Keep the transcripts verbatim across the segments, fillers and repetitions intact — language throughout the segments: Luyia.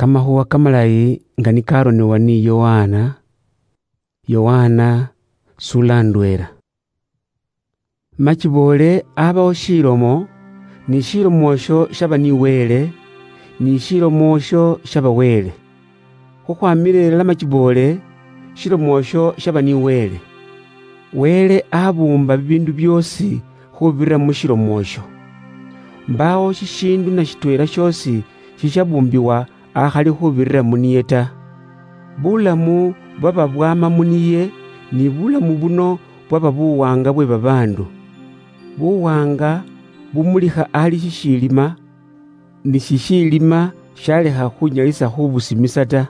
Kamakhuwa kamalayi nga nikaronebwa ni Yohana. Yohana sula ndwela. Machiboole abawo shilomo, ni shilomo osho shaba ni Wele, ni shilomo osho shaba Wele. Khukhwamila ilala machiboole, shilomo osho shaba ni Wele. Wele abumba bibindu biosi khubirira mu shilomo osho. Mbawo shishindu na shitwela shiosi shishabumbiwa akhali khubirira muniye ta. Bulamu bwaba bwama muniye, ni bulamu buno bwaba buwanga bwe babandu. Buwanga bumulikha ali shishilima, ni shishilima shalekha khunyalisa khubusimisa ta.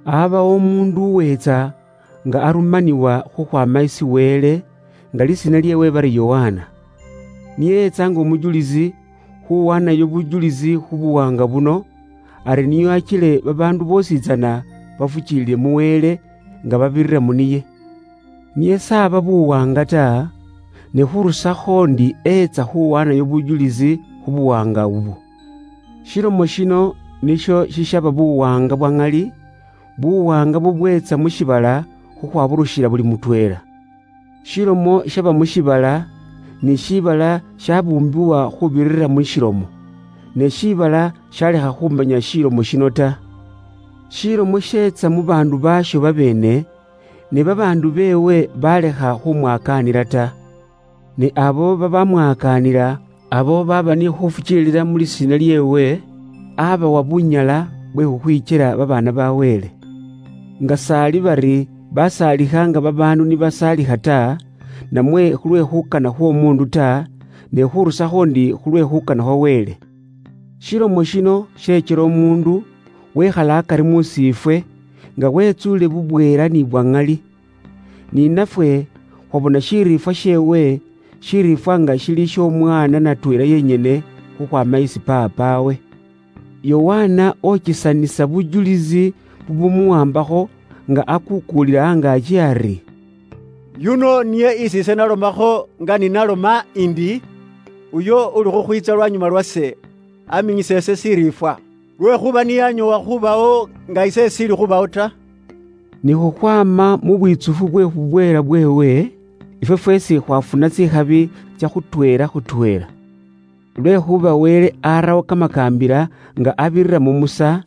Abawo omundu uwetsa nga arumanibwa khukhwama isi Wele, nga lisina liewe bari Yohana. Niye yetsa nga omujulizi khuwanayo bujulizi khubuwanga buno, ari niyo achile babandu bosi tsana bafuchilile mu Wele nga babirira muniye. Niye saba buwanga ta, ne khurusakho ndi etsa khuwanayo bujulizi khubuwanga ubu. Shilomo shino nisho shishaba buwanga bwa ng'ali, buwanga bubwetsa mushibala khukhwaburushila buli mutwela. Shilomo shaba mushibala, ni shibala shabumbiwa khubirira mushilomo, ne shibala shalekha khumanya shilomo shino ta. Shilomo shetsa mu bandu basho babene, ne babandu bewe balekha khumwakanila ta. Ne abo babamwakanila, abo baba ni khufuchilila mu lisina liewe, abawa bunyala bwe khukhwichela babana ba Wele. Nga sali bari basalikhanga babandu nibasalikha ta, namwe khulwe khukana khwomundu ta, ne khurusakho ndi khulwe khukana khwa Wele. Shilomo shino shechela omundu wekhala akari musifwe, nga wetsule bubwela ni bwang'ali. Ni nafwe khwabona shirifwa shewe, shirifwa nga shili shomwana natwela yenyene khukhwama isi papawe. Yohana ochisanisa bujulizi bubumuwambakho nga akukulila angachi ari, "Yuno niye isi ise nalomakho nga ninaloma indi, uyo uli khukhwitsa lwanyuma lwase, aminyisa ise sirifwa, lwekhuba niyanyowa khubawo nga ise sili khubawo ta." Ni khukhwama mu bwitsufu bwe khubwela bwewe, ifwe fwesi khwafuna tsikhabi tsia khutwela khutwela. Lwekhuba Wele arawo kamakambila nga abirira mu Musa,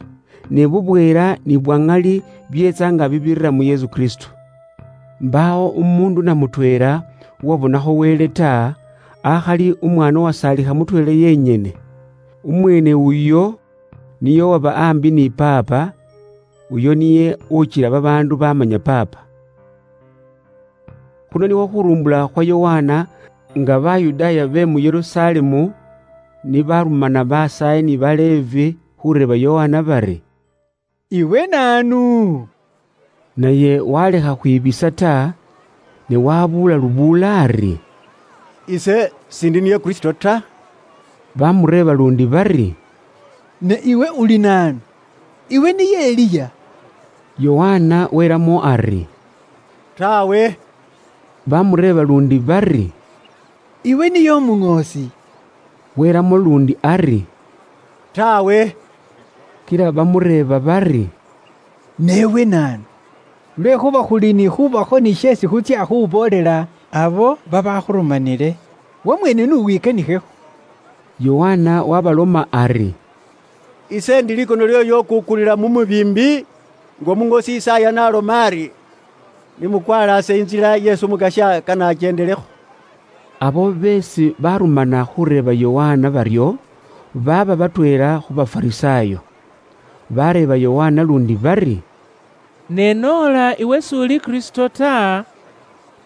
ne bubwela ni bwang'ali bietsa nga bibirira mu Yesu Kristo. Mbawo umundu na mutwela uwabonakho Wele ta, akhali umwana uwasalikha mutwela yenyene. Umwene uyo niye owaba ambi ni Paapa, uyo niye uchila babaandu bamanya Paapa. Khuno nikhwo khurumbula khwa Yohana, nga Bayudaaya be mu Yerusalemu nibarumana basaayi ni Baleevi khureeba Yohana bari, "Iwe naanu?" Naye walekha khwibisa ta, ne wabuula lubuula ari, "Ise sindi niye Kristo ta." Bamureeba lundi bari, "Ne iwe uli naanu? Iwe niye Eliya?" Yohana welamo ari, "Tawe." Bamureeba lundi bari, "Iwe niye omuŋoosi?" Welamo lundi ari, "Tawe." Kila bamureeba bari, "Newe naanu? Lwekhuba khuli ni khubakho ni sheesi khutsya khuboolela abo babakhurumanile, wamweene n'uwikanikhekho." Yohana wabaloma ari, "Ise ndi likono ly'oyo ukukulila mu mubiimbi, nga omuŋoosi Isaya n'aloma ari, 'Nimukwalaase intsila Yesu Omukasya kanachendelekho.'" Abo beesi barumana khureeba Yohana baryo, baaba batweela khu Bafarisaayo. Bareeba Yohana lundi bari, "Ne noola iwe s'uli Kristo ta,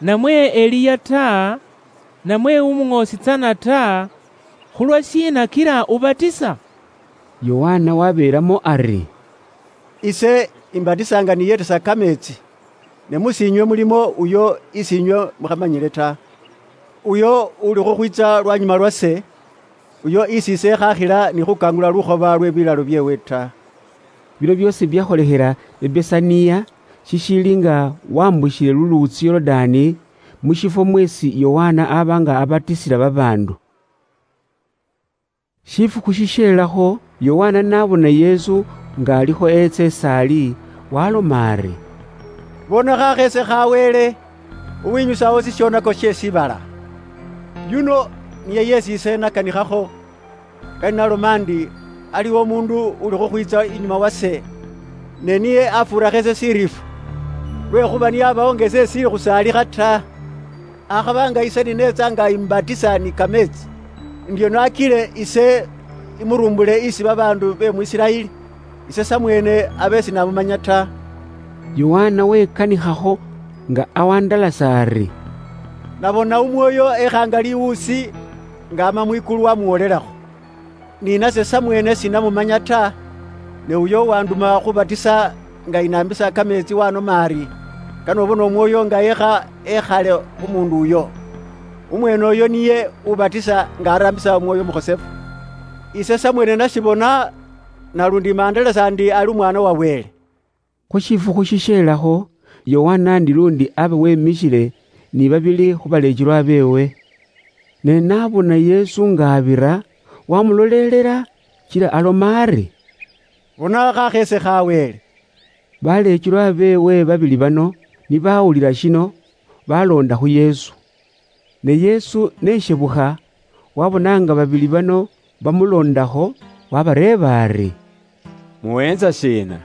namwe Eliya ta, namwe umuŋoosi tsana ta, khulwashiina kila ubatisa?" Yohana wabeelamo ari, "Ise imbatisaanga niyetesa kameetsi, ne musiinywe mulimo uyo isiinywe mukhamanyile ta. Uyo uli khukhwitsa lwanyuma lwase, uyo isi ise ekhakhila ni khukangula lukhoba lwe bilalo byeewe ta." Bino byoosi byakholekhela Ebesaniya, shishiili nga wambushile luluutsi Yorodani, mu shifwo mweesi Yohana aba nga abatisila babaandu. Shifukhu shishelakho, Yohana nabona Yesu nga alikho etsa esali, waloma ari, "Bona khakhese kha Wele, uwinyusawo sishonako shie shibala. Yuno niye yesi ise nakanikhakho, kali naloma ndi, 'Aliwo omundu uli khukhwitsa inyuma wase, ne niye afuura khese shirifu, lwekhuba niyabawo nga ise sili khusaalikha ta. Akhaba nga ise ninetsa nga imubatisa ni kametsi, ndio nakile ise imurumbule isi babaandu be mu Isiraeli, ise samweene abe sinamumanya ta.'" Yohana wekanikhakho nga awandalasa ari, "Nabona Umwoyo ekhanga liwuusi nga ama mwikulu wamuwolelakho. Ni nase samweene sinamumanya ta, ne uyo uwanduma khubatisa nga inambisa kameetsi wanoma ari, 'Kane obone Omwoyo nga yekha ekhale khu mundu uyo.' Umweene oyo niye ubatisa nga arambisa Omwoyo Omukhosefu. Ise samweene nashibona, nalundi mandelesa ndi ali Umwaana wa Wele." Khu shifukhu shishelakho, Yohana ndi lundi aba wemishile ni babili khu baleechilwa beewe. Ne nabona Yesu nga abira, wamulolelela, kila aloma ari, "Bona khakhese kha Wele." Baleechilwa beewe babili bano ni bawulila shino, balonda khu Yesu. Ne Yesu neshebukha, wabona nga babili bano bamulondakho, wabareeba ari, "Muhenza shiina?"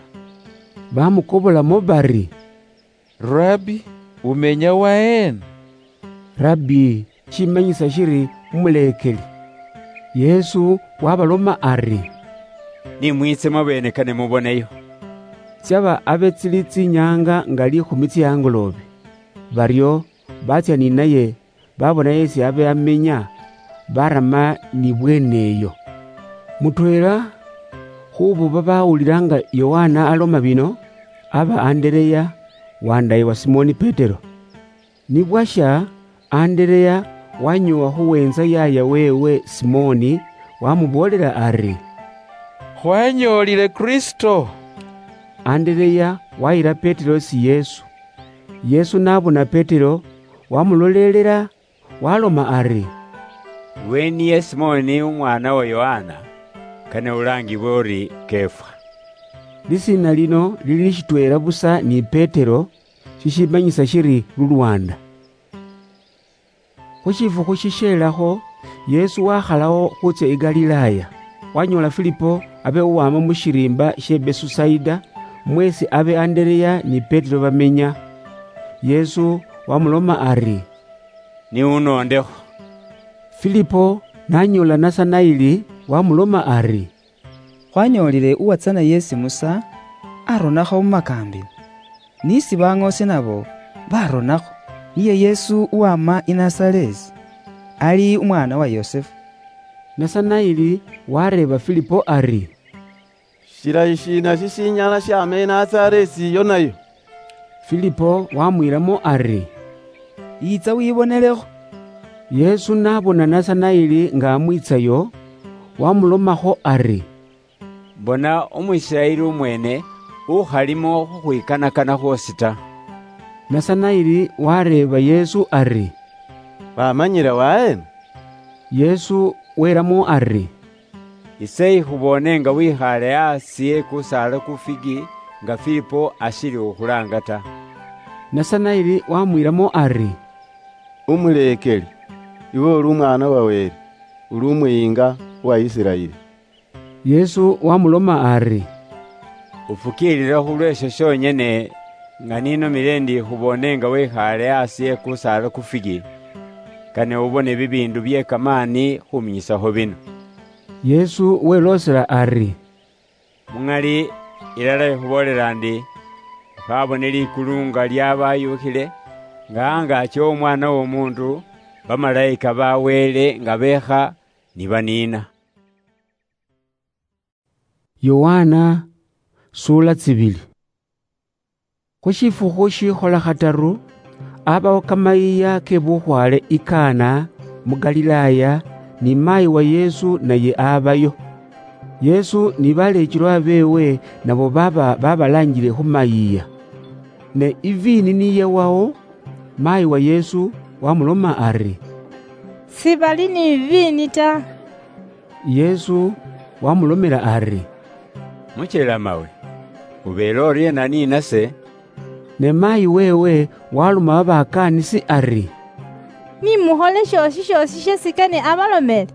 Bamukobolamo bari, "Rabbi, umenya waheena?" Rabbi, shimanyisa shiri Umuleekeli. Yesu wabaloma ari, "Nimwitse mwabeene kane muboneyo." Syaba abe tsili tsinyanga nga likhumi tsia angoloobe. Baryo batsya ninaye, babona yesi abe amenya, barama ni bweene eyo. Mutweela khubo babawulila nga Yohana aloma bino, aba Andereya, wandaye wa Simoni Petero. Ni bwasha, Andereya wanyoowa khuwenza yaya weewe Simoni, wamuboolela ari, "Khwanyoolile Kristo." Andereya wayila Petero isi Yesu. Yesu nabona Petero, wamulolelela, waloma ari, "Iwe niye Simoni umwaana wa Yohana, kane ulaangibwe uri Kefa." Lisiina lino lili shitweela busa ni Petero, shishimanyisa shiri lulwanda. Khu shifukhu shishelakho, Yesu wakhalawo khutsya i Galilaya. Wanyoola Filipo abe uwama mu shiriimba she Besusaida, mwesi abe Andereya ni Petero bamenya. Yesu wamuloma ari, "Niwunoondekho." Filipo nanyoola Nasanaili, wamuloma ari, "Khwanyoolile uwatsana yesi Musa aronakho mu makaambila, n'isi bang'oose nabo baronakho, niye Yesu uwama i Nasareti, ali umwaana wa Yosefu." Nasanaili wareeba Filipo ari, "Shilayi shiina shishinyala shyama i Nasareti iyo nayo?" Filipo wamwiilamo ari, "Yiitsa wibonelekho." Yesu nabona Nasanaili nga amwiitsayo, wamulomakho ari, "Bona Umwisiraeli umweene ukhalimo khukhwikanakana khwoosi ta." Nasanaili wareeba Yesu ari, "Wamanyile waheena?" Yesu welamo ari, "Ise ikhuboone nga wikhaale aasi e kusaala ku figi nga Filipo ashili khukhulaanga ta." Nasanaili wamwiilamo ari, "Umuleekeli, iwe uli Umwaana wa Wele, uli Umuyiinga wa Isiraeli." Yesu wamuloma ari, "Ufukiilile khulw'esho shonyene nga ninomile ndi ikhuboone nga wikhaale aasi e kusaala ku figi, kane ubone bibiindu bye kamaani khuminyisakho bino." Yesu weloosela ari, "Mu ŋali ilala ikhuboolela ndi, ukhabone likulu nga lyabayuukhile, nga angaaki w'Omwaana w'Omuundu, bamalayika ba Wele nga beekha ni baniina." Yohana, suula tsibili. Khu shifukhu shikhola khataru, abawo kamayiiya ke bukhwaale i Kana mu Galilaya, ni maayi wa Yesu naye abayo. Yesu ni baleechilwa beewe nabo baba babalaanjile khu mayiiya. Ne iviini niyewawo, maayi wa Yesu wamuloma ari, "Sibali ni viini ta." Yesu wamulomela ari, "Muchelamawe, ubeele oriena ninase?" Ne mayi wewe waloma babakaanisi ari, "Nimukhole shiosi shiosi shesikane abalomele."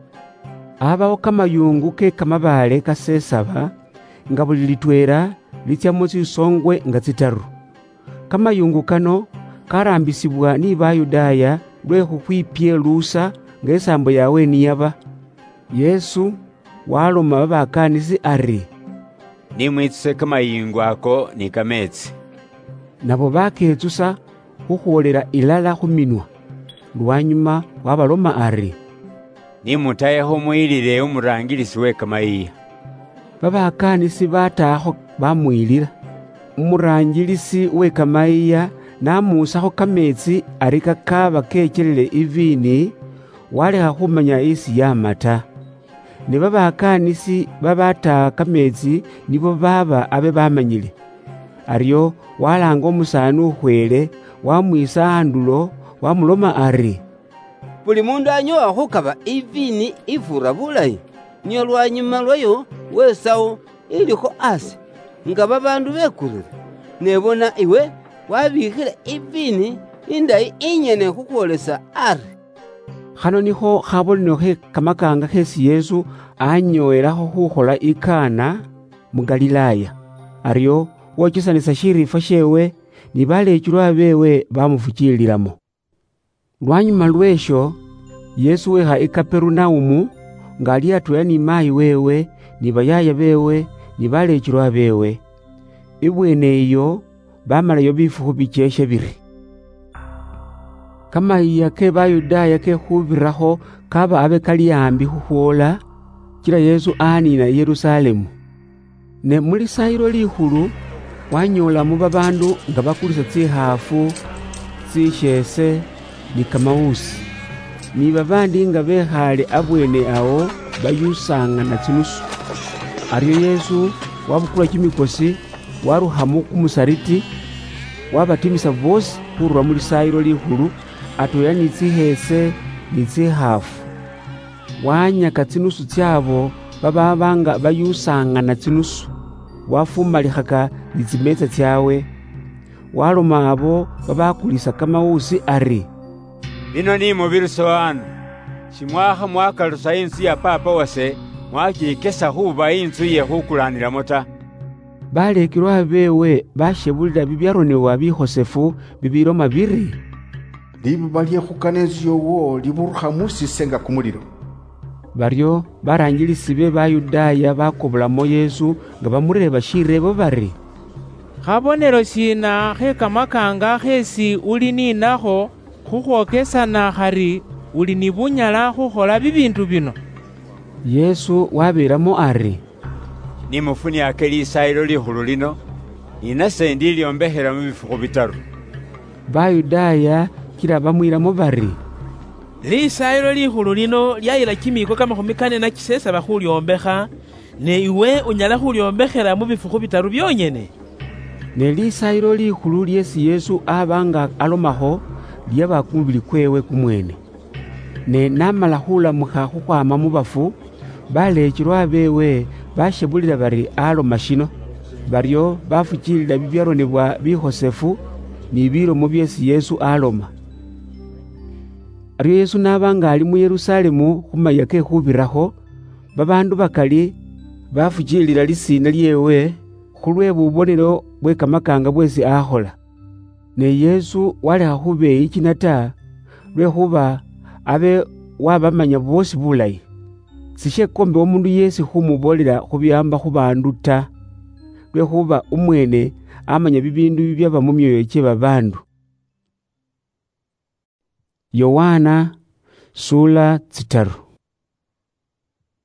Abawo kamayungu ke kamabaale kasesaba, nga buli litweela litsiamo tsisongwe nga tsitaru. Kamayungu kano karaambisibwa ni Bayudaaya lwe khukhwipyeluusa nga isaambo yawe niyaba. Yesu waloma babakaanisi ari, "Nimwitsuse kamayingu ako ni kameetsi." Nabo baketsusa khukhwolela ilala khu minwa. Lwanyuma wabaloma ari, "Nimutayekho muyilile umuraangilisi we kamayiiya." Babakaanisi bataakho bamuyilila. Umuraangilisi we kamayiiya namuusakho kameetsi ari kakaaba keechelele iviini, walekha khumanya isi yaama ta. Ne babakaanisi babataa kameetsi nibo baaba abe bamanyile. Aryo walaanga umusaani ukhweele, wamwiisa andulo, wamuloma ari, "Buli mundu anyoowa khukaba iviini ifuura bulayi, nio lwanyuma lwayo wesawo ilikho asi, nga babaandu bekulile. Ne bona iwe wabiikhile iviini indayi inyene khukhwolesa ari." Khano nikho khabonelo khe kamakaanga kheesi Yesu anyowelakho khukhola i Kana mu Galilaaya. Aryo wochesanisa shiriifwa sheewe, ni baleechulwa beewe bamufukiililamo. Lwanyuma lw'esho, Yesu wekha i Kaperunaumu, nga ali atweela ni maayi weewe, ni bayaaya beewe, ni baleechulwa beewe. Ibweene iyo bamalayo bifukhu bicheshe biri. Kamayiiya ke Bayudaaya ke khubirakho kaba abe kali ambi khukhwoola, kila Yesu aniina i Yerusalemu. Ne mu Lisaayilo Likhulu wanyoolamo babaandu nga bakulisa tsikhaafu, tsisheese, ni kamawuusi, ni babaandi nga bekhaale abweene awo bayusaangana tsinusu. Aryo Yesu wabukula kimikosi, warukha mu kumusariti, wabatimisa boosi khurula mu Lisaayilo Likhulu, atweela ni tsikheese ni tsikhaafu. Wanyaka tsinusu tsaabo babaaba nga bayusaangana tsinusu, wafumalikhaka ni tsimeetsa tsyaabwe, waloma abo babakulisa kamawuusi ari, "Bino ni mubiruso ano, shimwakha mwakalusa inzu ya Paapa wase, mwachikesa khuba inzu ye khukulaanilamo ta." Baleekelwa beewe bashebulila bibyaronebwa bikhosefu bibiloma biri, "Libuba lyekhukana inzu yoowo liburukha musise nga kumulilo." Baryo baraangilisi be Bayudaaya bakobolamo Yesu nga bamureeba shireebo bari, "Khabonelo shiina khe kamakaanga kheesi uli ninakho khukhwokesana khari uli ni bunyala khukhola bibiindu bino?" Yesu wabeelamo ari, "Ni mufuniake Lisaayilo Likhulu lino, ni nase ndilyoombekhela mu bifukhu bitaru." Bayudaaya kila bamwiilamo bari, "Lisaayilo Likhulu lino lyayila kimiiko kamakhumi kane na chisesaba khulyombekha, ne iwe unyala khulyoombekhela mu bifukhu bitaru byonyene?" Ne Lisaayilo Likhulu lyeesi Yesu aba nga alomakho, lyaba kumubili kweewe kumweene. Ne n'amala khulamukha khukhwaama mu bafu, baleechilwa beewe bashebulila bari aloma shino. Baryo bafukiilila bibyaronebwa bikhosefu ni bilomo byeesi Yesu aloma. Aryo Yesu n'aba nga ali mu Yerusalemu khu mayia ke Khubirakho, babaandu bakali bafukiilila lisiina lyeewe khulwe bubonelo bwe kamakaanga bweesi akhola. Ne Yesu walekha khubeeyikina ta, lwekhuba abe wabamanya boosi bulayi. Sishekombe omundu yeesi khumuboolela khu biaamba khu baandu ta, lwekhuba umweene amanya bibiindu bibyaba mu myooyo kye babaandu. Yowaana, suula tsitaru.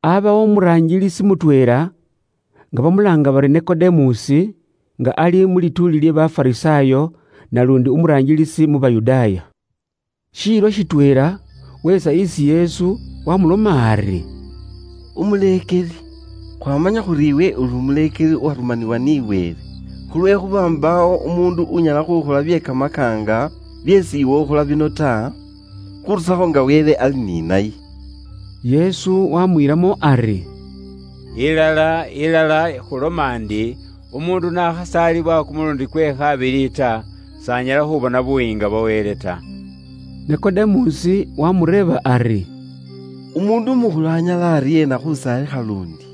Abawo umuraangilisi mutweela, nga bamulaanga bari Nikodemusi, nga ali mu lituuli lye Bafarisaayo, nalundi umuraangilisi mu Bayudaaya. Shiilo shitweela, weetsa isi Yesu, wamuloma ari, "Umuleekeli, khwamanya khuri iwe uli umuleekeli uwarumanibwa ni Wele, khulwekhuba mbaawo umuundu unyala khukhola bye kamakaanga byeesi iwe ukhola bino ta, khurusakho nga Wele ali ni naye." Yesu wamwiilamo ari, Ilala, ilala, khuloma ndi, umundu nakhasaalibwa kumulundi kwe khabili ta, sanyala khubona buwinga bwa Wele ta. Nikodemusi wamureeba ari, "Umundu umukhulu anyala ariena khusaalikha lundi?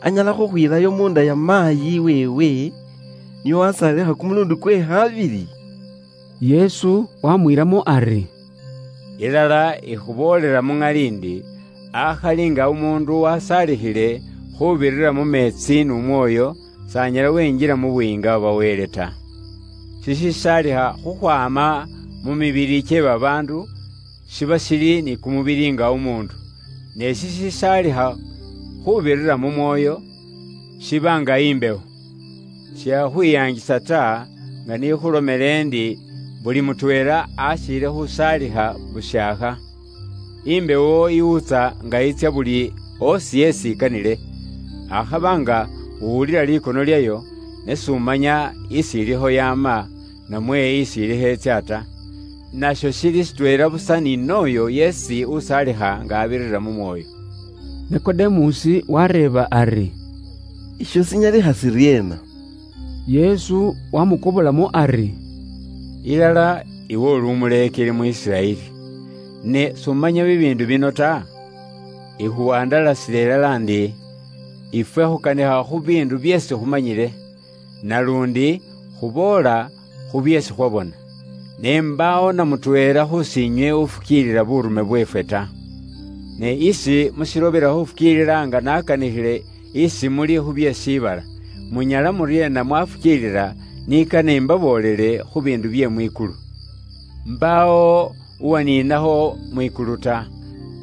Anyala khukhwilayo munda ya maayi weewe, niyo wasaalikha kumulundi kwe khabili?" Yesu wamwiilamo ari, "Ilala ikhuboolela mu ŋali ndi, akhali nga umuundu wasaalikhile khubirira mu meetsi n'Umwoyo, s'anyala wenjila mu Buyiinga bwa Wele ta. Shishisaalikha khukhwaama mu mibili kye babaandu, shiba shili ni kumubili nga umuundu, ne shishisaalikha khubirira mu Mwoyo, shiba nga imbewo. Shiakhwiyaangisa ta, nga nikhulomele endi, buli mutweela ashiile khusaalikha bushaakha. Imbewo iwutsa nga yitsia buli osi yesi ikanile, akhaba nga uwulila likono lyayo, ne s'umanya isi ilikho yaama, namwe isi ilikho etsia ta. Nasho shili shitweela busa ni n'oyo yesi usaalikha nga abirira mu Mwoyo." Nikodemusi wareeba ari, "Isho sinyalikha siryeena?" Yesu wamukobolamo ari, "Ilala iwe uli umuleekeli mu Isiraeli, ne s'umanya bibiindu bino ta? Ikhuwandalasile ilala ndi, ifwe khukanikha khu biindu byeesi khumanyile, nalundi khuboola khu byeesi khwabona. Ne mbaawo na mutweela khusiinywe ufukiilila burume bweefwe ta. Ne isi mushilobela khufukiilila nga nakanikhile isi muli khu bye shiibala, munyala muryeena mwafukiilila nikane imbaboolele khu biindu bye mwikulu? Mbaawo uwaniinakho mwikulu ta,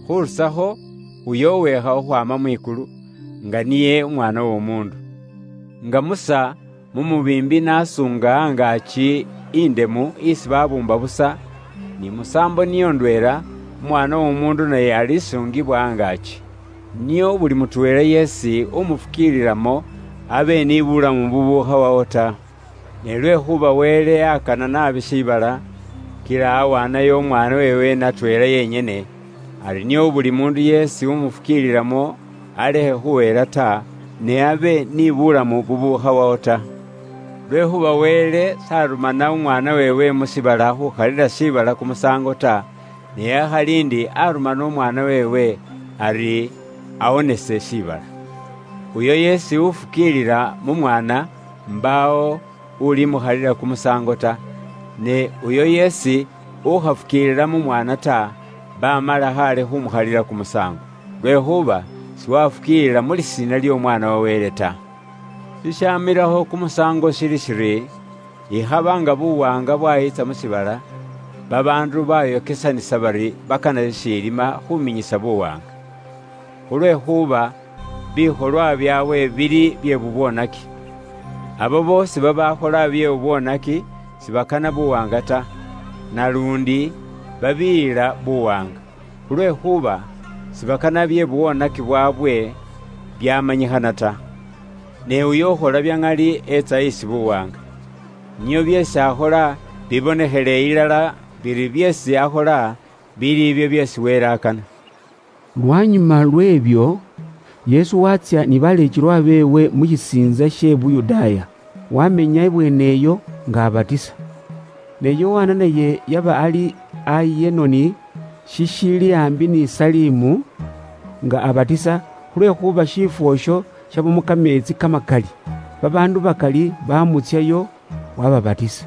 khurusakho uyo uweekha khukhwaama mwikulu, nga niye Umwaana w'Omuundu. Nga Musa mu mubiimbi nasunga angaaki indemu isi babuumba busa, ni musaambo niyo ndweela, Umwaana w'Omuundu naye alisungibwa angaaki, nio buli mutweela yeesi umufukiililamo abe ni bulamu bubuukhawawo ta. Ne lwekhuba Wele yakana naabi shiibala, kila awaanayo Umwaana weewe natweela yenyene, ari nio buli muundu yeesi umufukiililamo alekhe khuhela ta, ne abe ni bulamu bubuukhawawo ta. Lwekhuba Wele s'arumana Umwaana weewe mu shiibala khukhalila shiibala kumusaango ta, ne akhali ndi arumana Umwaana weewe ari awonese shiibala. Uyo yeesi ufukiilila mu Mwaana, mbaawo ulimukhalila kumusaango ta, ne uyo yeesi ukhafukiilila mu Mwaana ta, bamala khale khumukhalila kumusaango, lwekhuba siwafukiilila mu lisiina ly'Omwaana wa Wele ta. Shishamilakho kumusaango shili shiri, ikhaba nga buwaanga bwayitsa mu shiibala, babaandu bayokesanisa bari bakana shishilima khuminyisa buwaanga. Khulwekhuba bikholwa byabwe bili bye bubwonaki. Abo boosi babakhola bye bubwonaki sibakana buwaanga ta, nalundi babiyila buwaanga, khulwekhuba sibakana bye bubwonaki bwabwe byamanyikhana ta. Ne uyo ukhola bya ŋali etsa isi buwaanga, nio byeesi akhola bibonekhele ilala biri byeesi akhola bili ibyo byeesi Wele akana. Lwanyuma lw'ebyo, Yesu watsya ni baleekelwa beewe mu shisiintsa she Buyudaaya, wamenya ibweene eyo nga abatisa. Ne Yohana naye yaba ali Ayenoni, shishili ambi ni Salimu, nga abatisa, khulwekhuba shifwo isho shabamo kameetsi kamakali. Babaandu bakali bamutsyayo, wababatisa.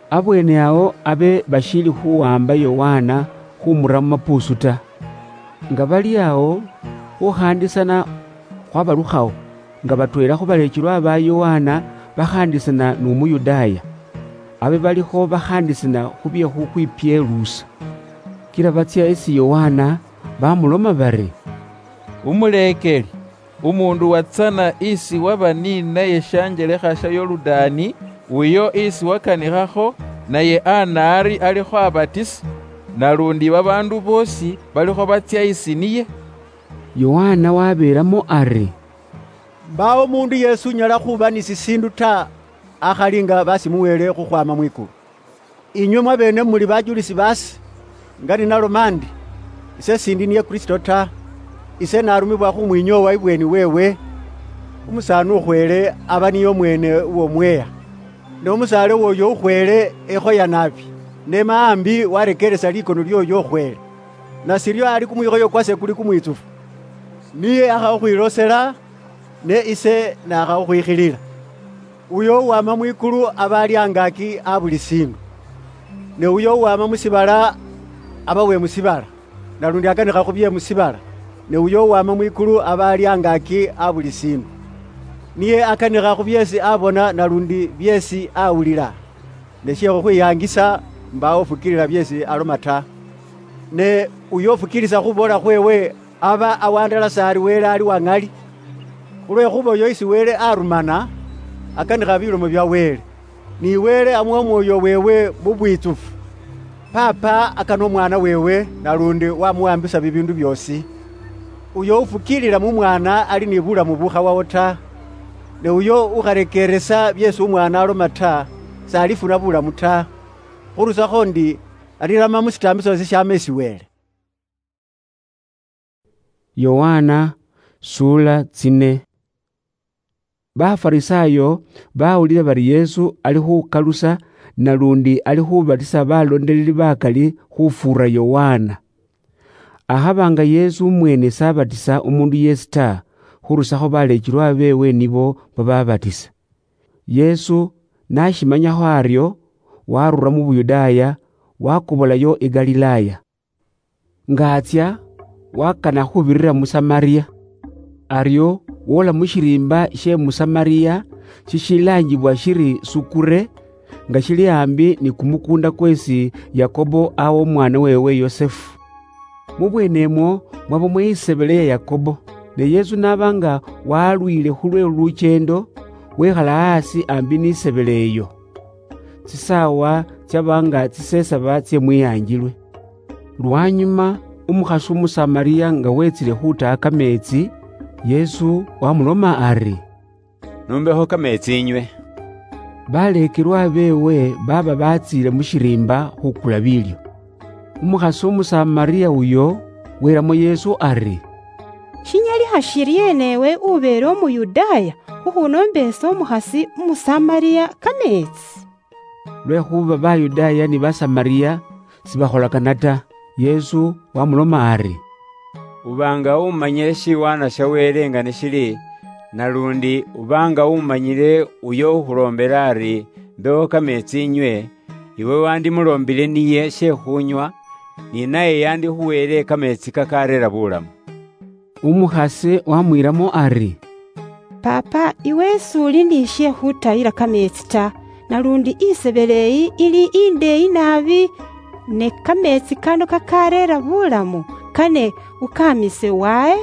Abweene awo abe bashiili khuwamba Yohana khumura mu mapuusu ta. Nga bali awo, khukhaandisana khwabalukhawo, nga batweela khu baleekelwa ba Yohana bakhaandisana nu Muyudaaya, abe balikho bakhaandisana khu bye khukhwipyeluusa. Kila batsya isi Yohana, bamuloma bari, "Umuleekeli, umuundu watsana isi waba ninaye shanjelekha sha Yoludaani, uyo isi wakanikhakho, naye anaari alikho abatisa, nalundi babaandu boosi balikho batsya isi niye." Yohana wabeelamo ari, "Mbaawo umuundu yeesi unyala khuba ni sisiindu ta, akhali nga basimuweele khukhwaama mwikulu. Inywe mwabeene muli bajulisi baase, nga ninaloma ndi, 'Ise sindi niye Kristo ta, ise narumibwa khumwinyoowa ibweeni weewe.' Umusaani ukhweele aba niye omweene uw'omweeya, ne umusaale w'oyo ukhweele ekhoya naabi, ne maambi warekeeresa likono ly'oyo ukhweele. Nasiryo ali kumwikhoyo kwase kuli kumwitsufu. Niye akha khukhwilosela, ne ise naakha khukhwikhilila. Uyo uwama mwikulu aba ali angaaki a buli siindu, ne uyo uwama mu shiibala aba we mu shiibala, nalundi akanikha khu bye mu shiibala, ne uyo uwama mwikulu aba ali angaaki a buli siindu. Niye akanikha khu byeesi abona nalundi byeesi awulila. Ne she khukhwiyaangisa, mbaawo ufukiilila byeesi aloma ta. Ne uyo ufukiilisa khuboola khweewe aba awandalasa ari Wele ali wa ŋali, khulwekhuba oyo isi Wele arumana, akanikha bilomo bya Wele. Ni Wele amuwa Omwoyo weewe mu bwitsufu. Paapa akana Omwaana weewe, nalundi wamuwambisa bibiindu byoosi. Uyo ufukiilila mu Mwaana ali ni bulamu bukhawawo ta, ne uyo ukharekeeresa byeesi Umwaana aloma ta, s'alifuna bulamu ta, khurusakho ndi alirama mu shitaambiso sheshaama isi Wele. Yohana, sula tsine. Bafarisaayo bawulira bari Yesu ali khukalusa nalundi ali khubatisa balondeleli bakali khufuura Yohana. Akhaba nga Yesu mwene sabatisa umundu yesi ta, khurusakho baleechilwa beewe nibo bababatisa. Yesu nashimanyakho aryo, warura mu Buyudaaya, wakobolayo i Galilaaya. Nga atsya, wakana khubirira mu Samaria. Aryo woola mu shiriimba she mu Samaria shishilaanjibwa shiri Sukure, nga shili aambi ni kumukuunda kwesi Yakobo awa omwaana weewe Yosefu. Mu bweenemwo mwabamo isebele ya Yakobo, ne Yesu n'aba nga walwiile khulwe lukyeendo, wekhala aasi aambi ni sebele eyo. Tsisaawa tsyaba nga tsisesaba tsye mwihanjilwe. Lwanyuma, umukhasi Umusamaria nga wetsile khutaha kameetsi, Yesu wamuloma ari, "Numbekho kameetsi inywe." Baleekelwa beewe baba batsiile mu shiriimba khukula biilyo. Umukhasi Umusamaria uyo welamo Yesu ari, "Shinyalikha shiryeena ewe ubeele Umuyudaaya khukhunombeesa umukhasi Umusamaria kameetsi?" Lwekhuba Bayudaaya ni Basamaria sibakholakana ta. Yesu wamuloma ari, "Uba nga umanyile shiwaana sha Wele nga nishili, nalundi uba nga umanyile uyo ukhuloombela ari, 'Mbewo kameetsi inywe,' iwe wandimuloombile niye she khunywa, ni naye yandikhuweele kameetsi kakareera bulamu." Umukhasi wamwiilamo ari, "Paapa, iwe s'uli ni she khutayila kameetsi ta, nalundi isebele eyi ili indeeyi naabi, ne kameetsi kano kakareera bulamu, kane ukamise wahe?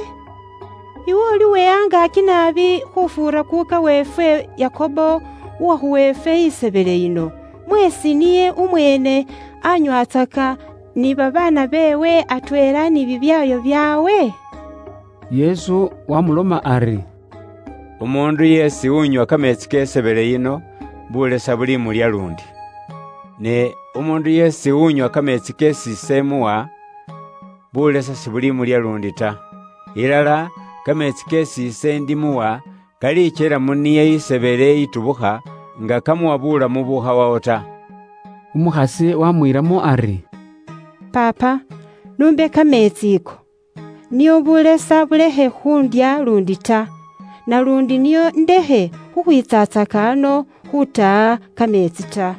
Iwe uli we angaaki naabi khufuura kuuka weefwe Yakobo, uwakhuwa efwe isebele yino. Mwesi niye umweene anywatsaka ni babaana beewe atweela ni bibyaayo byaawe?" Yesu wamuloma ari, "Umuundu yeesi unywa kameetsi ke sebele yino, bulesa bulimulya lundi. Ne umuundu yeesi unywa kameetsi keesi ise muwa, bulesa sibulimulya lundi ta. Ilala, kameetsi keesi ise ndimuwa kalichela mu niye isebele itubukha, nga kamuwa bulamu bukhawawo ta." Umukhasi wamwiilamo ari, "Paapa, numbe kameetsi iko, nio bulesa bulekhe khundya lundi ta, nalundi nio ndekhe khukhwitsaatsaka ano khutaha kameetsi ta."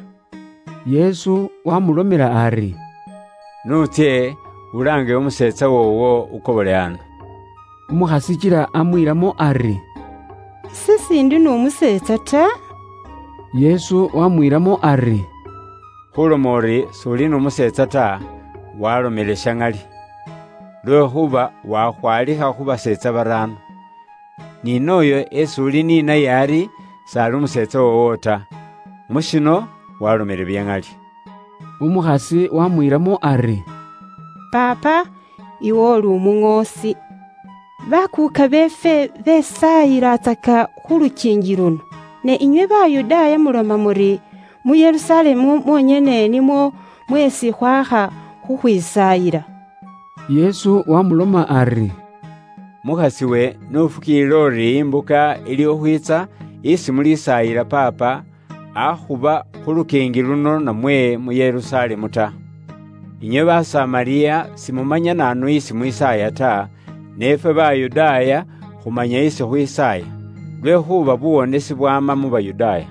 Yesu wamulomela ari, "Nutsye, ulaange umuseetsa woowo ukobole ano." Umukhasi kila amwiilamo ari, "Ise sindi n'umuseetsa ta." Yesu wamwiilamo ari, "Khuloma uri s'uli n'umuseetsa ta, walomele sha ŋali. Lwekhuba wakhwalikha khu baseetsa baraano. Ni nooyo esi uli ni naye ari s'ali umuseetsa woowo ta. Mu shino walomele bya ŋali." Umukhasi wamwiilamo ari, "Paapa, iwe uli umuŋoosi. Bakuuka beefwe besaayilatsaka khu lukiingi luno, ne inywe Bayudaaya muloma muri, 'Mu Yerusalemu mwonyene nimwo mwesi khwakha khukhwisaayila.'" Yesu wamuloma ari, Mukhasiwe, n'ufukiilila uri imbuka ili okhwiitsa isi mulisaayila Paapa akhuba khu lukiingi luno namwe mu Yerusalemu ta. Inywe Basamaria simumanya naanu isi mwisaaya ta, ne ifwe Bayudaaya khumanya isi khwisaaya, lwekhuba buwonesi bwama mu Bayudaaya.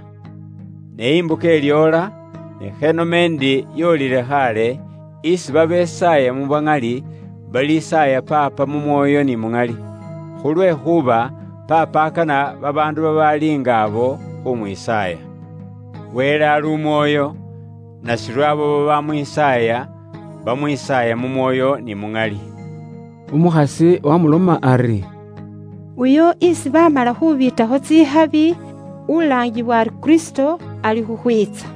Ne imbuka ilyoola, ne khenome ndi yoolile khaale, isi babesaaya mu bwa ŋali balisaaya Paapa mu mwoyo ni mu ŋali, khulwekhuba Paapa akana babaandu babaali nga abo khumwisaaya. Wele ali umwoyo, nashiryo abo babamwisaaya, bamwisaaya mu mwoyo ni mu ŋali. Umukhasi wamuloma ari, "Uyo isi bamala khubiitakho tsikhabi, ulaangibwa ari Kristo, ali khukhwiitsa.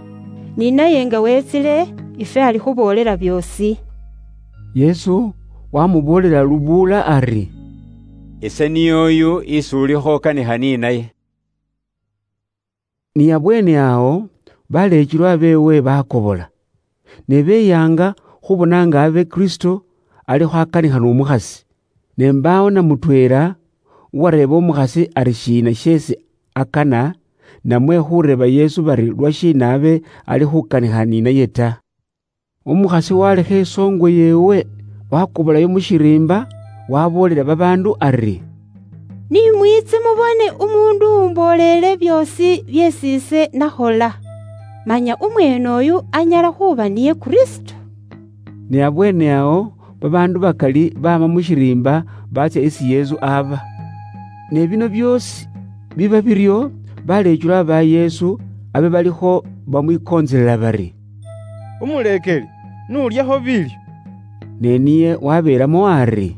Ni naye nga wetsile, ifwe alikhuboolela byoosi." Yesu wamuboolela lubuula ari, "Ise niye oyu isi ulikho okanikha ni naye." Ni abweene awo, baleechulwa beewe bakobola, ne beyaanga khubona nga abe Kristo alikho akanikha n'omukhasi. Ne mbaawo na mutweela uwareeba omukhasi ari shiina sheesi akana, namwe khureeba Yesu bari lwashiina abe ali khukanikha ni naye ta. Umukhasi walekha isoongo yeewe, wakobolayo mu shiriimba, waboolela babaandu ari, "Ni mwiitse mubone umuundu umboolele byoosi byeesi ise nakhola. Manya umweene uyu anyala khuuba niye Kristo." Ne abweene awo, babaandu bakali baama mu shiriimba baatsya isi Yesu aba. Ne bino byoosi biba biryo, baleechulwa ba Yesu abe balikho bamwikontselela bari, "Umuleekeli, n'ulyakho biilyo." Ne niye wabeelamo ari,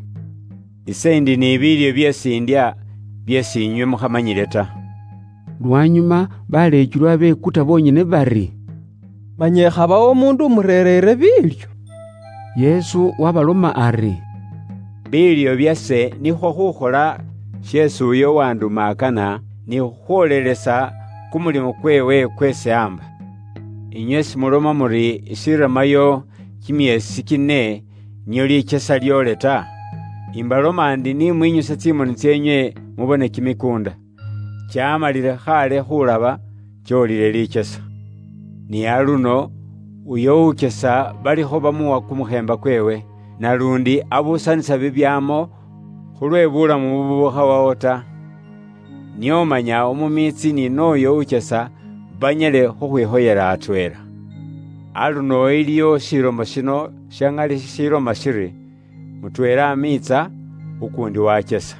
"Ise ndi ni biilyo byeesi ndya byeesi inywe mukhamanyile ta." Lwanyuma baleechulwa bekuta bonyene bari, "Manya ekhabawo omundu umurereere biilyo?" Yesu wabaloma ari, "Biilyo byase nikhwo khukhola sheesi uyo uwanduma akana, ni khukhwoolelesa kumulimo kweewe kweesi amba. Inywe simuloma muri ishiramayo kimyeesi kine nio lichesa lyoole ta? Imbaloma ndi ni mwinyusa tsimoni tseenywe mubone kimikuunda. Chamalile khaale khulaba, choolile lichesa. Ni aluno, uyo uchesa balikho bamuwa kumukheemba kweewe, nalundi abusanisa bibyaamo khulwe bulamu bubukhawawo ta. Nio manya umumiitsi ni n'oyo uchesa banyale khukhwikhoyela atweela. Aluno iliyo shilomo shino sha ŋali shishiloma shiri, 'Mutweela amiitsa, ukuundi wachesa.'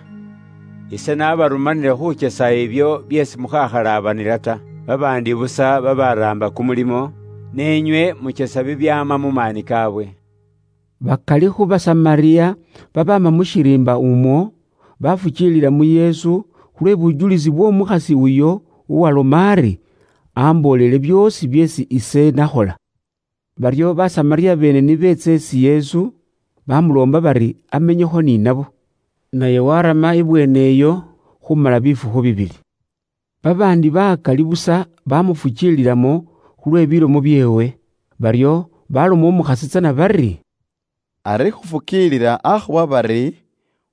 Ise nabarumanile khuchesa ibyo byeesi mukhakhalabanila ta, babaandi busa babaraamba kumulimo, ne inywe muchesa bibyaama mu maani kaabwe." Bakali khu Basamaria babaama mu shiriimba umwo, bafukiilila mu Yesu khulwe bujulisi bw'omukhasi uyo uwaloma ari, "Amboolele byoosi byeesi ise nakhola." Baryo Basamaria beene ni beetsa isi Yesu, bamuloomba bari amenyekho ni nabo. Naye warama ibweene iyo khumala bifukhu bibili. Babaandi bakali busa bamufukiililamo khulwe bilomo byeewe, baryo baloma umukhasi tsana bari, "Ari khufukiilila akhuba bari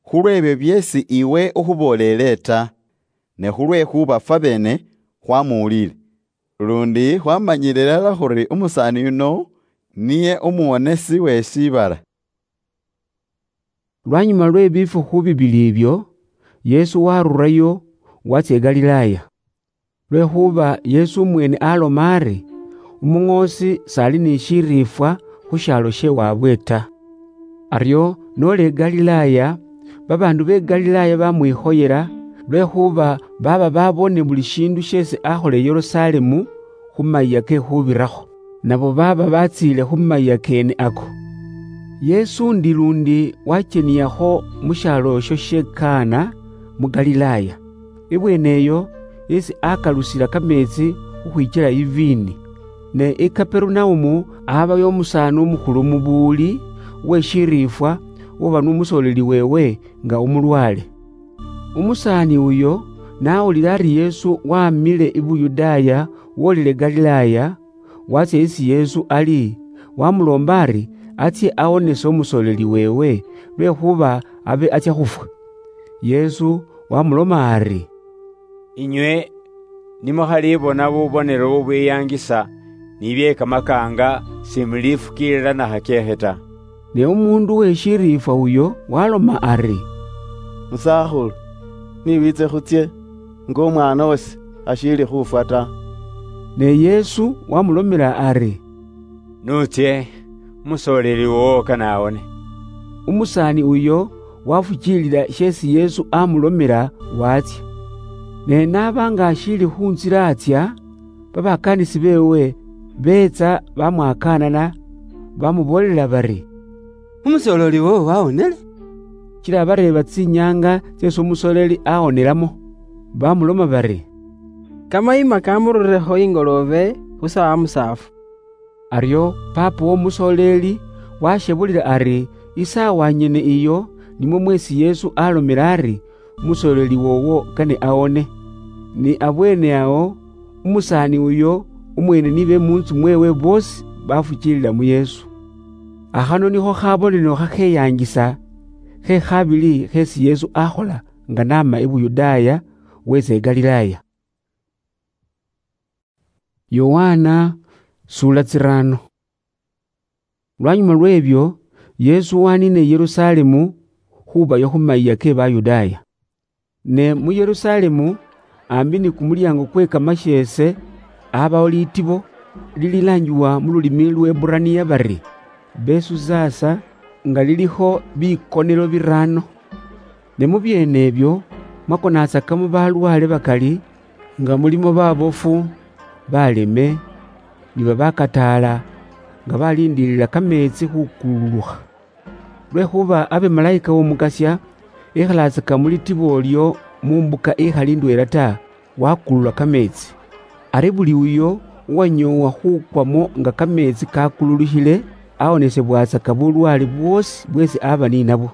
khulw'ebyo byeesi iwe ukhuboolele ta, ne khulwekhuba fwabeene khwamuwulile. Lundi khwamanyile ilala khuri umusaani yuno niye umuwonesi we shiibala." Lwanyuma lwe bifukhu bibili ibyo, Yesu warurayo, watsya i Galilaaya. Lwekhuba Yesu umweene aloma ari, "Umuŋoosi s'ali ni shiriifwa khu shaalo she waabwe ta." Aryo n'ola i Galilaaya, babaandu be Galilaaya bamwikhoyela, lwekhuba baaba babone buli shiindu sheesi akhola i Yerusalemu khu mayia ke khubirakho. Nabo baaba batsiile khu mayia keene ako. Yesu ndi lundi wacheniakho mu shaalo esho she Kana mu Galilaaya. Ibweene eyo esi akalusila kameetsi khukhwichila iviini. Ne i Kaperunaumu abayo umusaani umukhulu umubuuli we shiriifwa, uwaba n'umusoleli weewe nga umulwaale. Umusaani uyo n'awulila ari Yesu wamile i Buyudaaya wolile Galilaaya, watsya isi Yesu ali, wamuloomba ari atsye awonese umusoleli weewe, lwekhuba abe atsya khufwa. Yesu wamuloma ari, "Inywe nimukhalibona bubonero bubwiyangisa, nibyekamakanga, simulifukiilila na hakeekhe ta." Ne umundu we shiriifwa uyo waloma ari, "Musakhulu, niwitse khutsie, nga umwana osi ashili khufwa ta." Ne Yesu wamulomela ari, "Nutsie, umusoleli wowo kane awone." Umusaani uyo wafukiilila sheesi Yesu amulomela, watsya. Ne n'aba nga ashiili khu ntsila atsya, babakaanisi beewe beetsa bamwakaanana, bamuboolela bari, "Umusoleli wowo wawonele." Kila bareeba tsinyaanga tseesi umusoleli awonelamo, bamuloma bari, "Kamayima kamururekho ingoloobe khu saawa musaafu." Aryo paapa w'omusoleli washebulila ari isaawa nyene iyo nimwo mweesi Yesu alomela ari, "Umusoleli wowo kane awone." Ni abweene awo, umusaani uyo umweene ni be mu ntsu mweewe boosi bafukiilila mu Yesu. Akhano nikho khabonelo khakheyaangisa khe khabili kheesi Yesu akhola nga naama i Buyudaaya, weetsa i Galilaaya. Yohana, sura tsirano. Lwanyuma lw'ebyo, Yesu waniina i Yerusalemu khubayo khu mayiya ke Bayudaaya. Ne mu Yerusalemu, ambi ni kumulyango kwe kamasheese, abawo litibo lililangiwa mu lulimi lw'Eburaniya bari, Besuzasa, nga lilikho bikonelo birano. Ne mu byeene ebyo mwakonatsakamo balwaale bakali, nga mulimo babofu, baleme, ni babakataala, nga balindiilila kameetsi khukululukha. Lwekhuba abe malayika w'Omukasya ekhalaatsaka mu litibo olyo mu mbuka ikhali ndweela ta, wakulula kameetsi. Ari buli uyo uwanyoowa khukwamo nga kameetsi kakululukhile, awonesebwatsaka bulwaale bwoosi bweesi aba ni nabwo.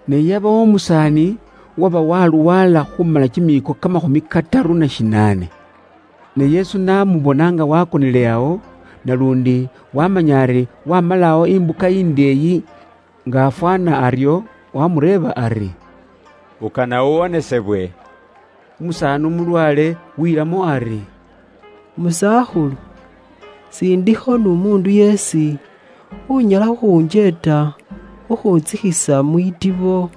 Ne yabawo umusaani uwaba walwaala khumala kimiiko kamakhumi kataru na shinaane. Ne Yesu n'amubona nga wakonile awo, nalundi wamanya ari wamalawo imbuka indeeyi nga afwana aryo, wamureeba ari, "Ukana uwonesebwe?" Umusaani umulwaale wiilamo ari, "Musakhulu, sindikho n'umuundu yeesi unyala khukhunjeeta khukhuntsikhisa mwitibo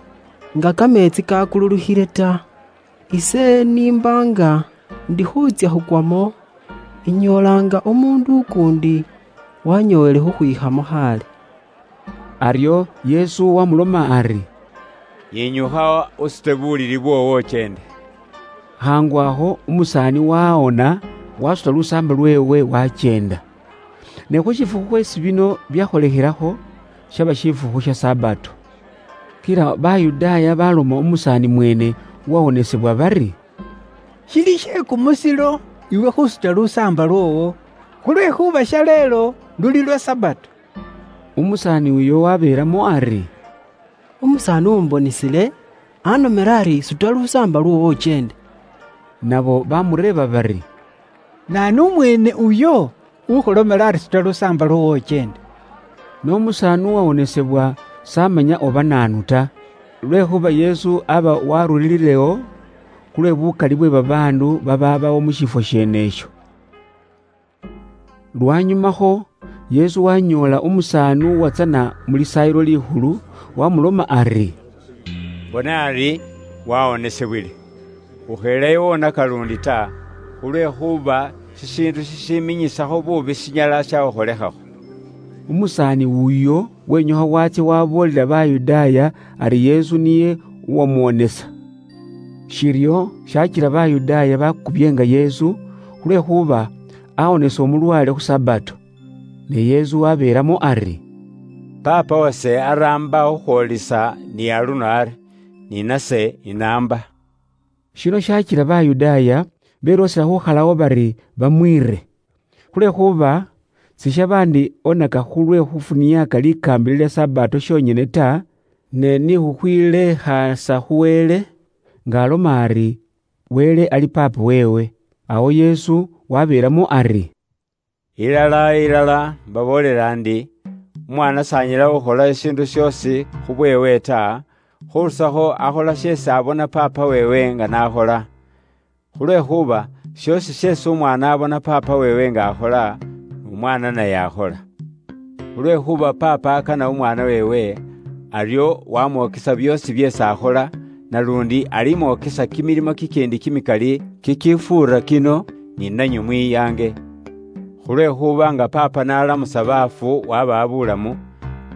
nga kameetsi kakululukhile ta. Ise nimba nga ndikhutsya khukwamo, inyoolanga omundu ukuundi wanyoowele khukhwikhamo khale." Aryo Yesu wamuloma ari, "Yinyukha usute bulili bwoowo uchende." Khangu akho umusaani wawona, wasuta lusaamba lweewe wacheenda. Ne khu shifukhu khweesi bino byakholekhelakho, shaba shifukhu sha Sabato. Kila Bayudaaya baloma umusaani mweene uwawonesebwa bari, "Shili she kumusilo iwe khusuta lusaamba lwoowo, khulwekhuba shaleelo luli lwa Sabato." Umusaani uyo wabeelamo ari, "Umusaani umbonisile anomere ari, 'Suta lusaamba lwoowo uchende.'" Nabo bamureeba bari, "Naanu umweene uyo ukhulomela ari, 'Suta lusaamba lwoowo uchende'?" N'omusaani uwawonesebwa s'amanya oba naanu ta, lwekhuba Yesu aba warulililewo khulwe bukali bwe babaandu bababawo mu shifwo sheenesho. Lwanyumakho, Yesu wanyoola umusaani uwatsana mu Lisaayilo Likhulu, wamuloma ari, "Bona ari wawonesebwile. Ukheleyo wonaka lundi ta, khulwekhuba shishiindu shishiminyisakho bubi shinyala shakhukholekhakho." Umusaani wuyo wenyukha watsya waboolela Bayudaaya ari Yesu niye uwamwonesa. Shiryo shachila Bayudaaya bakubyenga Yesu, khulwekhuba awonesa omulwale khu Sabato. Ne Yesu wabeelamo ari, "Paapa wase araamba khukhwolisa ni aluno ari, ni nase inaamba." Shino shachila Bayudaaya beloosela khukhalawo bari bamwiire. Khulwekhuba sishaba ndi onaka khulwe khufuniaka likaambila lya Sabato shonyene ta, ne ni khukhwilekhasa khu Wele, nga aloma ari, Wele ali Paapa weewe. Awo Yesu wabeelamo ari, "Ilala, ilala, mbaboolela ndi, Umwaana s'anyala khukhola eshiindu syoosi khu bweewe ta, khurusakho akhola sheesi abona Paapa weewe nga n'akhola. Khulwekhuba shiosi sheesi Umwaana abona Paapa weewe nga akhola, n'Umwaana naye akhola. Khulwekhuba Paapa akana Umwaana weewe, aryo wamwokesa byoosi byeesi akhola, nalundi alimwokesa kimilimo kikindi kimikali kikifuura kino, ni nanywe mwiyaange. Khulwekhuba nga Paapa n'alamusa baafu wabaha bulamu,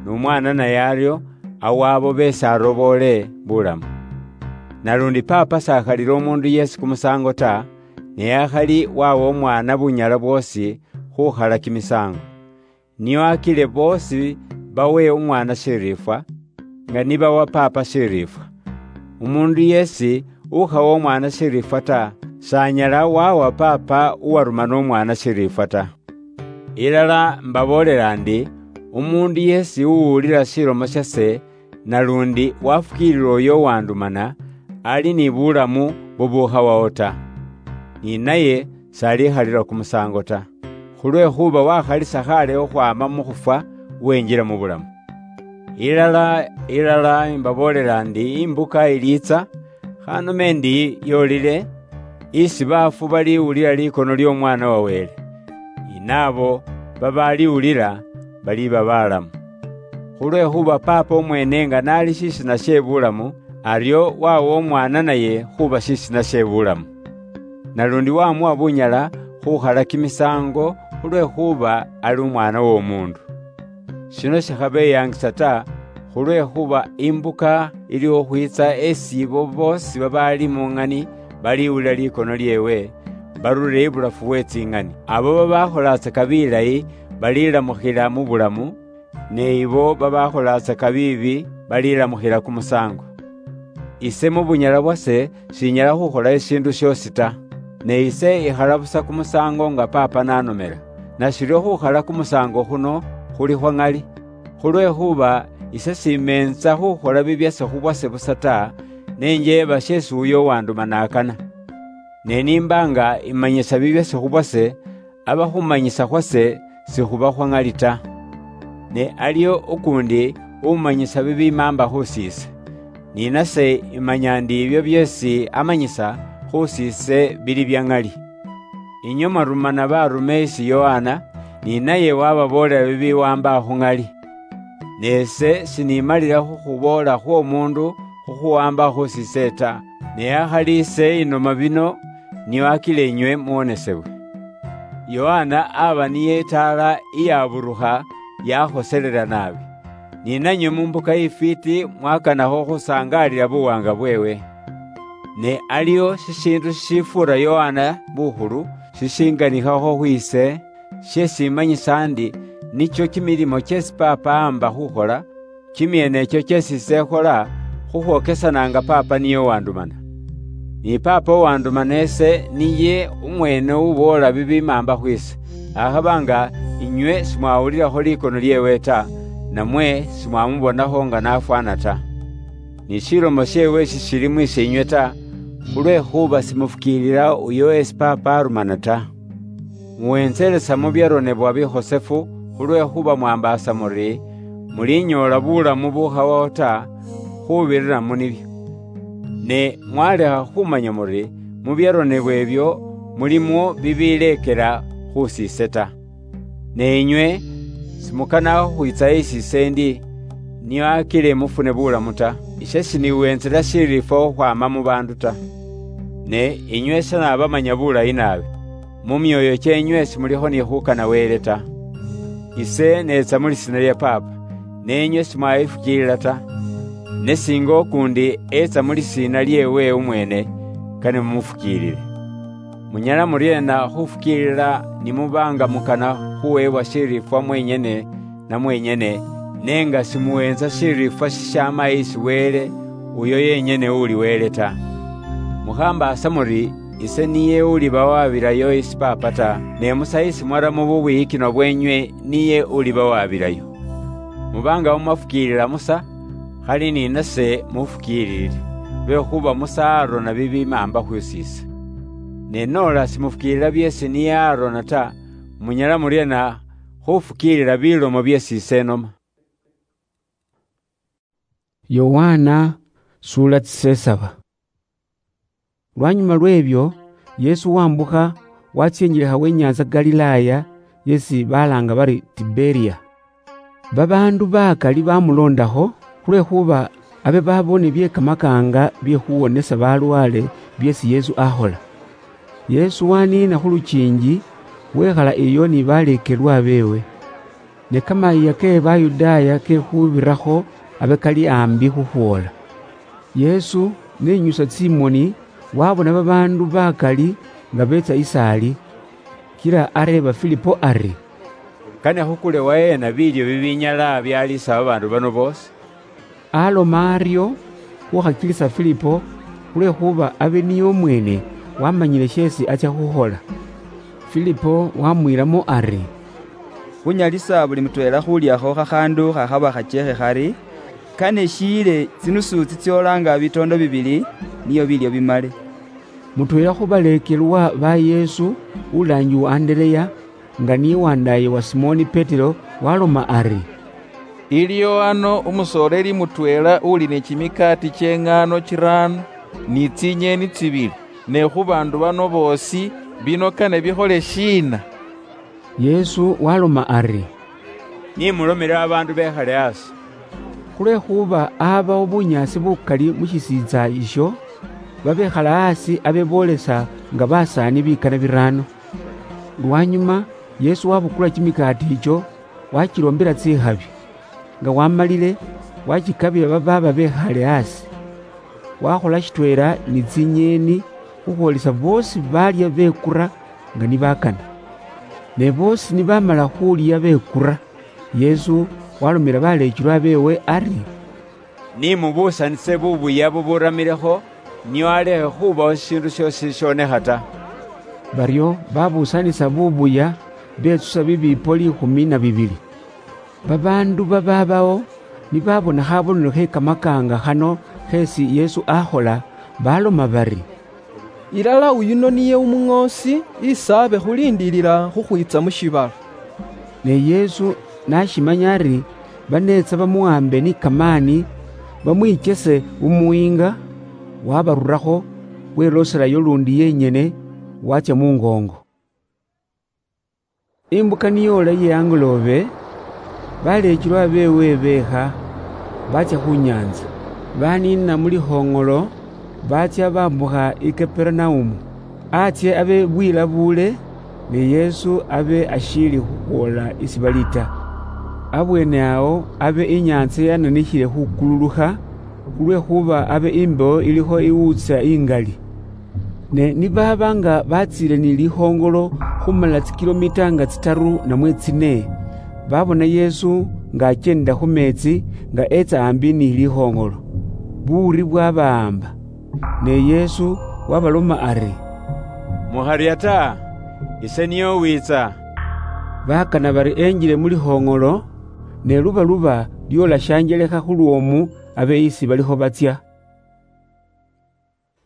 n'Umwaana naye aryo awa abo beesi aroboole bulamu. Nalundi Paapa s'akhalila umuundu yeesi kumusaango ta, ne akhali wawa Umwaana bunyala bwoosi khukhala kimisaango. Nio akile boosi bawe Umwaana shiriifwa, nga nibawa Paapa shiriifwa. Umuundu yeesi ukhawa Umwaana shiriifwa ta, s'anyala wawa Paapa uwarumana Umwaana shiriifwa ta. Ilala mbaboolela ndi, umuundu yeesi uwulila shilomo shase, nalundi wafukiilila uyo uwandumana, ali ni bulamu bubukhawawo ta, ni naye s'alikhalila kumusaango ta, khulwekhuba wakhalisa khaale khukhwaama mu khufwa, wenjila mu bulamu. Ilala, ilala imbaboolela ndi, imbuka iliitsa, khanome ndi yolile, isi baafu baliwulila likono ly'Omwaana wa Wele, ni naabo babaliwulila baliba balamu. Khulwekhuba Paapa umweene nga n'ali shisina she bulamu, aryo wawa Umwaana naye khuuba shisina she bulamu. Nalundi wamuwa bunyala khukhala kimisaango khulwekhuba ali Umwaana w'Omuundu. Shino shikhabeyaangisa ta, khulwekhuba imbuka iliwo khwiitsa esi ibo boosi babaali mu ng'ani baliwulila likono lyeewe, barulile ibulafu we tsing'ani. Abo babakholaatsaka bilayi balilamukhila mu bulamu, ne ibo babakholaatsaka biibi balilamukhila kumusaango. Ise mu bunyala bwase shinyala khukhola ishiindu shiosi ta, ne ise ikhala busa kumusaango nga Paapa nanomela. Nashiryo khukhala kumusaango khuno khuli khwa ng'ali, khulwekhuba ise simeentsa khukhola bibyase khubwase busa ta, ne njeeba sheesi uyo uwanduma nakana. Ne nimba nga imanyisa bibyase khubwase, aba khumanyisa khwase sikhuba khwa ng'ali ta. Ne aliyo ukuundi umanyisa bibimaamba khusiise, ni nase imanya ndi ibyo byeesi amanyisa khusiise bili bya ng'ali. Inywe mwarumana barume isi Yohana, ni naye wababoolela bibiwamba khu ng'ali. Ne ise sinimalila khukhuboola khw'omuundu khukhuwamba khusiise ta, ne akhali ise inoma bino, nio akila inywe muwonesebwe. Yohana aba niye itaala iyaburukha yakhoselela naabi, ni nanywe mu mbuka ifwiiti mwakanakho khusangaalila buwaanga bweewe. Ne aliwo shishiindu shishifuura Yohana bukhulu shishinganikhakho khwiise, shyesimanyisa ndi nicho kimilimo kyesi Paapa aamba khukhola, kimyeenecho kyesi ise ekhola, khukhwokesana nga Paapa niye uwandumana. Ni Paapa uwandumana ise niye umweene uboola bibimaamba khwiise, akhaba nga inywe simwawulilakho likono lyeewe ta, namwe simwamubonakho nga n'afwana ta. Ni shilomo sheewe shishili mwiise inywe ta, khulwekhuba simufukiilila uyo esi Paapa arumana ta. Muwentselesa mu byaronebwa bikhosefu, khulwekhuba mwambaasa muri, mulinyoola bulamu bukhawawo ta, khubirira mu nibyo. Ne mwalekha khumanya muri, mu byaronebwa ebyo, mulimwo bibileekela khusiise ta. Ne inywe, simukana khukhwitsa isi ise ndi, nio akile mufune bulamu ta. Ise siniwenzela shiriifwa khukhwama mu baandu ta. Ne inywe shanabamanya bulayi naabi. Mu myooyo kyeenywe simulikho ni khukana Wele ta. Ise neetsa mu lisiina lya Paapa, neenywe simwayifukiilila ta. Ne singa ukuundi eetsa mu lisiina lyeewe umweene, kane mumufukiilile. Munyala muryeena khufukiilila ni muba nga mukana khuweebwa shiriifwa mwenyene na mwenyene, ne nga simuweenza shiriifwa shishaama isi Wele, uyo yenyene uli Wele ta? Mukhambaasa muri, ise niye uliba wabilayo isi Paapa ta, ne Musa isi mwaramo bubwiyikinwa bweenywe niye uliba wabilayo. Muba nga mwafukiilila Musa, khali ni nase mufukiililile, lwekhuba Musa arona bibimaamba khusiise. Ne noola simufukiilila byeesi niye arona ta, munyala muryeena khufukiilila bilomo byeesi ise enoma? Yohana Sula tsisesaba. Lwanyuma lw'ebyo, Yesu wambukha watsia injelekha w'inyanza Galilaya, yesi balanga bari Tiberia. Babaandu bakali bamulondakho, khulwekhuba abe babone bye kamakaanga bye khuwonesa balwale byesi Yesu akhola. Yesu waniina khu lukiingi, wekhala eyo ni baleekelwa beewe. Ne kamayiiya ke Bayudaaya kekhubirakho abe kali ambi khukhwoola. Yesu nenyusa tsimoni, wabona babaandu bakali nga beetsa isaali. Kila areeba Filipo ari, "Kane khukule waheena biilyo bibinyala byaliisa babaandu bano boosi?" Aloma aryo khukhakilisa Filipo, khulwekhuba abe niye omwene wamanyile sheesi achia khukhola. Filipo wamwiilamo ari, "Khunyalisa buli mutweela khuliakho khakhaandu khakhaba khachekhe khari, kane shiile tsinusu tsitsioolanga bitoondo bibili, niyo biilyo bimale." Mutweela khu baleekelwa ba Yesu, ulaangiwa Andereya, nga niye wandaaye wa Simoni Petero, waloma ari, "Iliyo ano umusoleeli mutweela uli ni kimikaati ky'eŋaano kiraano ni tsinyeeni tsibili, ne khu baandu bano boosi, bino kane bikhole shiina?" Yesu waloma ari, "Ni mulomele babaandu bekhale asi." Khulwekhuba abawo bunyaasi bukali mu shisiitsa isho, babekhala asi abe boolesa nga basaani bikana biraano. Lwanyuma, Yesu wabukula kimikaati icho, wachilombela tsikhabi. Nga wamalile, wachikabila babaaba bekhale asi. Wakhola shitweela ni tsinyeeni khukhwolisa boosi baalya bekura nga nibakana. Ne boosi nibamala khulya bekura, Yesu walomela baleechilwa beewe ari, "Ni mubuusanise bubuya buburamilekho, nio alekhe khubawo shishiindu shiosi shishonekha ta." Baryo babuusanisa bubuya, betsusa bibiipo liikhumi na bibili. Babaandu bababawo nibabona khabonelo khe kamakaanga khano kheesi Yesu akhola, baloma bari, "Ilala uyuno niye umuŋoosi isi abe khulindiilila khukhwiitsa mu shiibala." Ne Yesu nashimanya ari baneetsa bamuhambe ni kamaani, bamwichese mu muyiinga, wabarurakho, welooselayo lundi yenyene, watsya mungoongo. Imbuka niyoola iye angoloobe, baleechilwa beewe beekha, baatsya khu nyaantsa, baniina mu likhoŋolo, baatsya bambukha i Kaperenaumu. Atsye abe bwilabuule, ne Yesu abe ashiili khukhwoola isi bali ta. Abweene awo abe inyaantsa yananikhile khukululukha, khulwekhuba abe imbewo ilikho iwuutsa ingali. Ne nibaaba nga batsiile ni likhoŋolo khumala tsikilomita nga tsitaru namwe tsine, babona Yesu nga akyendela khu meetsi nga etsa ambi ni likhoŋolo. Buwuri bwabawamba. Ne Yesu wabaloma ari, "Mukharya ta, ise niye uwiitsa." Bakana bari enjile mu likhoŋolo, ne lubaluba lyoola shanjelekha khulwoomu abe isi balikho batsya.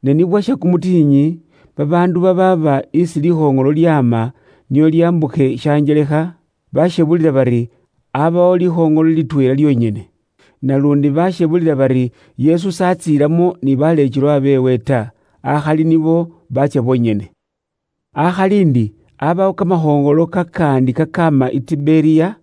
Ne nibwasha kumutiinyi, babaandu babaaba isi likhoŋolo lyaama nio lyambukhe shanjelekha, bashebulila bari abawo likhoŋolo litweela lyonyene. Nalundi bashebulila bari Yesu satsiilamo ni baleechilwa beewe ta, akhali nibo baatsya bonyene. Akhali ndi, abawo kamahoongolo kakandi kakaama i Tiberia,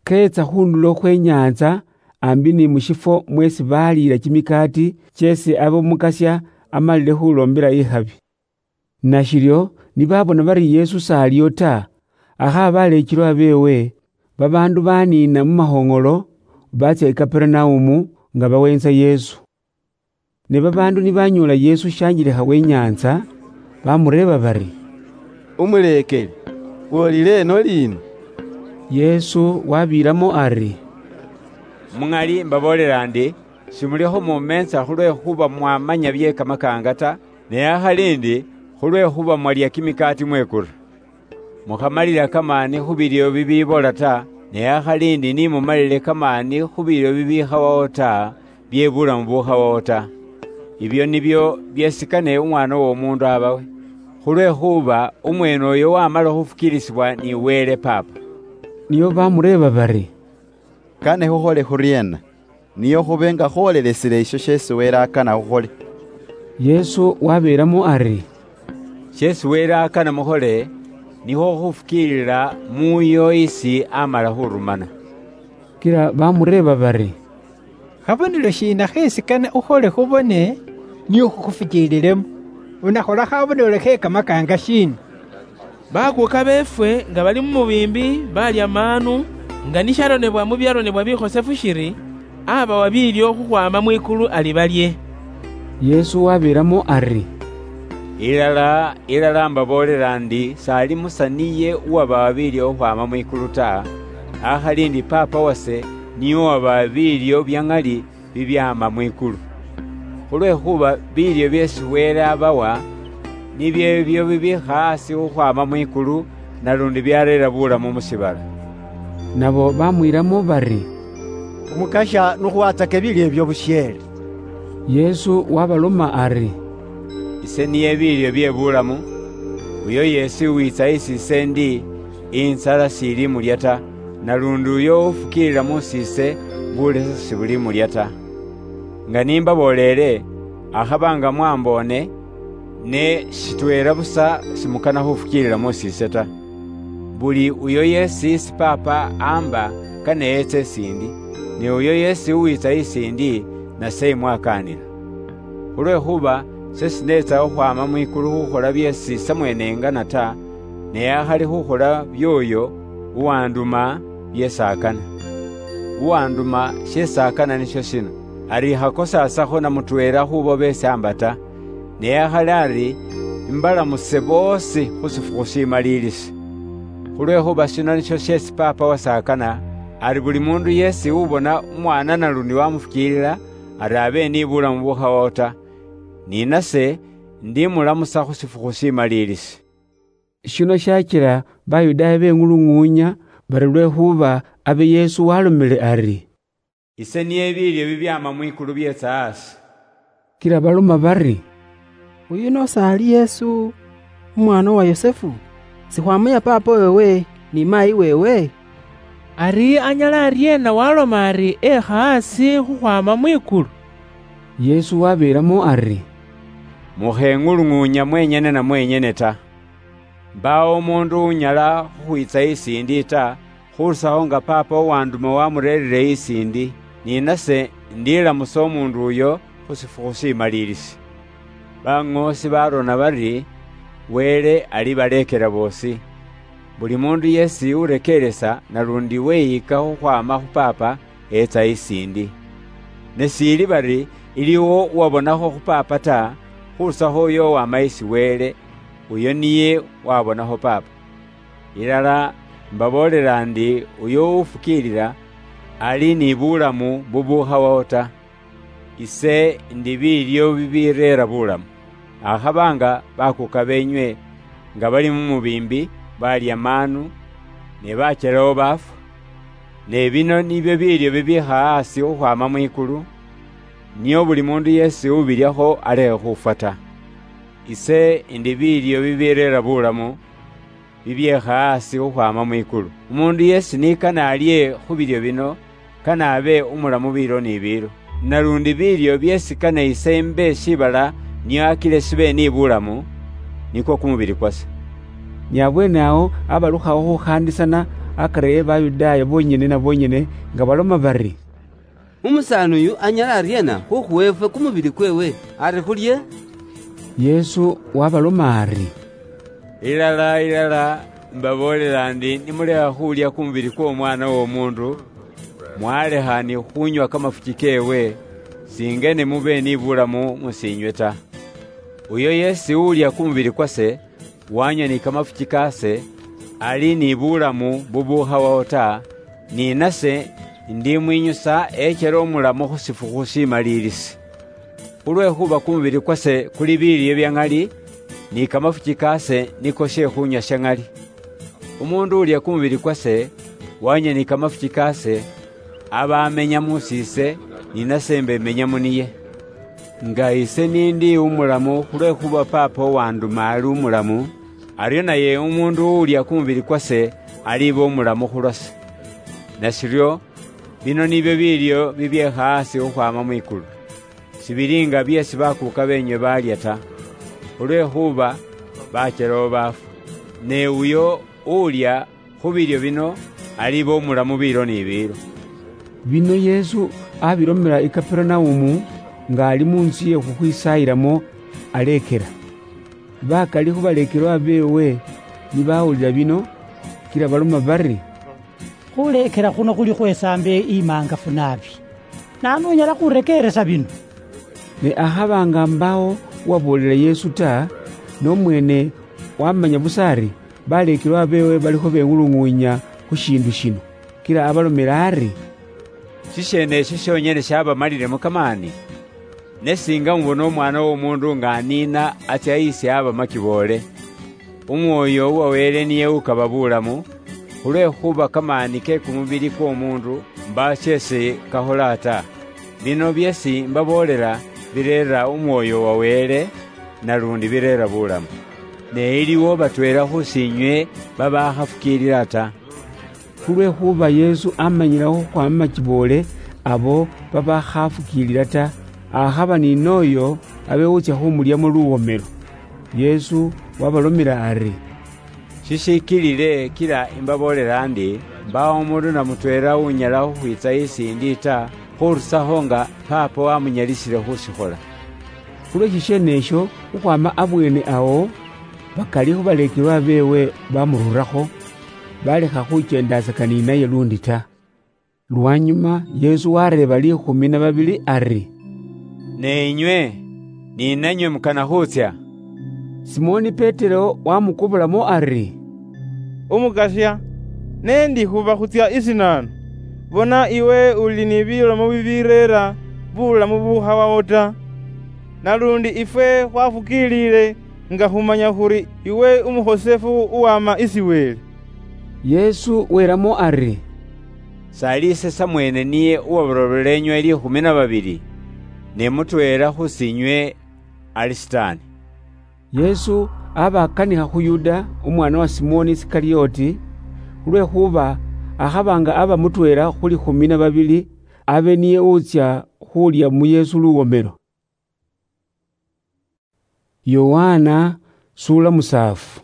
keetsa khundulo khwe nyaantsa, ambi ni mu shifwo mweesi baliila kimikaati kyeesi abe Omukasya amalile khuloombela ikhabi. Nashiryo nibabona bari Yesu s'aliyo ta, akhaaba aleechilwa beewe, babaandu baniina mu mahoŋolo, baatsya i Kaperenaumu nga baweentsa Yesu. Ne babaandu nibanyoola Yesu shanjelekha we nyaantsa, bamureeba bari, "Umuleekeli, wolile eno liino?" Yesu wabiilamo ari, "Muŋali mbaboolela ndi, shimulikho mumeetsa khulwekhuba mwamanya bye kamakaanga ta, ne akhali ndi khulwekhuba mwalya kimikaati mwekura. Mukhamalila kamaani khu bilyo bibibola ta, ne akhali ndi ni mumalile kamaani khu bilyo bibikhawawo ta, bye bulamu bukhawawo ta. Ibyo nibyo byesikane Umwaana w'Omuundu abawe, khulwekhuba umweene oyo wamala khufukiilisibwa ni Wele Paapa." Nio bamureeba bari, "Kane khukhole khuryeena?" niyo khube nga khwolelesile isho sheesi Wele akana khukhole. Yesu wabeelamo ari, "Sheesi Wele akana mukhole, nikhwo khufukiilila muuyo isi amala khurumana." Kila bamureeba bari, "Khabonelo shiina kheesi kane ukhole khubone, niyo khukhufukiililemo? Unakhola khabonelo khe kamakaanga shiina?" Bakuuka beefwe nga bali mu mubiimbi baalya maanu, nga nisharonebwa mu byaronebwa bikhosefu shiri, abawa biilyo khukhwaama mwikulu ali balye. Yesu wabeelamo ari, "Ilala, ilala, mbaboolela ndi, sali Musa niye uwabawa biilyo khukhwaama mwikulu ta, akhali ndi Paapa wase niye uwabawa biilyo bya ŋali bibyaama mwikulu. Khulwekhuba biilyo byeesi Wele abawa, nibyo ebyo bibiikha asi khukhwaama mwikulu, nalundi byareera bulamu mu shiibala." Nabo bamwiilamo bari, "Umukasha, nukhuwatsake biilyo ebyo busheele." Yesu wabaloma ari, "Ise niye biilyo bye bulamu. Uyo yeesi uwiitsa isi ise ndi, inzala shilimulya ta, nalundi uyo ufukiilila musiise, bulesa shibulimulya ta. Nga nimbabooleele, akhaba nga mwamboone, ne shitweela busa shimukana khufukiilila musiise ta. Buli uyo yeesi isi Paapa amba kane yeetse isi ndi, ne uyo yeesi uwiitsa isi ndi, nase imwakaanila. Khulwekhuba ise sineetsa khukhwaama mwikulu khukhola byeesi ise mweene ngana ta, ne akhali khukhola by'oyo uwanduma byeesi akana. Uwanduma sheesi akana nisho shino, ari ikhakosaasakho na mutweela khubo beesi amba ta, ne akhali ari imbalamuse boosi khu shifukhu shimaliilisi. Khulwekhuba shino nisho sheesi Paapa wase akana, ari buli muundu yeesi ubona Umwaana nalundi wamufukiilila, ari abe ni bulamu bukhawawo ta, ni nase ndimulamusa khu shifukhu shimaliilisi." Shino shachila Bayudaaya beng'ulung'uunya bari lwekhuba abe Yesu walomile ari, "Ise niye biilyo bibyaama mwikulu byeetsa asi." Kila baloma bari, "Uyuno sali Yesu, umwaana wa Yosefu? Sikhwamuya paapa weewe ni maayi weewe? Ari anyala aryeena waloma ari ekha asi khukhwaama mwikulu?" Yesu wabeelamo ari, "Mukheng'ulung'uunya mwenyene na mwenyene ta. Mbaawo umuundu unyala khukhwiitsa isi ndi ta, khurusakho nga Paapa uwanduma wamureerire isi ndi, ni nase ndilamusa umuundu uyo khu shifukhu shimaliilisi. Baŋoosi barona bari Wele ali baleekela boosi. Buli muundu yeesi urekeelesa nalundi weyika khukhwaama khu Paapa, etsa isi ndi. Ne shiili bari iliwo uwabonakho khu Paapa ta, khurusakho uyo uwama isi Wele, uyo niye wabonakho Paapa. Ilala mbaboolela ndi, uyo ufukiilila ali ni bulamu bubukhawawo ta. Ise ndi biilyo bibireera bulamu. Akhaba nga bakuuka beenywe nga bali mu mubiimbi baalya maanu, ne bachelawo baafwa. Ne bino nibyo biilyo bibiikha asi khukhwaama mwikulu, nio buli muundu yeesi ubilyakho alekhe khufwa ta. Ise ndi biilyo bibireera bulamu, bibyeekha asi khukhwaama mwikulu. Umuundu yeesi nikana alye khu bilyo bino, kane abe umulamu biilo ni biilo. Nalundi biilyo byeesi kane ise imbe shiibala nio akile shibe ni bulamu, nikwo kumubili kwase." Ni abweene awo abalukhawo khukhaandisana akari e Bayudaaya boonyene na boonyene, nga baloma bari, "Umusaani uyu anyala aryeena khukhuwa efwe kumubili kweewe ari khulye?" Yesu wabaloma ari, "Ilala, ilala, mbaboolela ndi, nimulekha khulya kumubili kw'Omwaana w'Omuundu, mwalekha ni khunywa kamafuki keewe, singene mube ni bulamu musiinywe ta. Uyo yeesi ulya kumubili kwase, wanywa ni kamafuki kaase, ali ni bulamu bubukhawawo ta, ni nase ndimwinyusa echele umulamu khu shifukhu shimaliilisi. Khulwekhuba kumubili kwase kuli biilyo bya ŋali, ni kamafuki kaase niko she khunywa sha ŋali. Umuundu ulya kumubili kwase, wanywa ni kamafuki kaase, aba amenya musiise, ni nase mbemenya muniye. Nga ise nindi umulamu khulwekhuba Paapa uwanduma ali umulamu, aryo naye umuundu uulya kumubili kwase aliba umulamu khulwase. Nashiryo, Bino nibyo bilyo bibyekha hasi khukhwama mwikulu. Sibili nga byesi bakuuka beenywe baalya ta, khulwekhuba bachelawo baafwa. Ne uyo ulya khu bilyo bino aliba umulamu biilo ni biilo. Bino Yesu abilomela i Kapernaum, nga ali mu nzu ye khukhwisaayilamo, aleekela. Bakali khu baleekelwa beewe ni bawulila bino, kila baloma bari, "Khuleekela khuno khuli khwesaambo imaangafu naabi. Naanu unyala khurekeeresa bino?" Ne akhaba nga mbaawo uwaboolela Yesu ta, n'omweene wamanya busa ari baleekelwa beewe balikho bewuluŋuunya khu shiindu shino, kila abalomela ari, "Shisheene esho shonyene shabamalilemo kamaani? Ne singa mubona Umwaana w'Omuundu nga aniina atsya isi aba makiboole, Umwoyo uwa Wele niye ukaba bulamu, khulwekhuba kamaani ke kumubili kw'omuundu mbaawo sheesi kakhola ta. Bino byeesi mbaboolela bireera Umwoyo wa Wele, nalundi bireera bulamu. Ne iliwo batweela khusiinywe babakhafukiilila ta." Khulwekhuba Yesu amanyilekho khukhwama makiboole abo babakhafukiilila ta, akhaba ni n'oyo abe utsya khumulyamo luwomelo. Yesu wabalomela ari, "Shishikilile kila imbaboolela ndi, mbaawo umuundu na mutweela unyala khukhwiitsa isi ndi ta, khurusakho nga Paapa wamunyalisile khushikhola." Khulwe shisheene esho, khukhwama abweene awo, bakali khu baleekelwa beewe bamururakho, balekha khukyeendaasaka ni naye lundi ta. Lwanyuma Yesu wareeba liikhumi na babili ari, "Ne inywe, ni nanywe mukana khutsya?" Simoni Petero wamukobolamu ari, "Umukasya, ne ndi khuba khutsya isinaanu? Bona iwe uli ni bilomo bibireera bulamu bubukhawawo ta. Nalundi ifwe khwafukiilile nga khumanya khuri iwe umukhosefu uwama isi Wele." Yesu welamo ari, "Sali ise samweene niye uwabaloloola enywe liikhumi na babili, ne mutweela khusinywe ali Sitaani." Yesu abakanikha khu Yuda, umwaana wa Simoni Isikarioti, khulwekhuba akhaba nga aba mutweela khu liikhumi na babili, abe niye utsya khulya mu Yesu luwomelo. Yohana sula musaafu.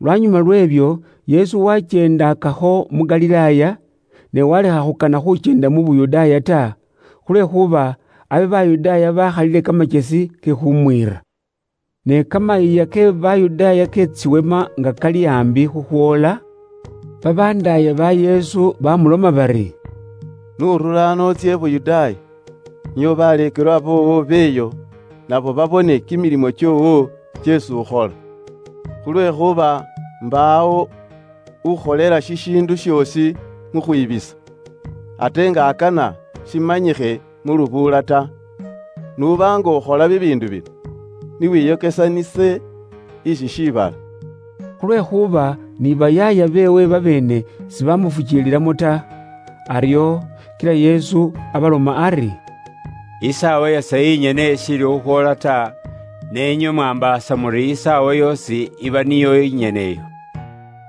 Lwanyuma lw'ebyo, Yesu wakyendakakho mu Galilaaya, ne walekha khukana khukyenda mu Buyudaaya ta, khulwekhuba abe Bayudaaya bakhalile kamakyesi ke khumwiira. Ne kamayiiya ke Bayudaaya ketsiwema nga kali ambi khukhwoola, babandaaya ba Yesu bamuloma bari, "Nurula ano otsye Buyudaaya, nio baleekelwa boowo beeyo, nabo babone kimilimo kyoowo kyesi ukhola. Khulwekhuba mbaawo ukholela shishiindu syoosi mu khwiibisa, ate nga akana shimanyikhe mu lubuula ta. Nuba nga ukhola bibiindu bino, niwiyokesanise ishi shiibala." Khulwekhuba ni bayaaya beewe babeene sibamufukiililamo ta. Aryo kila Yesu abaloma ari, "Isaawa yase yinyene ishiili khukhwoola ta, ne inywe mwambaasa muri isaawa yoosi iba niyo inyene iyo.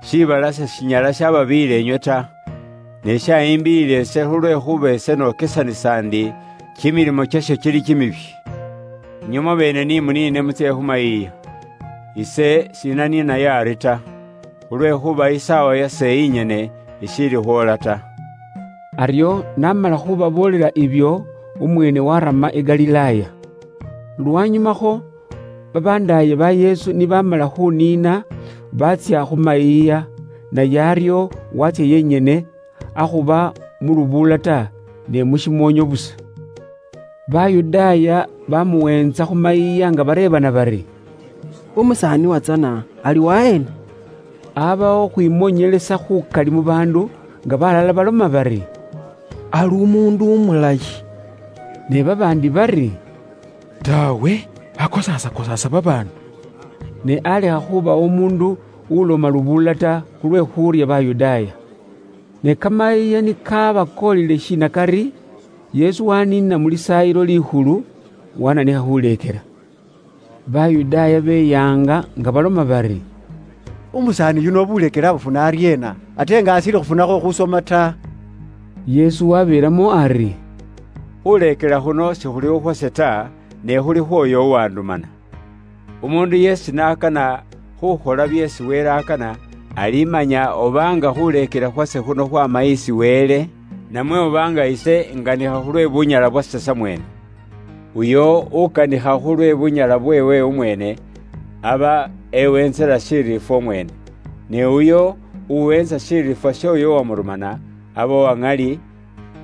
Shiibala seshinyala shababiila inywe ta, ne shayimbiile ise, khulwekhuba ise nokesanisa ndi kimilimo kyasho kili kimibi. Inywe mwabeene ni muniine mutsye khu mayiiya. Ise shinaniinayo ari ta, khulwekhuba isaawa yase yinyene ishiili khwoola ta." Aryo namala khubaboolela ibyo, umweene warama i Galilaaya. Lwanyumakho, babandaaye ba Yesu nibamala khuniina, batsya khu mayiiya, naye aryo watsya yenyene, akhuba mu lubuula ta, ne mu shimoonyo busa. Bayudaaya bamuweentsa khu mayiiya nga bareebana bari, "Umusaani watsana ali waheena?" Abawo khwimonyelesa khukali mu baandu, nga balala baloma bari, "Ali umuundu umulayi." Ne babaandi bari, "Taawe, akosaasa-kosaasa babaandu." Ne alekha khubawo umuundu uloma lubuula ta khulwe khuurya Bayudaaya. Ne kamayiiya nikabakoolile shiina kari, Yesu waniina mu Lisaayilo Likhulu, wananikha khuleekela. Bayudaaya beyaanga nga baloma bari, "Umusaani yuno obuleekelo abufuna aryeena, ate nga ashiili khufunakho khusoma ta?" Yesu wabeeramo ari, "Khuleekela khuno sikhuli khukhwase ta, ne khuli khwoyo uwandumana. Umundu yeesi n'akana khukhola byeesi Wele akana, alimanya obanga khuleekela khwase khuno khwama isi Wele, namwe obanga ise nganikha khulwe bunyala bwase samwene. Uyo ukanikha khulwe bunyala bweewe umwene, aba ewenzela shiriifwa umwene, ne uyo uwenza shiriifwa sh'oyo uwamurumana, aba uwa ŋali,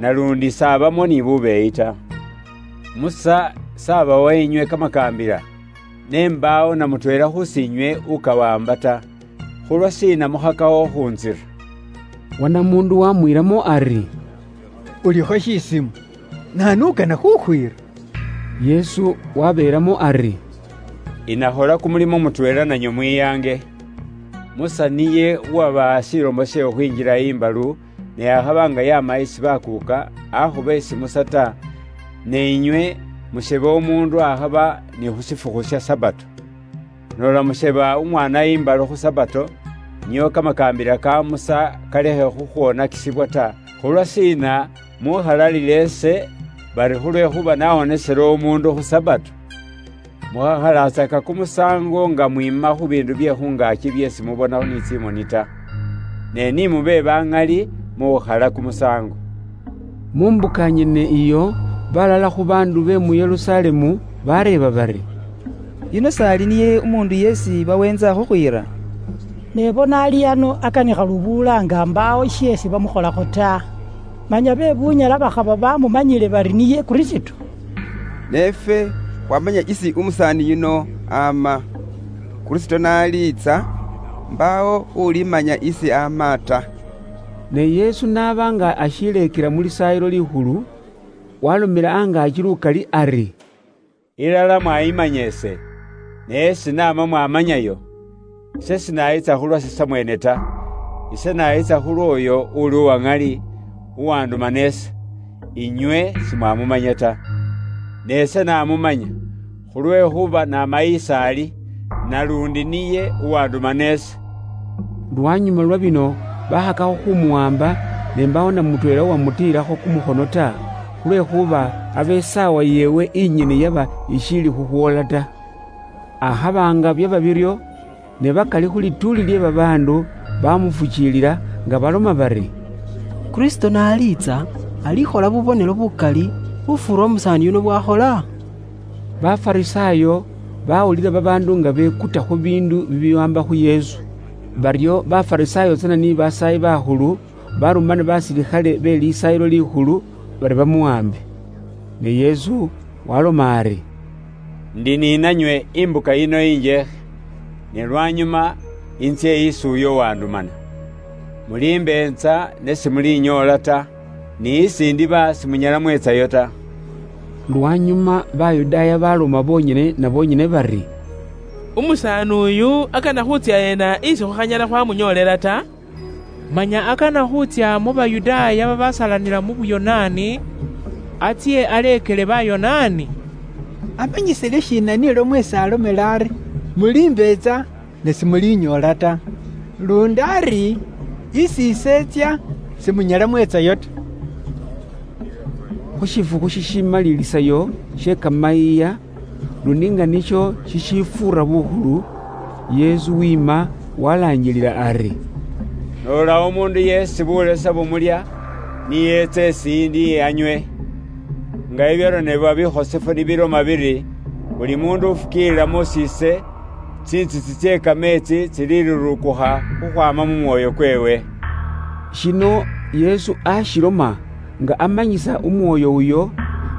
nalundi s'abamo ni bubeeyi ta. Musa s'abawa inywe kamakaambila, ne mbaawo na mutweela khusinywe ukawamba ta. Khulwashiina mukhakawo khunzira?" Wanamundu wamwiiramo ari, "Ulikho shisimu, naanu ukana khukhwiira?" Yesu wabeeramo ari, "Inakhola kumulimo mutweela nanywe mwiyaange. Musa niye uwabaha shilomo she khukhwinjila imbalu, ne akhaba nga yama isi bakuuka, akhuba isi Musa ta, ne inywe musheba umundu akhaba ni khu shifukhu sha Sabato. Nola musheba umwana imbalu khu Sabato, nio kamakaambila ka Musa kalekhe khukhwonakisibwa ta. Khulwashiina mukhalalila ise bari khulwekhuba nawonesele umundu khu Sabato? Mukhakhalatsaka kumusango nga mwima khu bindu bye khungaki byesi mubonakho ni tsimoni ta. Ne ni mube ba ŋali mukhukhala kumusango." Mu mbuka nyene iyo, balala khu baandu be mu Yerusalemu bareeba bari, "Yuno s'ali niye umuundu yeesi baweentsa khukhwiira? Ne bona ali ano akanikha lubuula nga mbaawo sheesi bamukholakho ta. Manya be bunyala bakhaba bamumanyile bari niye Kristo." Ne ifwe khwamanya isi umusaani yuno ama. Kristo n'aliitsa, mbaawo ulimanya isi ama ta. Ne Yesu n'aba nga ashileekela mu Lisaayilo Likhulu, walomela angaaki lukali ari, "Ilala mwayimanya ise, ne esi naama mwamanyayo, ise sinayitsa khulwase samwene ta, ise nayitsa khulw'oyo uli uwa ŋali, uwandumana ise, inywe simwamumanya ta. Ne ise namumanya, khulwekhuba namayi ise ali, nalundi niye uwandumana ise." Lwanyuma lwa bino, bakhakakho khumuwamba, ne mbaawo na mutweela uwamutiilakho kumukhono ta, khulwekhuba aba isaawa yeewe inyene yaba ishiili khukhwoola ta. Akhaba nga byaba biryo, ne bakali khu lituuli lye babaandu bamufukiilila nga baloma bari, "Kristo n'aliitsa, alikhola bubonelo bukali khufuura umusaani yuno bwakhola?" Bafarisaayo bawulila babaandu nga bekuta khu biindu bibiwaamba khu Yesu. Baryo Bafarisaayo tsana ni basaayi bakhulu barumana basilikhale be Lisaayilo Likhulu bari bamuwaambe. Ne Yesu waloma ari, "Ndi ninanywe imbuka yino injeekhe, ne lwanyuma intsye isi uyo uwandumana. Mulimbeetsa ne simulinyoola ta, ni isi ndiba simunyala mwetsayo ta." Lwanyuma Bayudaaya baloma bonyene na bonyene bari, "Umusaani uyu akana khutsya yeena isi khukhanyala khwamunyoolela ta? Manya akana khutsya mu Bayudaaya babasalanila mu Buyonaani, atsye aleekele Bayonaani? Amanyisile shiina nilwo mwesi alomela ari, 'Mulimbeetsa, ne simulinyoola ta, lundi ari, isi ise etsya, simunyala mwetsayo ta'?" Khu shifukhu shishimalilisayo she kamayiiya, lundi nga nisho shishifuura bukhulu, Yesu wiima walanjilila ari, "Nola omundu yeesi bulesa bumulya, niyeetse esiindi anywe. Nga ebyaronebwa bikhosefu nibiloma biri, 'Buli mundu ufukiilila mu siise, tsintsitsi tsie kameetsi tsililurukukha khukhwama mu mwoyo kweewe.'" Shino Yesu ashiloma nga amanyisa umwoyo uyo,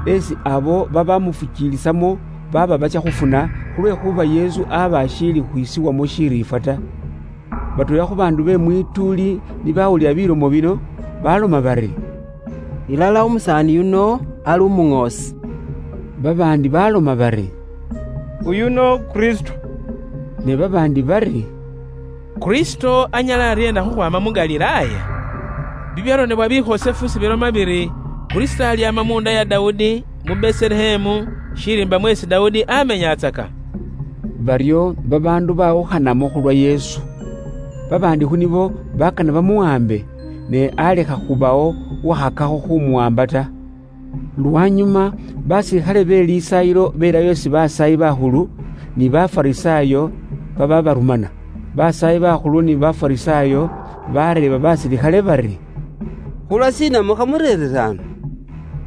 esi abo babamufukiilisamo baba bacha khufuna, khulwekhuba Yesu aba ashiili khwisiwamo shiriifwa ta. Batweela khu baandu be mwituuli ni bawulila bilomo bino, baloma bari, "Ilala umusaani yuno ali umuŋoosi." Babaandi baloma bari, "Uyuno Kristo." Ne babaandi bari, "Kristo anyala aryeena khukhwama mu Galilaaya? Bibyaronebwa bikhosefu sibiloma biri, 'Kristo alyama munda ya Daudi, mu Betelehemu, shiriimba mweesi Daudi amenyatsaka.'" Baryo babaandu bawukhanamo khulwa Yesu. Babaandi khu nibo bakana bamuwambe, ne alekha khubawo wakhakakho khumuwamba ta. Lwanyuma, basilikhale be Lisaayilo belayo isi Basaayi Bakhulu ni Bafarisayo bababarumana. Basaayi Bakhulu ni Bafarisayo bareeba basilikhale bari, "Khulwashiina mukhamureerere ano?"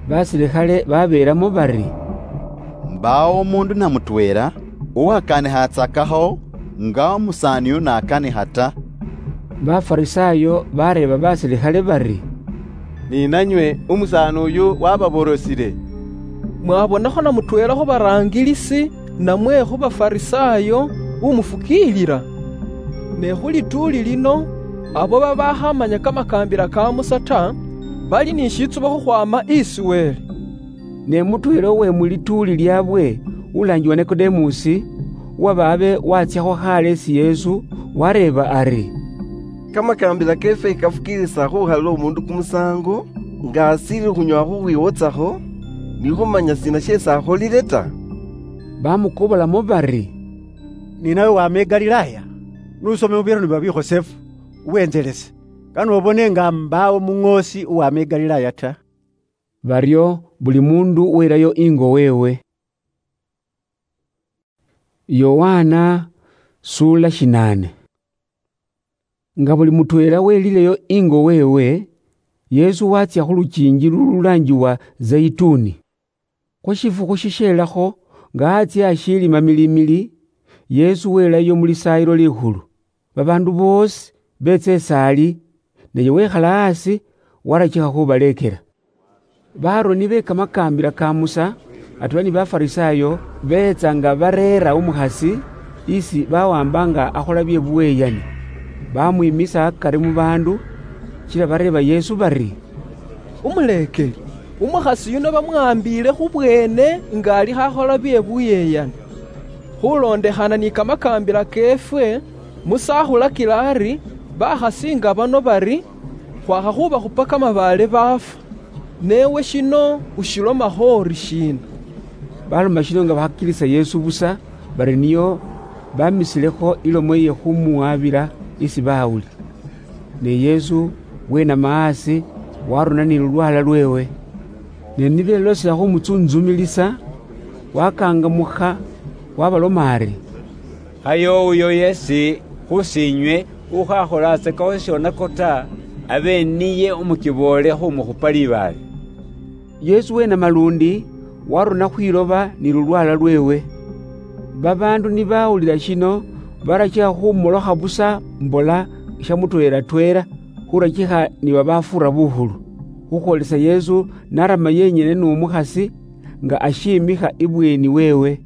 Basilikhale babeelamo bari, "Mbaawo omundu na mutweela uwakanikhatsakakho nga omusaani uyu n'akanikha ta." Bafarisayo bareeba basilikhale bari, "Ni nanywe umusaani uyu wababorosile? Mwabonakho na mutweela khu baraangilisi namwe khu Bafarisayo umufukiilila? Ne khu lituuli lino, abo babakhamanya kamakaambila ka Musa ta, bali ni shitsubo khukhwama isi Wele." Ne mutweela uwe mu lituuli lyaabwe, ulaangiwa Nikodemusi, uwaba abe watsiakho khaale isi Yesu, wareeba ari, "Kamakaambila keefwe kafukiilisa khukhalila omundu kumusaango nga ashiili khunyoowa khukhwiwotsakho, ni khumanya shiina sheesi akholile ta?" Bamukobolamo bari, "Ni nawe wama i Galilaya, n'usome mu birano bya bikhosefu, wentselese, kane obone nga mbaawo muŋoosi uwama i Galilaya ta." Baryo buli mundu welayo ingo weewe. Yohana sula shinaane. Nga buli mutweela welileyo ingo weewe, Yesu watsya khu lukiingi lululaangiwa Zeituni. Khu shifukhu shishelakho, nga atsya ashiili mamilimili, Yesu welayo mu Lisaayilo Likhulu. Babaandu boosi beetsa isaali, naye wekhala asi, warachikha khubaleekela. Baroni be kamakaambila ka Musa, atweela ni Bafarisayo, beetsa nga bareera umukhasi isi bawamba nga akhola bye buweyani. Bamwimisa akari mu baandu, kila bareeba Yesu bari, "Umuleekeli, umukhasi yuno bamwambiile khu bweene nga alikho akhola bye buyeyani. Khulondekhana ni kamakaambila keefwe, Musa akhulakila ari, bakhasi nga bano bari, khwakha khubakhupa kamabaale baafwa. Newe shino ushilomakho ori shiina?" Baloma shino nga bakhakilisa Yesu busa, bari niyo bamisilekho ilomo iye khumuwabila isi bawuli. Ne Yesu wenama asi, warona ni lulwala lweewe. Ne nibelosela khumutsuntsumilisa, wakangamukha, wabaloma ari, "Khaye uyo yesi khusinywe ukhakholatsekakho shionako ta, abe niye umukiboole khumukhupa libaale." Yesu wenama lundi, warona khwiloba ni lulwala lweewe. Babaandu nibawulila shino, barachikha khumolokha busa mbola sha mutweela-tweela, khurachikha ni babafuura bukhulu. Khukhwolesa Yesu narama yenyene n'omukhasi nga ashiimikha ibweeni weewe.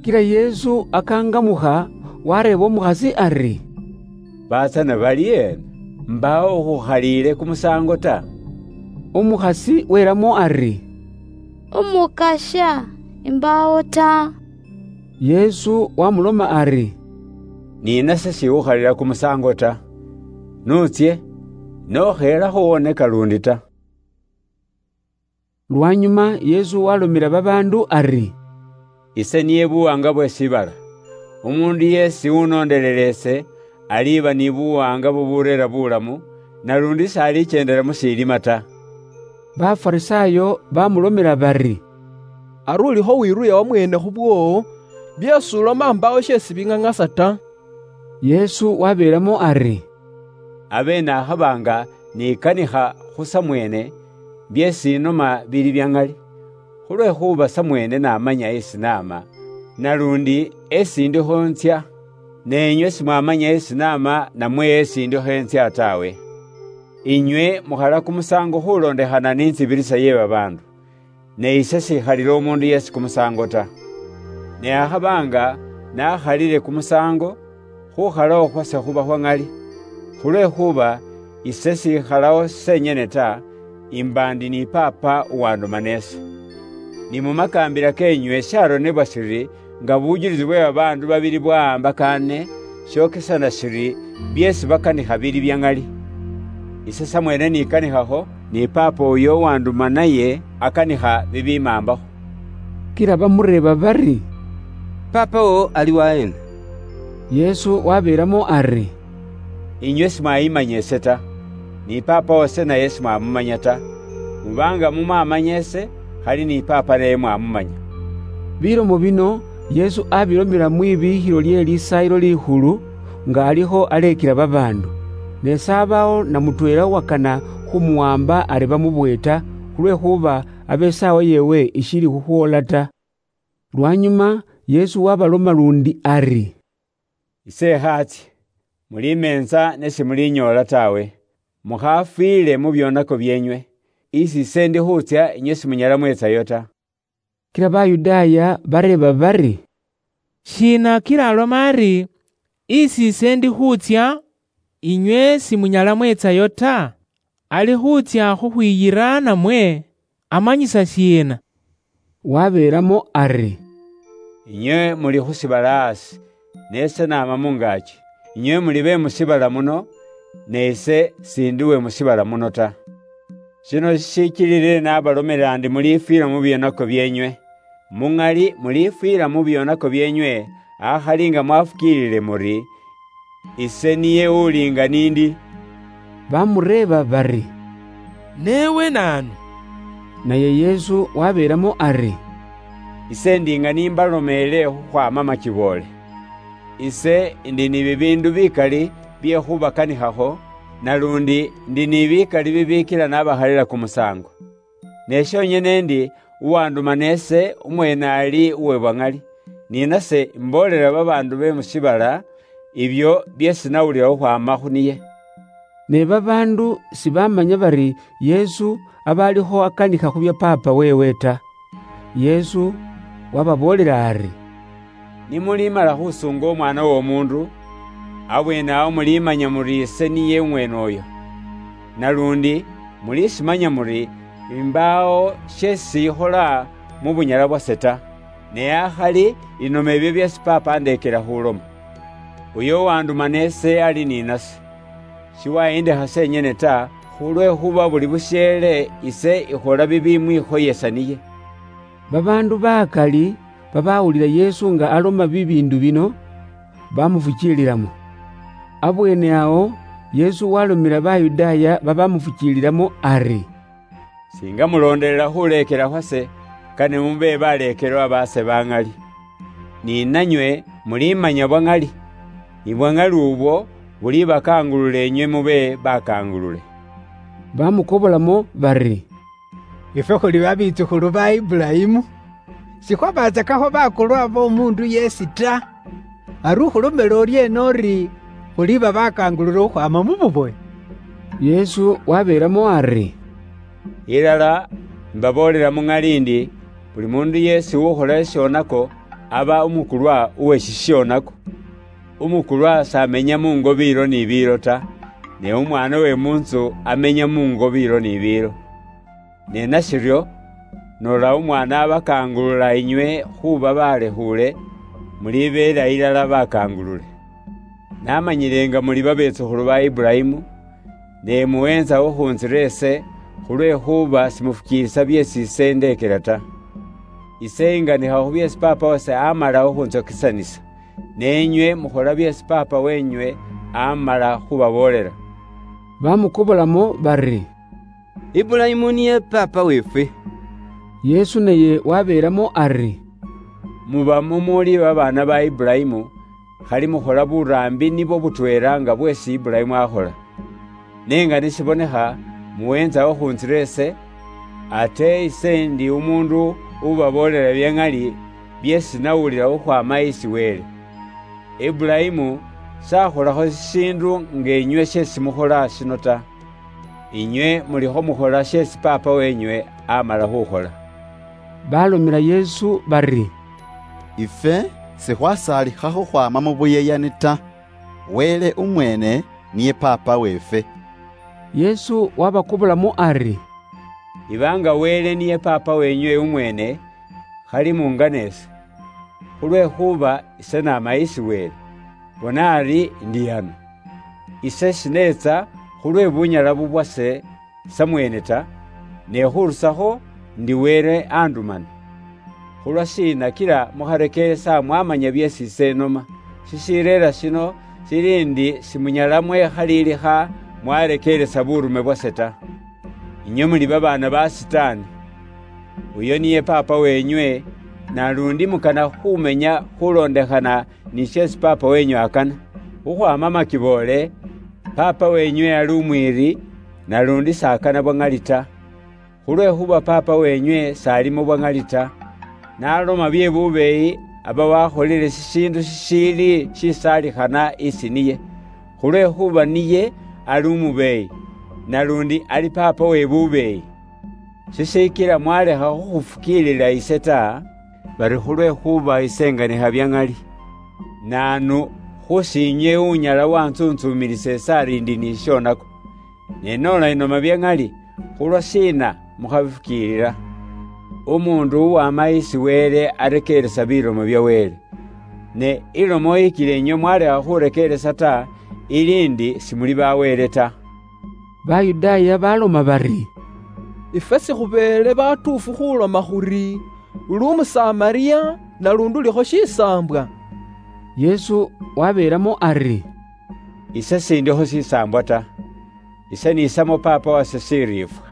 Kila Yesu akangamukha, wareeba omukhasi ari, "Batsana bali ena, mbaawo ukhukhaliile kumusaango ta?" Umukhasi welamo ari, "Umukasha, imbaawo ta." Yesu wamuloma ari, "Ni nase shikhukhalila kumusaango ta. Nutsye, nokheelakho woneka lundi ta." Lwanyuma Yesu walomela babaandu ari, "Ise niye buwaanga bwe shiibala. Umuundu yeesi unondelela ise, aliiba ni buwaanga bubureera bulamu, nalundi s'alicheendela mu shilima ta." Bafarisayo bamulomela bari, "Ari ulikho wiruya wamweene khu bwoowo, byeesi uloma mbaawo sheesi bing'ang'asa ta." Yesu wabelamo ari, "Abe nakhaba nga nikanikha khu samweene, byeesi inoma bili bya ŋali, khulwekhuba samweene namanya esi naama, nalundi esi ndikho ntsya, ne inywe simwamanya esi naama namwe esi ndikho ntsya tawe. Inywe mukhala kumusaango khulondekhana ni ntsibirisa ye babaandu. Ne ise sikhalila omundu yesi kumusaango ta. Ne akhaba nga nakhalile kumusaango, khukhalawo khwase khuba khwa ŋali, khulwekhuba ise sikhalawo senyene ta, imba ndi ni Paapa uwandumana ese. Ni mu makaambila keenywe sharonebwa shiri, nga bujulisi bwe babaandu babili bwawambakaane, shokesana shiri byeesi bakanikha bili bya ŋali. Ise samweene nikanikhakho, ni Paapa uyo uwanduma naye akanikha bibimaambakho." Kila bamureeba bari, "Paapa wo ali waheena?" Yesu wabelamo ari, "Inywe simwayimanya ise ta, ni Paapa wase naye simwamumanya ta. Mubanga mumamanya ese, khali ni Papa naye mwamumanya. Bilomo bino Yesu abilomela mwibikhilo lye Lisaayilo Likhulu, nga alikho alekela babaandu. Ne sabawo na mutweela uwakana khumuwamba ari bamubwe ta, khulwekhuba abe isaawa yeewe ishiili khukhwoola ta. Lwanyuma Yesu wabaloma lundi ari, "Ise ekhaatsie, mulimeenza ne simulinyoola tawe. Mukhafwiile mu byonako byeenywe, isi ise ndi khutsya inywe simunyala mwetsayo ta." Kila Bayudaaya bareeba bari, "Shiina kila aloma ari, 'Isi ise ndi khutsya, inywe simunyala mwetsayo ta'? Ali khutsya khukhwiyira namwe amanyisa shiina?" Wabeelamo ari, "Inywe muli khu shiibala asi, ne ise naama mungaaki. Inywe muli be mu shiibala muno, ne ise sindi we mu shiibala muno ta. Shino shishichilile nabalomela ndi mulifwila mu byonako byeenywe. Mu ŋali mulifwila mu byonako byeenywe, akhali nga mwafukiilile muri, ise niye uli nga nindi." Bamureeba bari, "Newe naanu?" Naye Yesu wabeelamo ari, "Ise ndi nga nimbalomeele khukhwama machiboole. Ise ndi ni bibiindu bikali bye khubakanikhakho, nalundi ndi ni bikali bibiikila nabakhalila kumusaango. Ne shonyene ndi uwandumana ese umweene ali uwe bwa ŋali, ni nase imboolela babaandu be mu shiibala ibyo byeesi nawulila khukhwaama khu niye." Ne babaandu sibamanya bari Yesu aba alikho akanikha khu bya Paapa weewe ta. Yesu wababoolela ari, "Nimulimala khusuunga Omwaana w'Omuundu, abweene awo mulimanya muri ise niye umweene oyo. Nalundi mulishimanya muri imbaawo sheesi ikhola mu bunyala bwase ta, ne akhali inoma ebyo byeesi Paapa andeekela khuloma. Uyo uwandumana ese ali ni nase. Shiwayindekha senyene ta, khulwekhuba buli busheele ise ikhola bibimwikhoyesa niye." Babaandu bakali babawulila Yesu nga aloma bibiindu bino, bamufukiililamo. Abweene awo Yesu walomela Bayudaaya babamufukiililamo ari, "Singa muloondelela khuleekela khwase, kane mube baleekelwa baase ba ŋali. Ni nanywe mulimanya bwa ŋali, ni bwa ŋali ubwo bulibakangulula inywe mube bakangulule." Bamukobolamo bari, "Ifwe khuli babitsukhulu ba Ibulayimu. Sikhwabatsakakho bakulwa b'omundu yeesi ta. Ari ukhulomela oryeena ori khuliba bakangulule khukhwama mu buboye?" Yesu wabeelamo ari, "Ilala imbaboolela mu ŋali ndi, buli mundu yeesi ukhola shishonako, aba umukulwa uwe shishonako. Umukulwa samenya mungo biilo ni biilo ta, ne umwaana we munzu amenya mungo biilo ni biilo. Ne nashiryo, noola umwaana abakangulula inywe khuuba balekhuule, mulibeela ilala bakangulule. Namanyile nga muli babetsukhulu ba Ibulayimu, ne muweenzawo khunzira ese, khulwekhuba simufukiilisa byeesi ise ndeekela ta. Ise inganikha khu byeesi Paapa wase amala okhunzokisanisa, ne inywe mukhola byeesi paapa wenywe amala khubaboolela." Bamukobolamo bari, "Ibulayimu niye paapa weefwe." Yesu naye wabeelamo ari, "Muba mumuuli babaana ba Ibulayimu, khali mukhola buraambi nibwo butweela nga bweesi Ibulayimu akhola. Ne nga nishibonekha, muweenzawo khunzira ese, ate ise ndi umuundu ubaboolela bya ŋali byeesi nawulila khukhwaama isi Wele. Ibulayimu sakholakho shishiindu nga inywe sheesi mukhola shino ta. Inywe mulikho mukhola sheesi paapa wenywe amala khukhola." Balomela Yesu bari, "Ifwe sikhwasaalikhakho khwama mu buyeyani ta. Wele umweene niye Paapa weefwe." Yesu wabakobolamo ari, "Iba nga Wele niye Paapa wenywe umweene, khali mungane ise, khulwekhuba ise naama isi Wele. Bona ari ndi ano. Ise shineetsa khulwe bunyala bubwase samweene ta, ne khurusakho ndi Wele andumana. Khulwashiina kila mukharekeeresa mwamanya byeesi ise noma? Shishireera shino shili ndi shimunyala mwekhaliilikha mwarekeeresa burume bwase ta." Inywe muli babaana ba Sitaani. Uyo niye paapa wenywe, nalundi mukana khumenya khulondekhana ni sheesi paapa wenywe akana. Khukhwaama makiboole, paapa wenywe ali umwiiri, nalundi s'akana bwa ŋali ta. Khulwekhuba paapa wenywe s'ali mu bwa ŋali ta, n'aloma bye bubeeyi aba wakholile shishiindu shishiili shisaalikhana isi niye, khulwekhuba niye ali umubeeyi, nalundi ali paapa we bubeeyi. Shishikila mwalekha khukhufukiilila ise ta, bari khulwekhuba ise nganikha bya ŋali. Naanu khusiinywe unyala wantsuntsumilisa ise ari ndi ni shishonako? Ne nola inoma bya ŋali, khulwa shiina mukhabifukiilila? Umuundu uwama isi Wele arekeeresa bilomo bya Wele. Ne ilomo ikila inywe mwalekha khurekeeresa ta, ili ndi simuli ba Wele ta. Bayudaaya baloma bari, "Ifwe sikhubeele batuufu khuloma khuri, 'Uli Umusamaria, nalundi ulikho shisaambwa.'" Yesu wabeelamo ari, "Ise sindikho shisaambwa ta. Ise niisamo Paapa wase shiriifwa,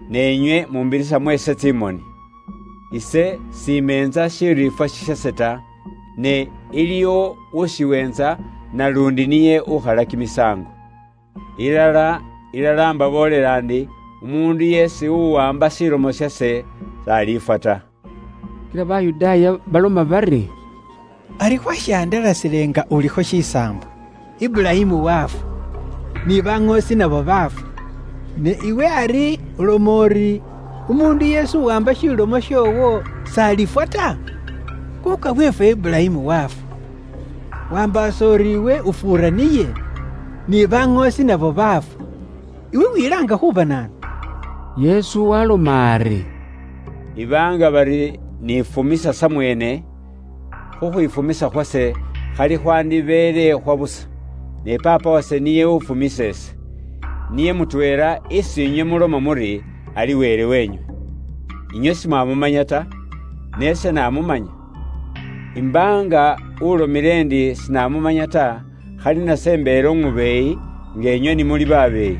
ne inywe mumbirisamo ise tsimoni. Ise simeenza shiriifwa shishase ta, ne iliwo ushiweenza, nalundi niye ukhala kimisaango. Ilala, ilala mbaboolela ndi, umuundu yeesi uwamba shilomo shase, s'aliifwa ta." Kila Bayudaaya baloma bari, "Ari khwashandalasile nga ulikho shisaambwa, Ibulayimu wafwa, ni baŋoosi nabo bafwa. Ne iwe ari uloma uri, umuundu yeesi uwamba shilomo shoowo s'alifwa ta? Kuka weefwe Ibulayimu wafwa. Wambaasa uri iwe ufuura niye, ni baŋoosi nabo bafwa. Iwe wilaanga khuba naanu?" Yesu waloma ari, "Ibaanga bari nifumisa samweene, khukhwifumisa khwase khali khwandibeele khwa busa, ne Paapa wase niye ufumisa ese. Niye mutweela isi inywe muloma muri ali Wele wenywe. Inywe simwamumanya ta, ne ese namumanya. Imbaanga ulomile ndi sinamumanya ta, khali nase mbeele umubeeyi, nga inywe ni muli babeeyi.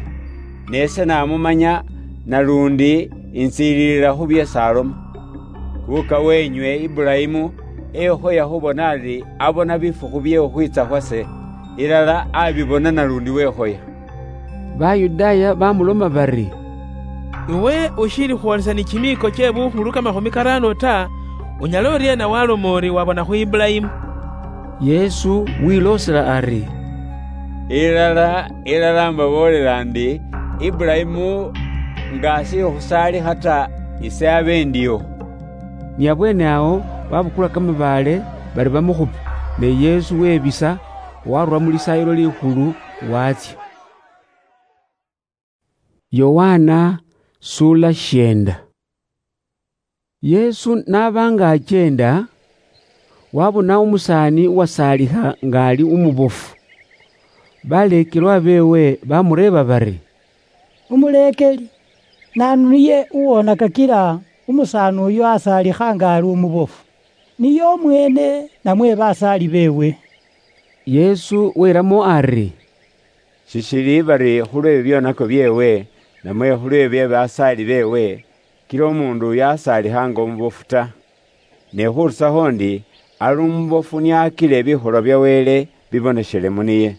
Ne ise namumanya, nalundi intsiililila khu byeesi aloma. Kuka wenywe Ibulayimu ehoya khubona ari abona bifukhu bye khukhwiitsa khwase, ilala abibona nalundi wehoya." Bayudaaya bamuloma bari, "Iwe ushiili khwolesa ni kimiiko kye bukhulu kamakhumi karaano ta, unyala oriena waloma uri wabona khu Ibulayimu?" Yesu wiloosela ari, "Ilala, ilala mbaboolela ndi, Ibulayimu nga ashiili khusaalikha ta, ise abe ndiwo." Ni abweene awo babukula kamabaale bari bamukhupe, ne Yesu webisa, warura mu Lisaayilo Likhulu, watsya. Yohana sula shienda. Yesu naba nga akyenda, wabona umusaani uwasaalikha nga ali umubofu. Baleekelwa beewe bamureeba bari, "Umuleekeli, naanu niye uwona kakila umusaani uyu asaalikha nga ali umubofu? Niye umweene, namwe basaali beewe?" Yesu welamo ari, "Shishili bari khulwe bibyonako byeewe, namwe khulwe bye basaali beewe, kila umuundu uyu asaalikha nga umubofu ta. Ne khurusakho ndi, ali umubofu niye akile bikholwa bya Wele biboneshelemo niye.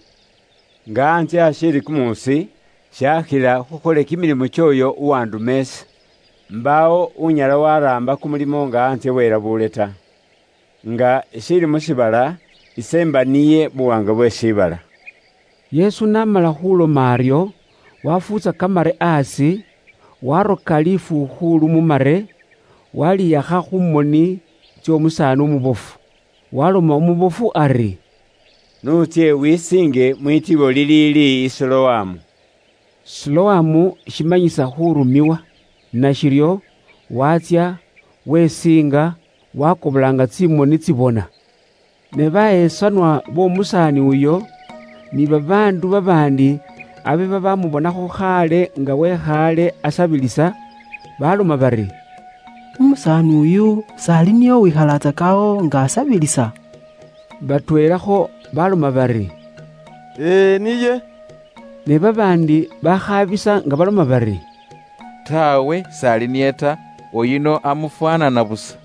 Nga antsye ashiili kumuusi, shakhila khukhole kimilimo ky'oyo uwanduma ise. Mbaawo unyala waraamba kumulimo nga antsye welabuule ta. Nga ishiili mu shiibala, ise mba niye buwaanga bwe shiibala." Yesu n'amala khuloma aryo, wafuutsa kamare asi, waroka lifuukhulu mu mare, waliyakha khu moni tsy'omusaani umubofu. Waloma umubofu ari, "Nutsye wisiinge mwitiibo liliili i Siloamu." Siloamu shimanyisa khurumiwa. Nashiryo watsya, wesiinga, wakobolanga tsimoni tsibona. Ne baheesanwa b'omusaani uyo, ni babaandu babaandi abe babamubonakho khaale nga wekhaale asabilisa, baloma bari, "Umusaani uyu s'ali niye uwikhalatsakawo nga asabilisa?" Batweelakho baloma bari, "Ee, niye." Ne babaandi bakhaabisa nga baloma bari, Tawe, sali niye ta, oyuno amufwanana busa.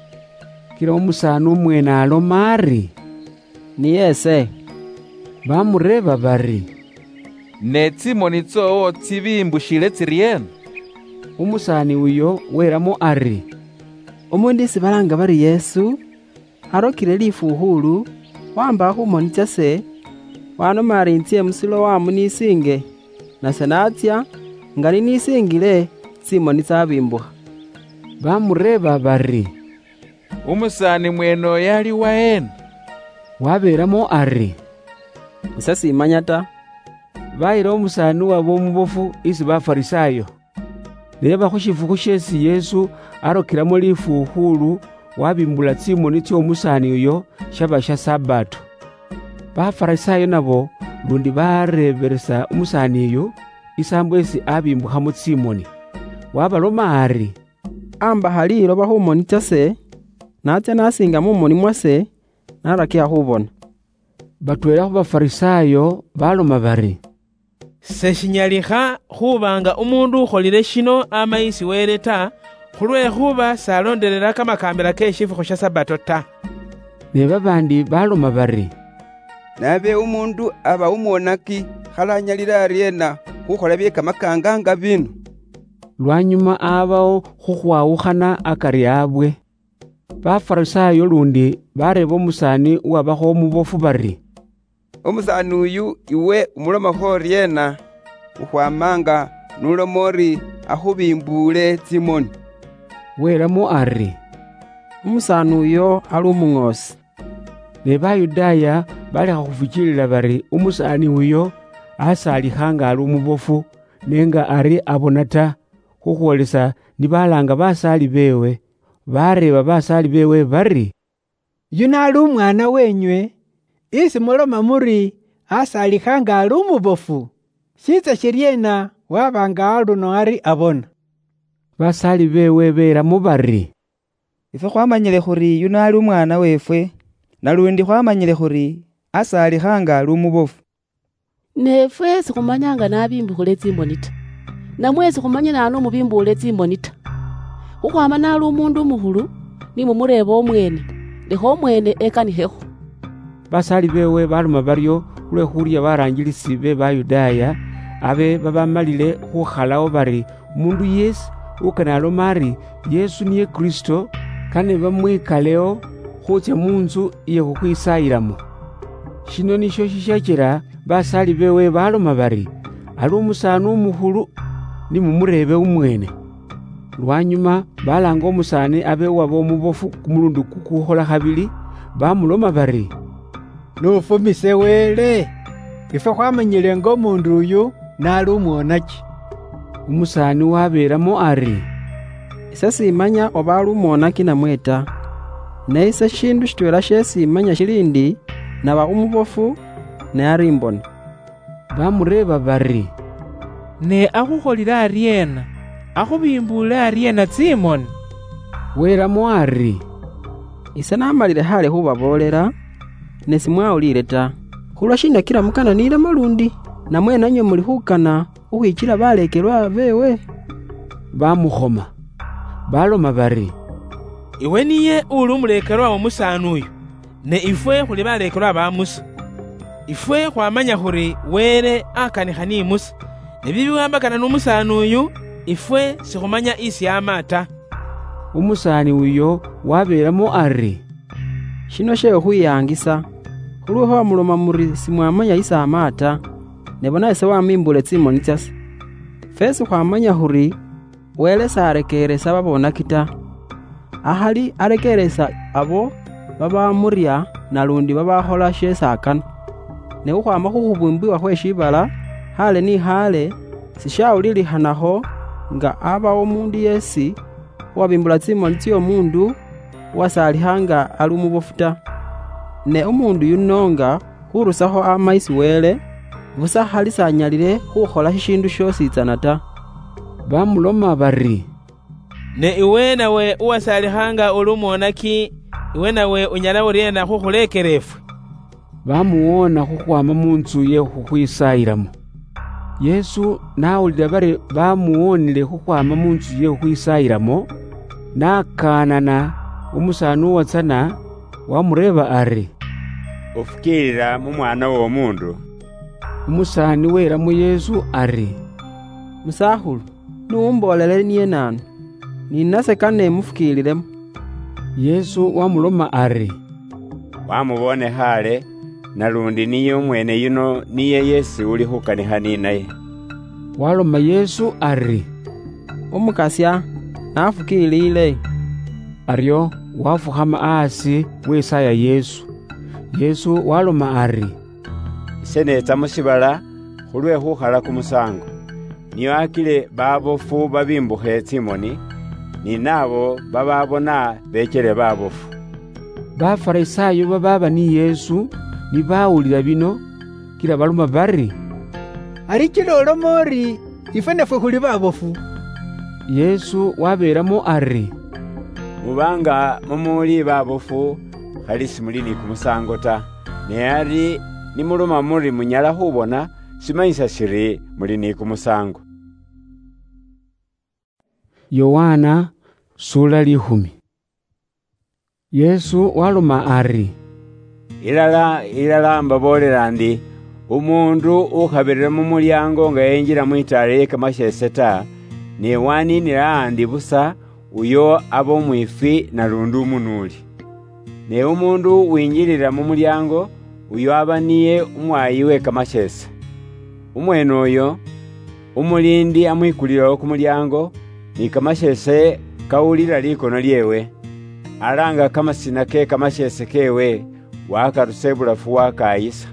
Kila umusaani umweene aloma ari, "Niye ese." Bamureeba bari, "Ne tsimoni tsoowo tsibimbushile tsiryeena?" Umusaani uyo welamo ari, "Umuundu isi balaanga bari Yesu, arokile lifuuhuulu, wamba hu moni tsase, wanoma ari intsye mu Siloamu nisiinge, nase natsya, nga ninisiingile, tsimoni tsabiimbuha." Bamureeba bari, "Umusaani mweene oyo ali waheena?" Wabeelamo ari, "Ise simanya ta." Bayila umusaani uwaba umubofu isi Bafarisaayo. Ne yaba khu shifukhu sheesi Yesu arokilamo lifuukhulu, wabimbula tsimoni tsy'omusaani uyo, shaba sha Sabato. Bafarisaayo nabo lundi bareebelesa umusaani uyu isaambo esi abimbukhamo tsimoni. Wabaloma ari, "Ambakha liloba khu moni tsase, natsya nasiinga mu moni mwase, narakiha khubona." Batweela khu Bafarisaayo baloma bari, "Seshinyalikha khuba nga umuundu ukholile shino ama isi Wele ta, khulwekhuba s'alondelela kamakaambila ke shifukhu sha Sabato ta." Ne babaandi baloma bari, "Nabe umuundu aba umwonaki, khalanyalila aryeena khukhola bye kamakaanga nga bino?" Lwanyuma abawo khukhwawukhana akari abwe. Bafarisaayo lundi bareeba umusaani uwabakho umubofu bari, "Umusaani uyu, iwe umulomakho oryeena, ukhwama nga n'uloma uri akhubimbuule tsimoni?" Welamo ari, "Umusaani uyo ali umuŋoosi." Ne Bayudaaya balekha khufukiilila bari umusaani uyo asaalikha nga ali umubofu, ne nga ari abona ta, khukhwolesa ni balaanga basaali beewe, bareeba basaali beewe bari, "Yuno ali umwaana wenywe, isi muloma muri asaalikha nga ali umubofu, shiitsa shiryeena waba nga aluno ari abona?" Basaali beewe belamo bari, "Ifwe khwamanyile khuri yuno ali umwaana weefwe, nalundi khwamanyile khuri asaalikha nga ali umubofu." Ne ifwe sikhumanya nga nabimbukhule tsimoni ta. Namwe sikhumanya naanu umubimbuule tsimoni ta. Khukhwama nali umuundu umukhulu, ni mumureeba omweene, lekha omweene ekanikhekho. Basaali beewe baloma baryo khulwekhuurya baraanjilisi be Bayudaaya, abe babamalile khukhalawo bari, umuundu yeesi ukana aloma ari Yesu niye Kristo, kane bamwikaleo khuutsya mu ntsu iye khukhwisaayilamo. Shino nisho shishyachila basaali beewe baloma bari, ali umusaani umukhulu, ni mumureebe umweene. Lwanyuma balaanga umusaani abe uwaba umubofu kumulundi kukukhola khabili, bamuloma bari, "N'ufumise Wele! Ifwe khwamanyile nga umuundu uyu nali umwonaki." Umusaani wabeelamo ari, "Ise simanya oba ali umwonaki namwe ta. Ne ise shindu shitweela sheesi imanya shili ndi, naba umubofu, ne ari imbona." Bamureeba bari, "Ne akhukholile aryeena? Akhubimbuule aryeena tsimoni?" Welamo ari, "Ise namalile khale khubaboolela, ne simwawuliile ta. Khulwashiina kila mukana nilemo lundi? Namwe nanywe muli khukana khukhwichila baleekelwa beewe?" Bamukhoma. Baloma bari, "Iwe niye uli umuleekelwa w'omusaani uyu, ne ifwe khuli baleekelwa ba Musa. Ifwe khwamanya khuri Wele akanikha ni Musa, ne bibiwambakana n'umusaani uyu, ifwe sikhumanya isi ama ta." Umusaani uyo wabeelamo ari, "Shino she khukhwiyaangisa, khulwekhuba muloma muri simwamanya isi ama ta, ne bona ise wamimbuule tsimoni tsase. Fwesi khwamanya khuri Wele s'arekeeresa babonaki ta. Akhali arekeeresa abo babamurya nalundi babakhola sheesi akana. Ne khukhwama khu khubumbiwa khwe shiibala, khale ni khale, sishawulilikhanakho nga abawo omuundu yeesi uwabimbula tsimoni tsy'omuundu uwasaalikha nga ali umubofu ta. Ne umuundu yuno nga khurusakho ama isi Wele, busa khali s'anyalile khukhola shishiindu shyosi tsana ta." Bamuloma bari, "Ne iwe nawe uwasaalikha nga uli umwonaki, iwe nawe unyala uryeena khukhuleekela ifwe?" Bamuwoona khukhwama mu ntsu ye khukhwisaayilamo. Yesu nawulira bari bamuwonile khukhwama munzu ye khukhwisayilamo, nakaanana umusaani uwatsana, wamureeba ari, "Ufukiilila mu Mwana w'Omuundu?" Umusaani welamo Yesu ari, "Musakhulu, n'umboolele niye naanu, ni nase kane mufukiililemo." Yesu wamuloma ari, "Wamubone khaale, nalundi niye umweene yuno niye yeesi uli khukanikha ninaye." Waloma Yesu ari, "Umukasya, nafukiilile." Aryo wafukhama aasi wesaaya Yesu. Yesu waloma ari, "Ise neetsa mu shiibala khulwe khukhala kumusaango, nio akile babofu babimbukhe tsimoni, ni naabo bababona beechele babofu." Bafarisaayo babaaba ni Yesu ni bawulila bino, kila baloma bari, "Ari kila oloma ori, ifwe nafwe khuli babofu?" Yesu wabeelamo ari, "Muba nga mumuuli babofu, khali simuli ni kumusaango ta. Ne ari nimuloma muri munyala khubona, shimanyisa shiri muli ni kumusaango." Yohana sura likhumi. Yesu waloma ari, "Ilala, ilala, mbaboolela ndi, umuundu ukhabirira mu mulyaango nga yenjila mwitaala lye kamasheese ta, ne waniinila aandi busa, uyo aba umwiifwi nalundi umunuuli. Ne umuundu uwinjilila mu mulyaango, uyo aba niye umwaayi we kamasheese. Umweene uyo, umuliindi amwikulilawo kumulyaango, ni kamasheese kawulila likono lyeewe. Alaanga kamasina ke kamasheese keewe, wakarusa ibulafu wakaayisa.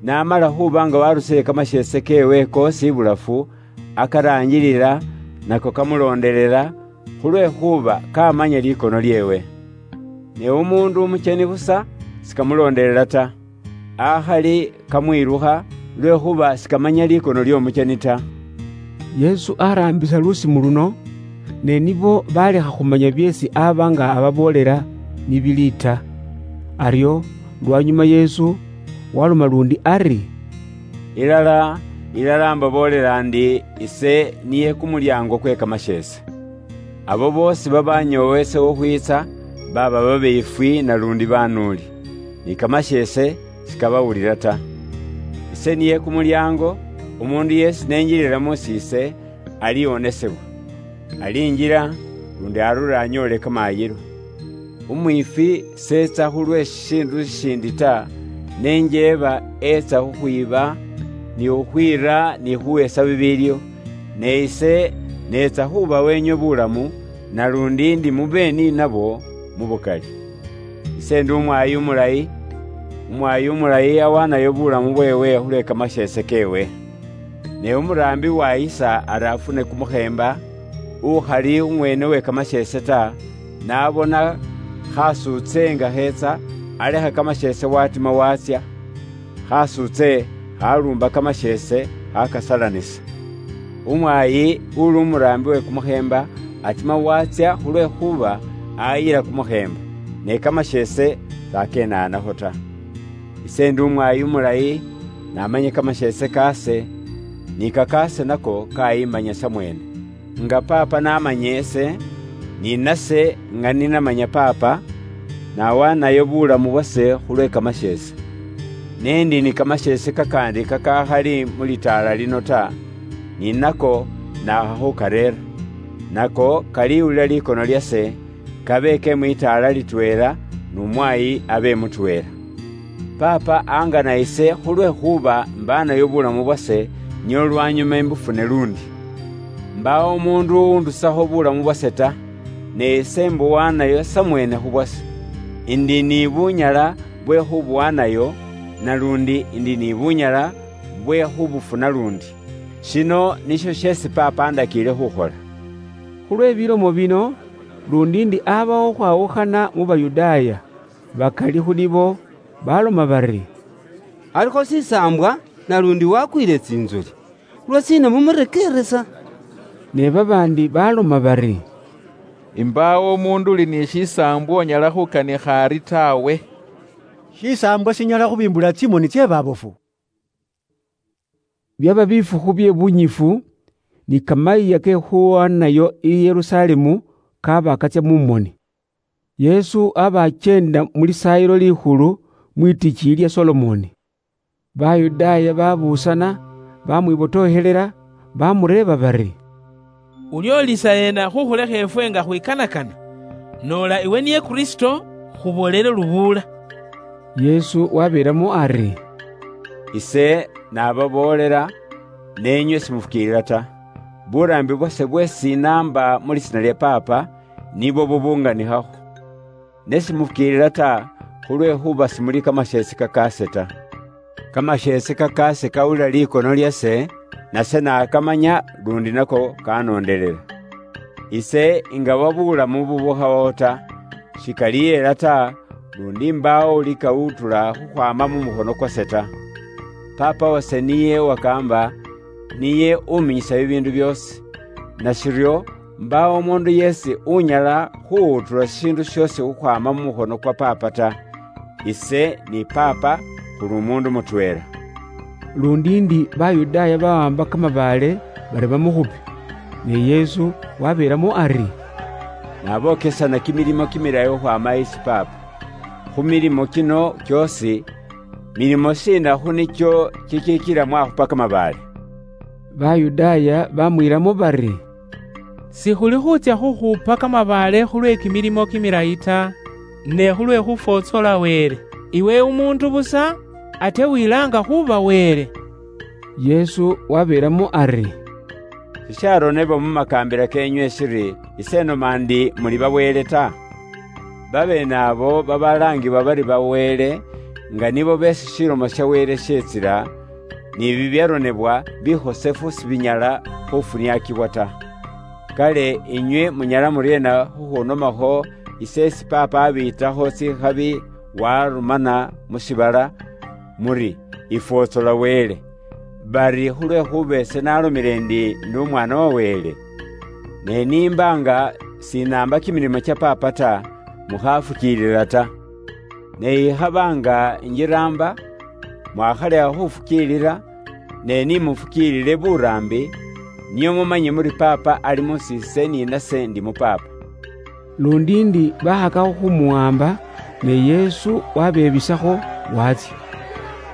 N'amala khuba nga warusile kamasheese keewe koosi ibulafu, akaraanjilila, nako kamuloondelela, khulwekhuba kamanya likono lyeewe. Ne umuundu umucheni busa sikamuloondelela ta, akhali kamwilukha, lwekhuba sikamanya likono ly'omucheni ta." Yesu araambisa lusimu luno, ne nibo balekha khumanya byeesi aba nga ababoolela ni bili ta. Aryo lwanyuma Yesu waloma lundi ari, "Ilala, ilala, mbaboolela ndi, ise niye kumulyaango kwe kamasheese. Abo boosi babanyoowa ise khukhwiitsa, baaba babeefwi nalundi banuuli, ni kamasheese sikabawulila ta. Ise niye kumulyaango, umuundu yeesi nenjilila mu siise, aliwonesebwa. Alinjila, lundi arule anyoole kamaayilo. Umwiifwi seetsa khulwe shishiindu shishindi ta, ne njeeba etsa khukhwiiba, ni khukhwiira, ni khuheesa bibiilio. Ne ise neetsa khuuba wenywe bulamu, nalundi ndi mube ni nabo mu bukali. Ise ndi umwaayi umulayi, umwaayi umulayi awaanayo bulamu bweewe khulwe kamasheese keewe. Ne umuraambi wayisa ari afune kumukheemba, ukhali umweene we kamasheese ta, n'abona khasuutse nga kheetsa, alekha kamasheese watima watsya, khasuutse khaluumba kamasheese khakasalanisa. Umwaayi uli umuraambi we kumukheemba atima watsya khulwekhuba ayila kumukheemba, ne kamasheese sakeenaanakho ta. Ise ndi umwaayi umulayi, namanye kamasheese kaase, ni kakaase nako kayimanya samweene. Nga Paapa namanya ese, ni nase nga ninamanya Paapa, nawaanayo bulamu bwase khulwe kamasheese. Ne ndi ni kamasheese kakandi kakakhali mu litaala lino ta, ni nako naakha khukareera. Nako kaliwulila likono lyase, kabe ke mwitaala litweela, nu mwaayi abe mutweela. Paapa angana ise khulwekhuba mbaanayo bulamu bwase, nio lwanyuma imbufune lundi. Mbaawo umuundu uundusakho bulamu bwase ta, ne ise mbuwaanayo samweene khubwase. Indi ni bunyala bwe khubuwaanayo, nalundi indi ni bunyala bwe khubufuna lundi. Shino nisho sheesi Paapa andakiile khukhola." Khulwe bilomo bino, lundi ndi abawo khwawukhana mu Bayudaaya, bakali khu nibo baloma bari, "Alikho shisaambwa, nalundi wakwiile tsinzoli. Lwasiina mumurekeeresa?" Ne babaandi baloma bari, "Imbaawo umuundu uli ni shisaambwa onyala khukanikha ari tawe." Shisaambwa shinyala khubimbula tsimoni tsie babofu? Byaba bifukhu bye bunyifu, ni kamayiya ke khuwanayo i Yerusalemu kaba katsia mu moni. Yesu aba achenda mu lisaayilo likhulu mwitichi lya Solomoni. Bayudaaya babuusana, bamwibotohelela, bamureeba bari, "Uliolisa yena khukhulekha efwe nga khwikanakana? Noola iwe niye Kristo, khuboolele lubuula." Yesu wabeelamo ari, "Ise nababoolela, ne inywe simufukiilila ta. Buraambi bwase bwesi naamba mu lisiina lya Paapa, nibwo bubunganikhakho. Ne simufukiilila ta, khulwekhuba simuli kamasheesi kakaase ta. Kamasheesi kakaase kawulila likono lyase, nase nakamanya, lundi nako kanoondelela. Ise ingaba bulamu bubukhawo ta, shikali yeela ta, lundi mbaawo ulikawutula khukhwama mu mukhono kwase ta. Paapa wase niye uwakaamba, niye uminyisa bibiindu byoosi. Nashiryo, mbaawo omuundu yeesi unyala khuwutula shishiindu shoosi khukhwama mu mukhono kwa Paapa ta. Ise ni Paapa khuli umuundu mutweela." Lundi ndi Bayudaaya bawamba kamabaale bari bamukhupe, ne Yesu wabeelamo ari, "Nabokesana kimilimo kimilayi khukhwama isi Paapa. Khu milimo kino kyoosi, milimo shiina khu nikyo kikiikila mwakhupa kamabaale?" Bayudaaya bamwiilamo bari, "Sikhuli khutsya khukhupa kamabaale khulwe kimilimo kimilayi ta, ne khulwe khufwotsola Wele. Iwe umuundu busa, ate wilaanga khuuba Wele." Yesu wabeelamo ari, "Sisharonebwa mu makaambila keenywe shiri, 'Ise noma ndi muli bawele ta'? Babeene abo babalaangibwa bari bawele, nga nibo beesi shilomo sha Wele sheetsila, ni bibyaronebwa bikhosefu sibinyala khufuniakibwa ta. Kale inywe munyala muryeena khukhunomakho ise esi Paapa abiitakho tsikhabi warumana mu shiibala, muri, 'Ifwotsola Wele'? Bari khulwekhuba ese nalomile ndi ndi Umwaana wa Wele? Ne nimba nga sinaamba kimilimo kya Paapa ta, mukhafukiilila ta. Ne ikhaba nga injiraamba, mwakhalekha khufukiilila, ne nimufukiilile buraambi, nio mumanye muri Paapa ali mu siise ni nase ndi mu Paapa." Lundi ndi bakhakakho khumuwamba, ne Yesu wabebisakho, watsia.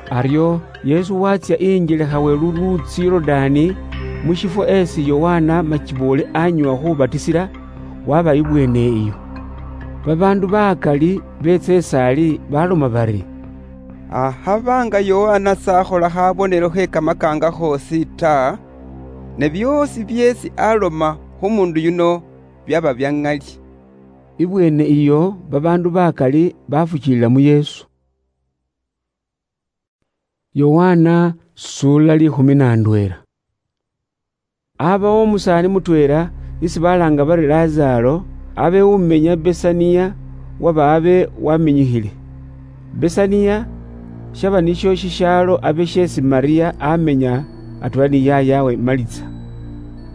Aryo Yesu watsia injelekha we luluutsi Yorudaani, mu shifwo esi Yohana Machiboole anywa khubatisila, waba ibweene iyo. Babaandu bakali beetsa isaali baloma bari, "Akhaba nga Yohana sakhola khabonelo khe kamakaanga khoosi ta, ne byoosi byeesi aloma khu mundu yuno byaba bya ŋali." Ibweene iyo babaandu bakali bafukiilila mu Yesu. Yohana sura likhumi na ndweela. Abawo umusaani mutweela isi balaanga bari Lazaro, abe umenya Besaniya, waba abe waminyikhile. Besaniya shaba nisho shishaalo abe sheesi Mariya amenya atweela ni yaayawe Malitsa.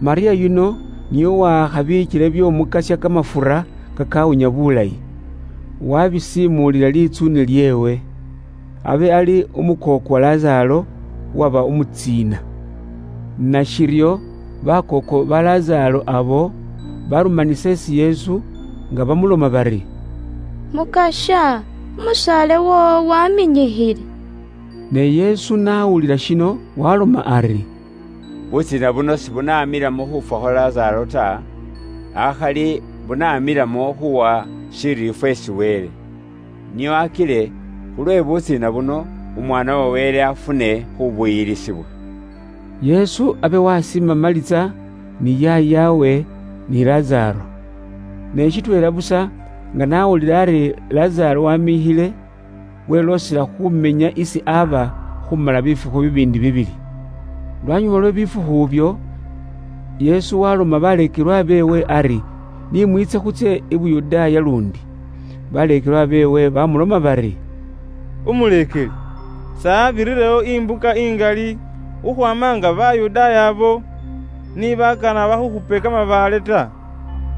Mariya yuno niye owakhabiichile by'Omukasya kamafura kakawunya bulayi, wabisimuulila litsuune lyeewe, abe ali umukooko wa Lazaro uwaba umutsiina. Nashiryo bakooko ba Lazaro abo barumanisa isi Yesu nga bamuloma bari, "Mukasya, umusaale woowo waminyikhile." Ne Yesu n'awulila shino, waloma ari, "Butsiina buno sibunamilamo khufwa khwa Lazaro ta, akhali bunamilamo khuwa shiriifwa esi Wele, nio akile khulwe butsiina buno Umwaana wa Wele afune khubuyilisibwa." Yesu abe wasiima Malitsa ni yaayawe ni Lazaro. Ne shitweela busa nga nawulila ari Lazaro wamiikhile, weloosela khumenya isi aba khumala bifukhu bibiindi bibili. Lwanyuma lwe bifukhu ibyo, Yesu waloma baleekelwa beewe ari, "Ni mwiitse khutsye i Buyudaaya lundi." Baleekelwa beewe bamuloma bari, "Umuleekeli, saabirirewo imbuka ingali khukhwaama nga Bayudaaya abo ni bakana bakhukhupe kamabaale ta,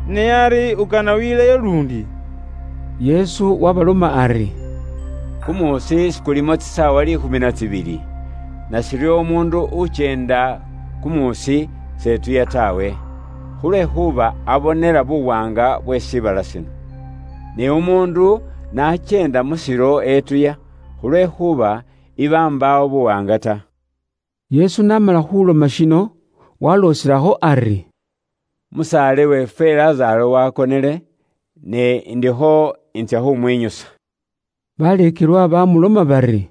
ne ari ukana wiileyo lundi?" Yesu wabaloma ari, "Kumuusi sikulimo tsisaawa liikhumi na tsibili. nashiri omundu uchenda kumuusi setuya tawe, khulwekhuba abonera buwanga bwe shibala shino. Ne omundu nachenda mushiro etuya, khulwekhuba iba mbawo buwanga ta. Yesu namala khuloma shino, waloosirakho ari, "Musaale weefwe Lazaro wakonele, ne ndikho intsya khumwinyusa." Baleekelwa bamuloma bari,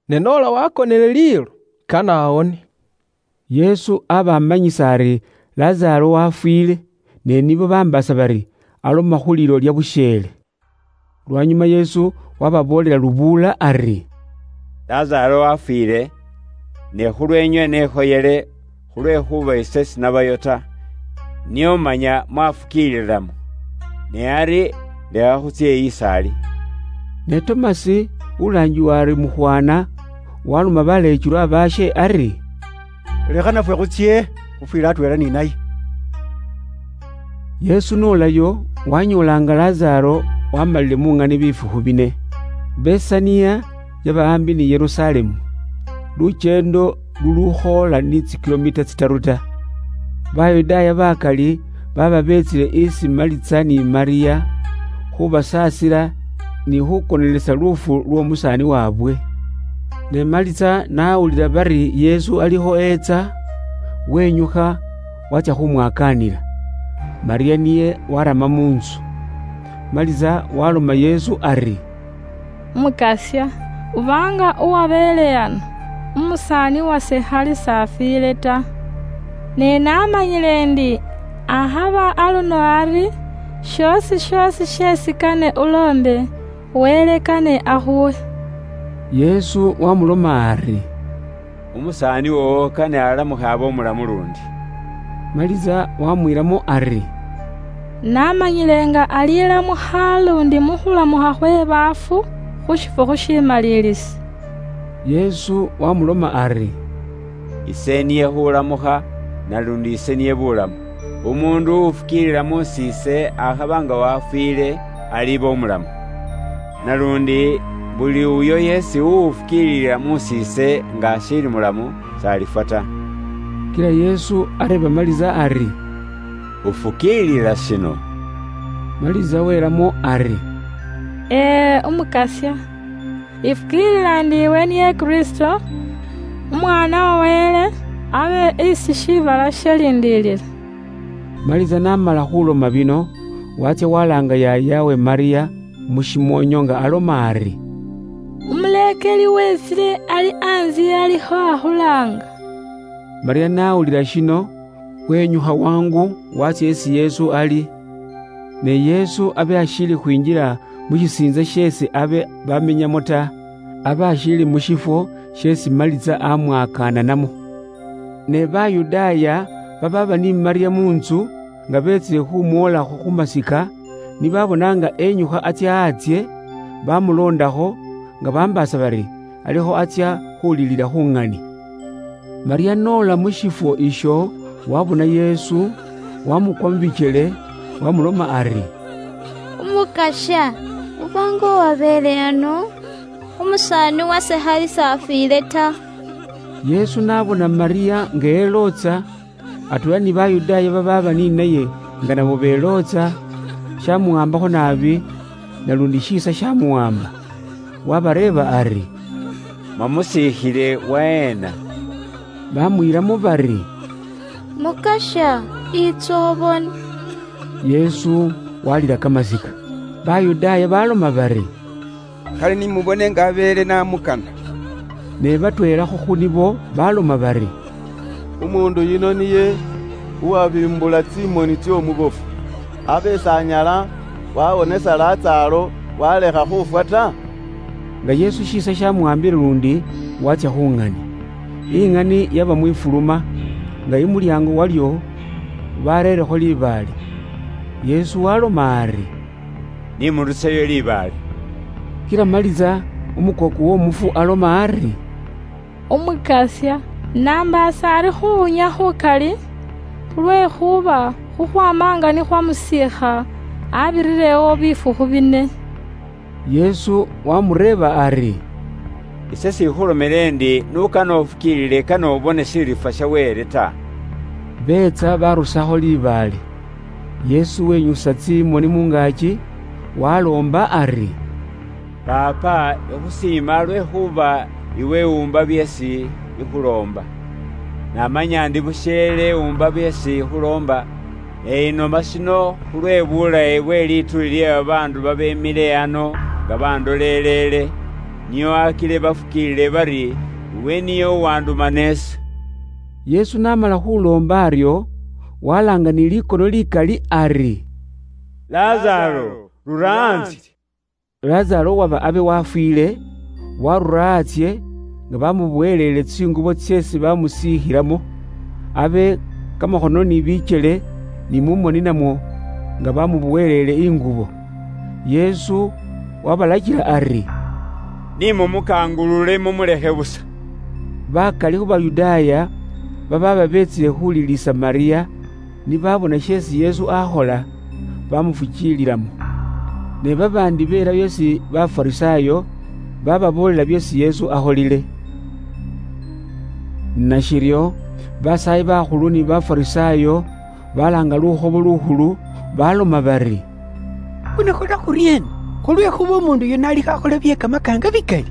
"Ne noola wakonele liilo, kane awone." Yesu abamanyisa ari Lazaro wafwile, ne nibo bambaasa bari aloma khu liilo lya busheele. Lwanyuma Yesu wababoolela lubuula ari, "Lazaro wafwile, ne khulwenywe nekhoyele, khulwekhuba ise sinabayo ta, nio manya mwafukiililamo. Ne ari lekha khutsye eyi isaali." Ne Tomasi, ulaangiwa ari Mukhwana, waloma baleechulwa baashe ari, "Lekha nafwe khutsye khufwile atweela ni naye." Yesu nolayo, wanyoolanga Lazaro wamalile mung'ani bifukhu bine. Besania yaba ambi ni Yerusalemu, luchendo lulukhoola ni tsikilomita tsitaru ta. Bayudaaya bakali baba betsile isi Malitsa ni Maria khubasaasila ni khukonelesa lufu lw'omusaani wabwe. Ne Malitsa nawulila bari Yesu alikho etsa, wenyukha, watsya khumwakaanila. Maria niye warama mu ntsu. Malitsa waloma Yesu ari, "Mukasya, ubanga uwabeele ano, umusaani wase khali s'afwiile ta. Ne namanyile ndi akhaba aluno ari, shoosi shoosi sheesi kane uloombe, Wele kane akhuwe." Yesu wamuloma ari, "Umusaani wowo kane alamukhe abe omulamu lundi." Maliza wamwiilamo ari, "Namanyile nga alilamukha lundi mukhulamukha khwe baafu khu shifukhu shimalilisi." Yesu wamuloma ari, "Ise niye khulamukha, nalundi ise niye bulamu. Umundu ufukiilila musise akhaba nga wafwiile, aliba omulamu. Nalundi buli uyo yeesi uwufukiililila musise nga ashiili mulamu, s'alifwa ta." Kila Yesu areeba Maliza ari, "Ufukiilila shino?" Maliza welamo ari, "Ee, Umukasya. Ifukiilila ndi iwe niye Kristo, Umwaana wa Wele, abe isi shiibala shialindiilila." Maliza n'amala khuloma bino, watsya walaanga yaayawe Maria mu shimoonyo nga aloma ari, "Umuleekeli wetsile ali anzye alikho akhulaanga." Maria n'awulila shino, wenyukha wangu watsya esi Yesu ali. Ne Yesu abe ashiili khwinjila mu shisiintsa sheesi abe bamenyamo ta, abe ashiili mu shifwo sheesi Maliza amwakaananamo. Ne Bayudaaya bababa ni Maria mu ntsu nga beetsile khumwoolakho khu masika, nibabona nga enyukha atsya atsye, bamuloondakho nga bambaasa bari alikho atsya khulilila khu ng'ani. Maria n'ola mu shifwo isho, wabona Yesu, wamukwa mu bikyele, wamuloma ari, "Umukasya, uba nga uwabeele ano, umusaani wase khali s'afwiile ta." Yesu n'abona Maria nga elootsa, atweela ni Bayudaaya babaaba ni naye nga nabo belootsa, shamuwambakho naabi, nalundi shiisa shamuwamba. Wabareeba ari, "Mwamusiikhile waheena?" Bamwiilamo bari, "Mukasya, itsa obone." Yesu walila kamasika. Bayudaaya baloma bari, "Khali nimubone nga abeele namukana." Ne batweelakho khu nibo baloma bari, "Umuundu yuno niye uwabimbula tsimoni tsy'omubofu, abe s'anyala wawonesa Lasaro walekha khufwa ta?" Nga Yesu shiisa shamuwambile lundi, watsya khu ng'ani. Ing'ani yaba mwifuluma, nga imulyaango walyo bareerekho libaale. Yesu waloma ari, "Nimuruseyo libaale." Kila Maliza, umukooku w'omufu, aloma ari, "Umukasya, nambaasa ari khuwunya khukali, khulwekhuba khukhwama nga nikhwamusiikha, abirirewo bifukhu bine." Yesu wamureeba ari, Ise sikhulomere endi nukana ofukiilile kane obone shilifwa sha Wele ta. Beetsa barusakho libaale. Yesu wenyusa tsimoni mungaaki, waloomba ari, "Paapa, ikhusiima lwekhuba iwe uumba byeesi ikhuloomba. Namanya ndi busheele uumba byeesi ikhuloomba, ne inoma shino khulwe bulayi bwe lituuli lye babaandu babemile ano nga bandolelele, nio akile bafukiilile bari, iwe niye uwandumana ise." Yesu namala khuloomba ario, walaanga ni likono likali ari, "Lazaro, rura antsye!" Lazaro waba abe wafwile, warura atsye, nga bamubohelele tsingubo tseesi bamusiikhilamo, abe kamakhono ni bikyele, ni mu moni namwo, nga bamubohelele ingubo. Yesu wabalachila ari, "Ni mumukangulule, mumulekhe busa." Bakali khu Bayudaaya bababa betsile khulilisa Maria, ni babona sheesi Yesu akhola, bamufukiililamo. Ne babaandi beela byeesi Bafarisaayo bababoolela byeesi Yesu akholile. Nashiryo, basaayi bakhulu ni Bafarisaayo balaanga Lukhobo Lukhulu, baloma bari, "Khuno khula khuriena? Khulwekhuba omundu yuno alikho akhola bye kamakaanga bikali.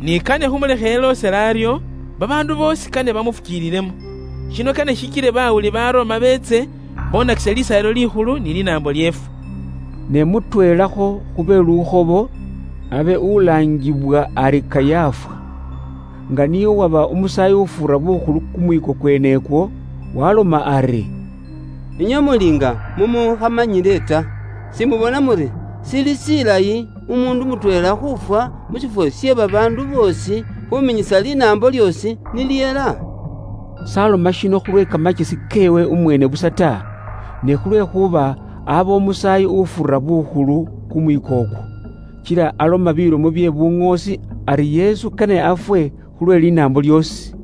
Ni kane khumulekhe eloosele ario, babaandu boosi kane bamufukiililemo. Shino kane shichile bawuli ba Roma beetse, bonakise Lisaayilo Likhulu ni linaambo lyeefwe." Ne mutweelakho khu be lukhobo, abe ulaangibwa ari Kayafa, nga niye uwaba umusaayi ufuura bukhulu kumwiiko kwenekwo, waloma ari, "Inywe muli nga mumukhamanyile ta, simubona muri sili silayi umundu mutweela khufwa mu shifwo shye babaandu boosi khuminyisa linaambo lyoosi ni lyela?" Saloma shino khulwe kamachesi keewe umweene busa ta, ne khulwekhuba aba umusaayi ufuura bukhulu kumwiiko okwo. Kila aloma bilomo bye buŋoosi ari Yesu kane afwe khulwe linaambo lyoosi.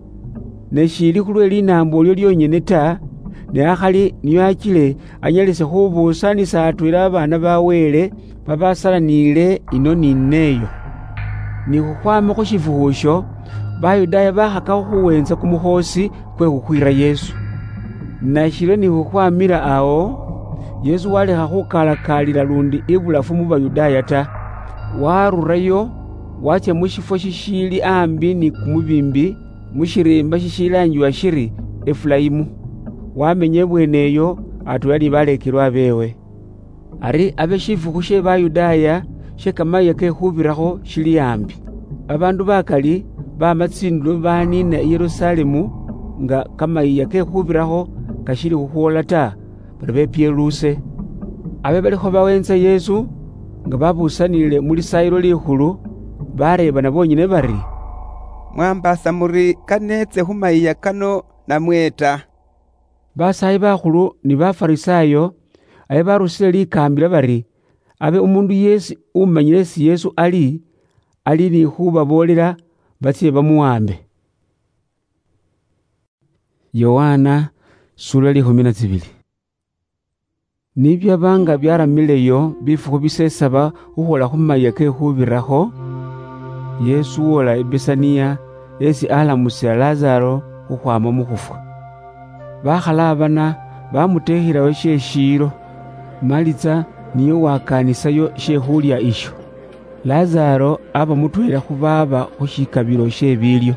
Ne shiili khulwe linaambo elyo lyonyene ta, ne akhali niyo achile anyalise khubuusanisa atweela abaana ba Wele babasalaniile ino ni neeyo. Ni khukhwama khu shifukhu isho, Bayudaaya bakhakakho khuweenza kumukhoosi kwe khukhwiira Yesu. Nashiryo ni khukhwamila awo, Yesu walekha khukalakaalila lundi ibulafu mu Bayudaaya ta. Warurayo, watsya mu shifwo shishiili ambi ni kumubiimbi, mu shiriimba shishilaangiwa shiri Efulaimu. Wamenya ibweene eyo atweela ni baleekelwa beewe. Ari abe shifukhu she Bayudaaya she Kamayiiya ke Khubirakho shili ambi. Babaandu bakali baama tsindulo baniina i Yerusalemu nga Kamayiiya ke Khubirakho kashili khukhwoola ta, bari bepyeluuse. Abe balikho baweentsa Yesu, nga babusanile mu Lisaayilo Likhulu, bareebana boonyene bari, "Mwambaasa muri kaneetse khu mayiiya kano namwe ta?" Basaayi bakhulu ni Bafarisaayo abe barusile likaambila bari, abe umuundu yeesi umanyile esi Yesu ali, ali ni khubaboolela, batsye bamuwaambe. Yohana, sura likhumi na tsibili. Nibyaba nga byaramileyo bifukhu bisesaba khukhwola khu mayiiya ke Khubirakho, Yesu woola i Besaniya, esi alamusila Lazaro khukhwaama mu khufwa. Bakhalaabana bamuteekhilayo she shiilo, Malitsa niye uwakaanisayo she khulya isho. Lazaro aba mutweela khu baaba khu shikabilo she biilyo.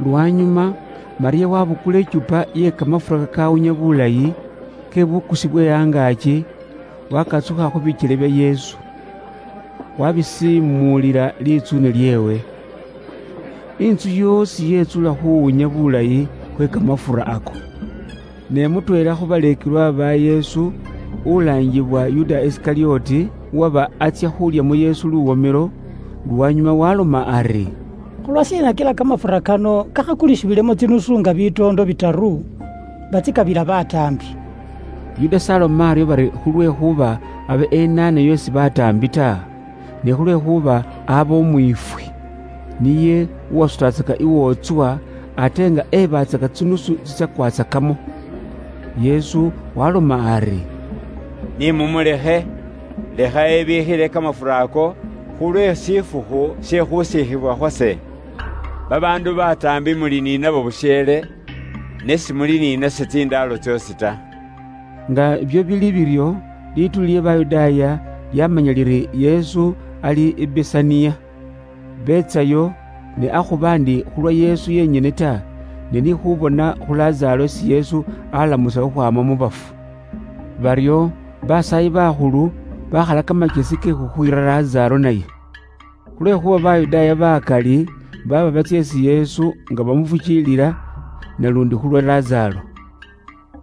Lwanyuma, Maria wabukula ichupa ye kamafura kakawunya bulayi, ke bukusi bwe angaaki, wakatsukha khu bikyele bya Yesu, wabisimuulila litsune lyeewe. Inzu yoosi yetsula khuwunya bulayi khwe kamafura ako. Ne mutweela khu baleekelwa ba Yesu, ulaangibwa Yuda Isikarioti, uwaba atsya khulya mu Yesu luwomelo, lwanyuma waloma ari, "Khulwashiina kila kamafura kano kakhakulishibilemo tsinusu nga bitoondo bitaru, batsikabila bataambi?" Yuda s'aloma aryo bari khulwekhuba abe enaanayo esi bataambi ta, ne khulwekhuba aba umwiifwi. Niye uwasutatsaka iwootswa, ate nga ebatsaka tsinusu tsitsakwatsakamo. Yesu waloma ari, "Ni mumulekhe, lekha ebiikhile kamafura ako, Khulwe shifukhu she khusikhibwa khwase, babaandu bataambi muli ninabo busheele, ne simuli ninase tsindaalo tsyoosi ta. Nga byo bili biryo, liituli lye Bayudaaya lyamanya liri Yesu ali i Besaniya. Beetsayo, ne akhuba ndi khulwa Yesu yenyene ta, ne ni khubona khu Lazaro esi Yesu alamusa khukhwama mu bafu. Baryo basaayi bakhulu bakhala kamakesi ke khukhwiira Lazaro naye. Khulwekhuba Bayudaaya bakali baba batsya esi Yesu nga bamufukiilila, nalundi khulwa Lazaro.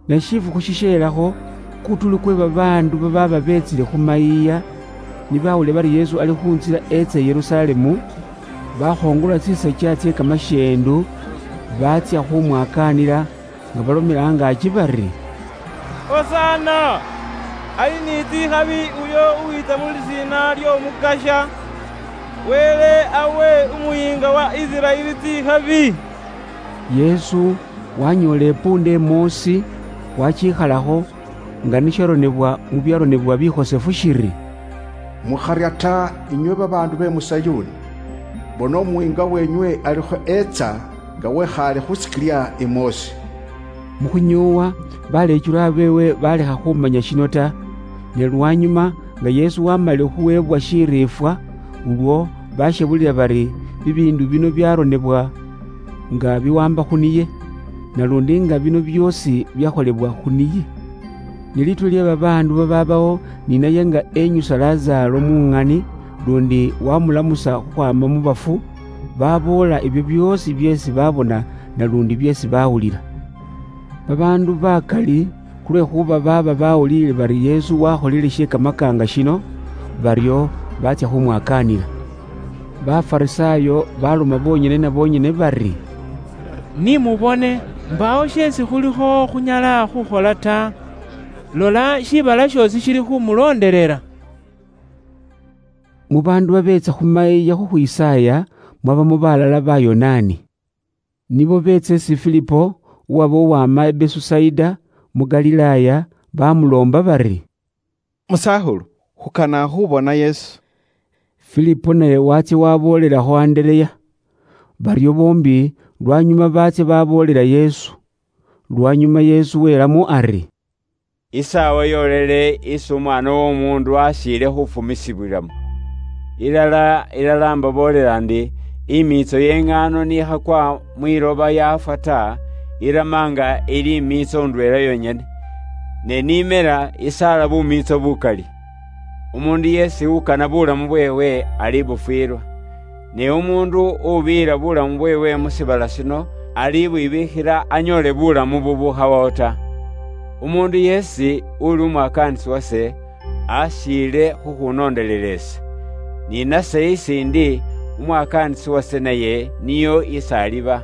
Ne shifukhu shishelakho, kutuli kwe babaandu bababa beetsile khu mayiiya, ni bawulile bari Yesu ali khu ntsila etsa i Yerusalemu, bakhongola tsisachia tsye kamashendu, baatsya khumwakaanila, nga balomela angaaki bari, "Hosana! Ali ni tsikhabi uyo uwitsa mu lisiina ly'Omukasha! Wele awe Umuyiinga wa Isiraeli tsikhabi!" Yesu wanyoola ipuunda imoosi, wachiikhalakho, nga nisharonebwa mu byaronebwa bikhosefu shiri, "Mukharya ta, inywe babaandu be mu Sayuni, bona Umuyiinga wenywe alikho etsa nga wekhaale khu sikilya imoosi." Mu khunyoowa, baleechulwa beewe balekha khumanya shino ta, ne lwanyuma, nga Yesu wamalile khuweebwa shiriifwa, ulwo bashebulila bari bibiindu bino byaronebwa nga biwamba khu niye, nalundi nga bino byoosi byakholebwa khu niye. Ne lituli lye babaandu bababawo ninaye nga enyusa Lazaro mu ng'ani, lundi wamulamusa khukhwama mu bafu, baboola ebyo byoosi byeesi babona nalundi byeesi bawulila. Babaandu bakali, khulwekhuba baaba bawuliile bari Yesu wakholile she kamakaanga shino, baryo baatsya khumwakaanila. Bafarisaayo baloma bonyene na bonyene bari, "Ni mubone, mbaawo sheesi khulikho khunyala khukhola ta. Lola, shiibala shoosi shili khumuloondelela." Mu baandu babeetsa khu mayiiya khukhwisaaya, mwabamo balala Bayonaani. Nibo beetsa esi Filipo, uwaba uwama i Besusaida mu Galilaaya, bamuloomba bari, "Musakhulu, khukana khubona Yesu." Filipo naye watsya waboolelakho Andereya. Baryo boombi lwanyuma baatsya baboolela Yesu. Lwanyuma Yesu welamo ari, "Isaawa yoolele isi Umwaana w'Omuundu ashiile khufumisibwilamo. Ilala, ilala, imbaboolela ndi, imiitso y'eng'aano niikhakwa mwiloba yaafwa ta, irama nga ili imiitso ndweela yonyene, ne n'imela isaala bumiitso bukali. Umuundu yeesi ukana bulamu bweewe alibufwiilwa. Ne umuundu ubiira bulamu bweewe mu shiibala shino, alibwibiikhila anyoole bulamu bubukhawawo ta. Umuundu yeesi uli umwakaanisi wase, ashiile khukhunondelela ise. Ni nase isi ndi, umwakaanisi wase naye niyo isi aliba.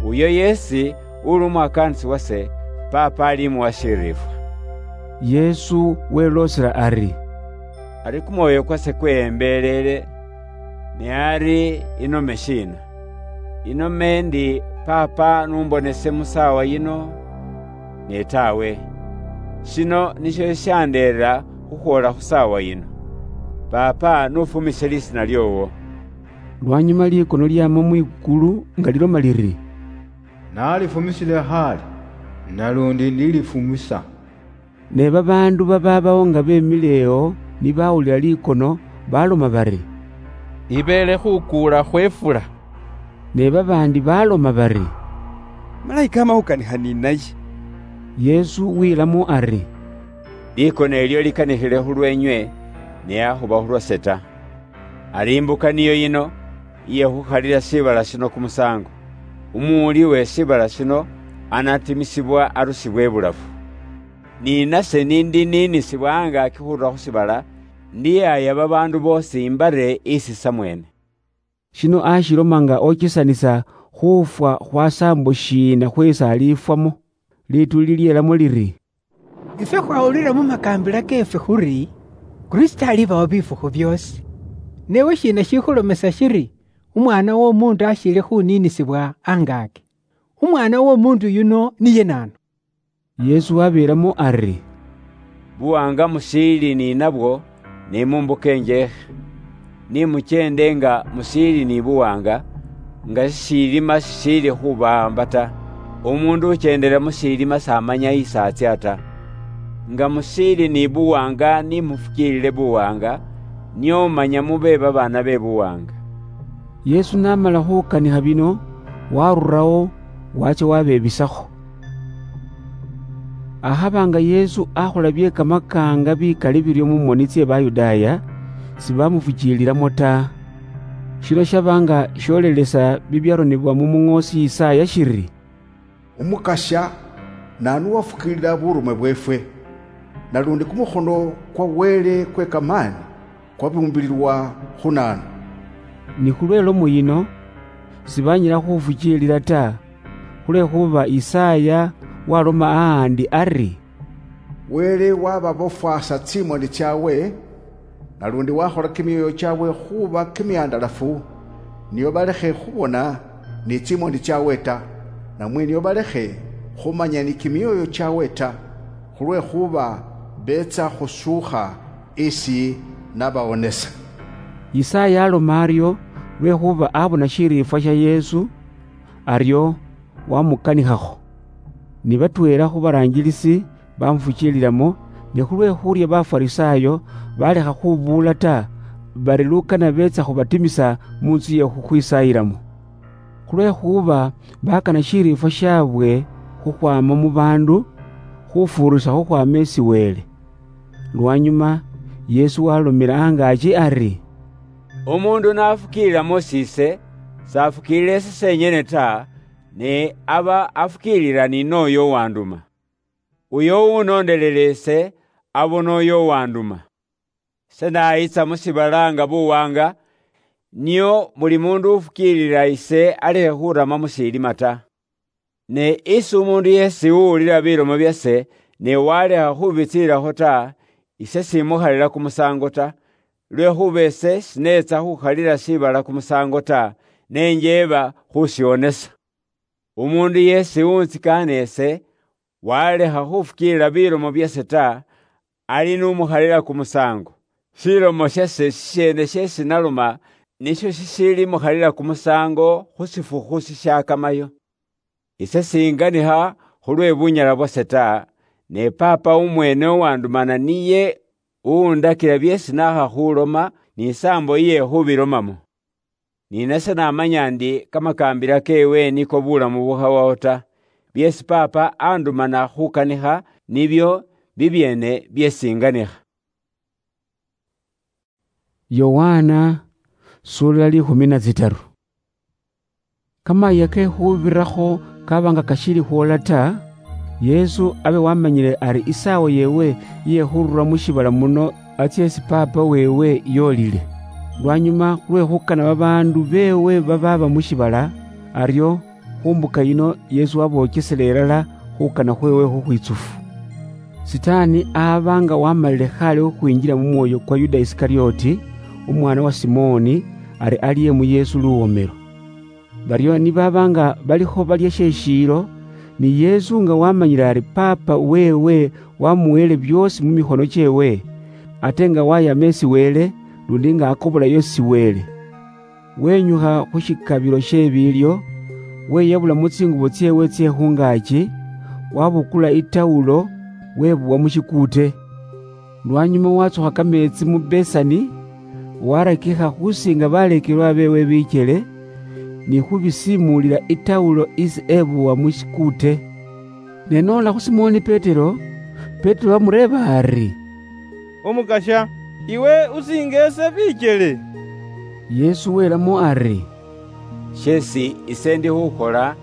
Uyo yeesi uli umwakaanisi wase, Paapa alimuwa shiriifwa." Yesu weloosela ari, "Ari kumwoyo kwase kweyembeelele, ne ari inome shiina? Inome ndi, 'Paapa, numbonese mu saawa yino'? Ne taawe. Shino nisho shishandeera khukhwoola khu saawa yino. Paapa, nufumise lisiina lyoowo." Lwanyuma likono lyama mwikulu nga liloma liri, "Nalifumisile khale, nalundi ndilifumisa." Ne babaandu bababawo nga bemile ewo ni bawulila likono, baloma bari, "Ibeele khukuula khwefula." Ne babaandi baloma bari, "Malayika ama khukanikha ni naye." Yesu wilamo ari, "Likono ilyo likanikhile khulweenywe, ne akhuba khulwase ta. Ari imbuka niyo yino, iye khukhalila shiibala shino kumusaango. Umuwuli we shiibala shino anatimisibwa arusibwe ibulafu. Ni nase nindiniinisibwa angaaki khurula khu shiibala, ndiyaaya babaandu boosi imbare isi samweene." Shino ashiloma nga ochesanisa khufwa khwa saambo shiina khweesi alifwamo. Lituli lyelamo liri, "Ifwe khwawulila mu makaambila keefwe khuri, Kristo alibawo bifukhu byoosi. Newe shiina shikhulomesa shiri, Umwaana w'Omuundu ashiili khuniinisibwa angaaki? Umwaana w'Omuundu yuno niye naanu?" Yesu wabeelamo ari, "Buwaanga mushiili ni nabwo, ne mu mbuka enjeekhe. Ni muchende nga musiili ni buwaanga, nga sisiilima sisiili khubaamba ta. Umuundu uchendela mu siilima s'amanya isi atsia ta. Nga musiili ni buwaanga ni mufukiilile buwaanga, nio manya mube babaana be buwaanga. Yesu n'amala khukanikha bino, warurawo, wacha wabebisakho. Akhaba nga Yesu akhola bye kamakaanga bikali biryo mu moni tsye Bayudaaya, sibamufukiililamo ta. Shino shaba nga sholelesa bibyaronebwa mu muŋoosi Yisaya shiri, "Umukasya, naanu uwafukiilila burume bweefwe? Nalundi kumukhono kwa Wele kwe kamaani kwabumbililwa khu naanu?" Ni khulwe lomo yino, sibanyala khufukiilila ta, khulwekhuba Yisaya waloma ahandi ari, "Wele wababofwasa tsimoni tsyabwe, nalundi wakhola kimyoyo kyabwe khuba kimyandalafu, nio balekhe khubona ni tsimoni tsyabwe ta, namwe nio balekhe khumanya ni kimyoyo kyabwe ta, khulwekhuba beetsa khusuukha isi nabawonesa." Yisaya aloma aryo lwekhuba abona shiriifwa shya Yesu, aryo wamukanikhakho. Ni batweela khu baraanjilisi bamufukiililamo, ne khulwe khuurya Bafarisaayo balekha khubuula ta, bari lukana beetsa khubatimisa mu ntsu ye khukhwisaayilamo. Khulwekhuba bakana shiriifwa shabwe khukhwama mu baandu, khufuurisa khukhwama esi Wele. Lwanyuma, Yesu walomela angaaki ari, "Umuundu nafukiililamo siise, safukiilila ise senyene ta, ne aba afukiilila ni n'oyo uwanduma. Uyo uwunoondelela ise, abona oyo uwanduma. Ise naayitsa mu shiibala nga buwaanga, nio buli muundu ufukiilila ise alekhe khurama mu shiilima ta. Ne isi umuundu yeesi uwulila bilomo byase, ne walekha khubitsiilakho ta, ise simukhalila kumusaango ta, lwekhuba ise sineetsa khukhalila shiibala kumusaango ta, ne njeeba khushionesa. Umuundu yeesi untsikaana ise, walekha khufukiilila bilomo byase ta, ali n'umukhalila kumusaango. Shilomo shase shisheene sheesi naloma, nisho shishiili mukhalila kumusaango khu shifukhu shishaakamayo. Ise singanikha khulwe bunyala bwase ta, ne Paapa umweene uwandumana niye uwundakila byeesi naakha khuloma ni isaambo iye khubilomamo. Ni nase namanya ndi kamakaambila keewe niko bulamu bukhawawo ta. Byeesi Paapa andumana khukanikha, nibyo bibyeene byeesi inganikha." Yohana, sura likhumi na tsitaru. Kamayia ke khubirakho kaba nga kashili khwola ta, Yesu abe wamanyile ari isaawa yeewe iye khurura mu shiibala muno atsie isi Paapa weewe yoolile. Lwanyuma khulwe khukana babaandu beewe babaaba mu shiibala, aryo khu mbuka yino Yesu waboochesela ilala khukana khweewe khukhwitsufu. Sitaani aaba nga wamalile khaale khukhwinjila mu mwoyo kwa Yuda Isikarioti, umwaana wa Simooni, ari alye mu Yesu luwomelo. Baryo ni baaba nga balikho balya she shiilo, ni Yesu nga wamanyile ari Paapa weewe wamuweele byoosi mu mikhono kyeewe, ate nga wayama esi Wele, lundi nga akobolayo esi Wele. Wenyukha khu shikabilo she biilyo, weyabula mu tsingubo tseewe tsye khungaaki, wabukula itawulo, webuwa mu shikuute. Lwanyuma watsukha kameetsi mu besani, warakikha khusinga baleekelwa beewe bikyele, ni khubisimuulila itawulo isi ebuwa mu shikuute. Ne noola khu Simoni Petero, Petero wamureeba ari, "Umukasya, iwe usinga ese bikyele?" Yesu welamo ari, "Sheesi ise ndi khukhola,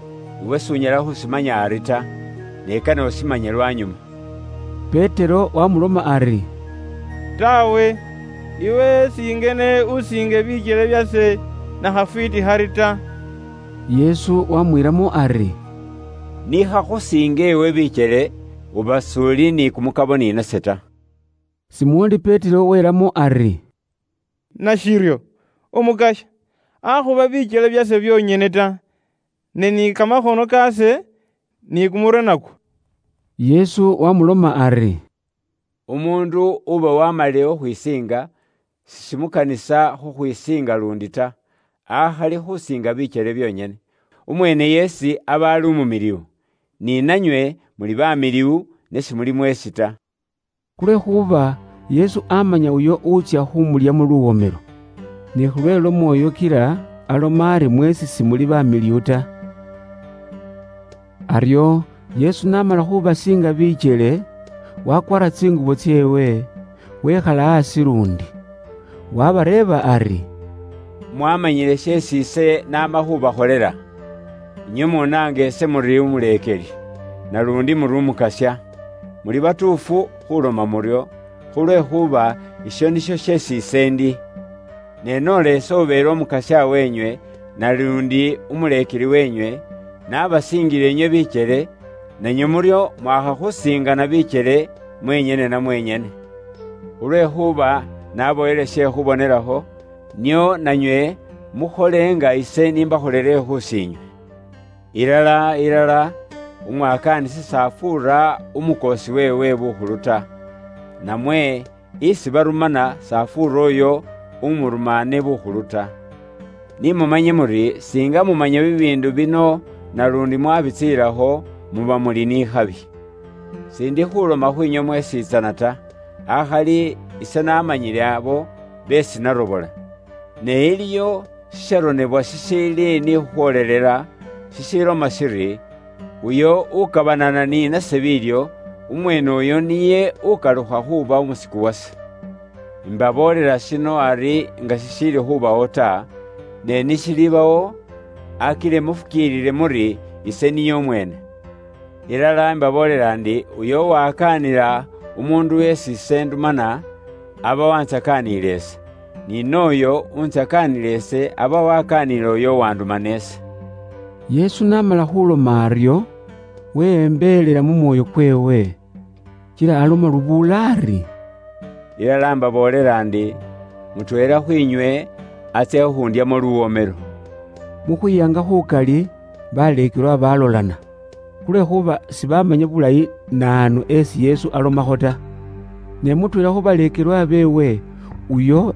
iwe s'unyala khusimanya ari ta, ne kane usimanye lwanyuma." Petero wamuloma ari, "Tawe, iwe singene usinge bikyele byase na khafwiiti khari ta." Yesu wamwiiramo ari, "Nikhakhusinga ewe bikyele, uba s'uli ni kumukabo ni nase ta." Simoni Petero welamo ari, "Nashiryo, Umukasya, akhuba bikyele byase byonyene ta, ne ni kamakhono kaase ni kumurwe nakwo." Yesu wamuloma ari, "Umuundu uba wamalile okhwisiinga, sishimukanisa khukhwisiinga lundi ta, akhali khusiinga bichele bionyene. Umwene yesi aba ali umumiliwu, ni nanywe muli bamiliwu, ne simuli mwesi ta. Khulwekhuba Yesu amanya uyo utsya khumulyamo luwomelo, ne khulwelo Mwoyo kila aloma ari mwesi simuli bamiliwu ta. Aryo Yesu namala khubasiinga bichele, wakwara tsingubo tseewe, wekhala asi lundi. Wabareeba ari, "Mwamanyile sheesi ise naama khubakholela? Inywe munaanga ise muri umuleekeli, nalundi muri umukasya. Muli batuufu khuloma muryo, khulwekhuba isho nisho sheesi ise ndi. Ne noola ise ubeele umukasya wenywe, nalundi umuleekeli wenywe, nabasiingile inywe bichele, nanywe muryo mwakha khusiingana bichele mwenyene na mwenyene. Khulwekhuba naboyele she khubonelakho, nio nanywe mukhole nga ise nimbakholele khusiinywe. Ilala, ilala, umwakaanisi s'afuura umukoosi weewe bukhulu ta, namwe isi barumana s'afuura uyo umurumaane bukhulu ta. Ni mumanye muri, singa mumanya bibiindu bino nalundi mwabitsiilakho, muba muli n'ikhabi. Sindi khuloma khwinywe mwesiitsana ta, akhali ise namanyile abo beesi narobola. Ne iliyo shisharonebwa shishiili ni khukhwolelela, shishiloma shiri, 'Uyo ukabanana ni nase biilyo, umweene uyo niye ukalukha khuuba umusiku wase.' Imbaboolela shino ari nga shishiili khubawo ta, ne nishilibawo, akile mufukiilile muri ise niye umweene. Ilala imbaboolela ndi, uyo uwakaanila umuundu yeesi ise ndumana, aba wantsakaanile ise, ni nooyo untsakaanile ise aba wakaanile uyo uwandumana ise." Yesu namala khuloma aryo, weyembelela mu mwoyo kweewe, kila aloma lubuula ari, "Ilala imbaboolela ndi, mutweela khwinywe atsya khukhundyamo luwomelo." Mu khwiyanga khukali, baleekelwa balolana, khulwekhuba sibamanya bulayi naanu esi Yesu alomakho ta. Ne mutweela khu baleekelwa beewe, uyo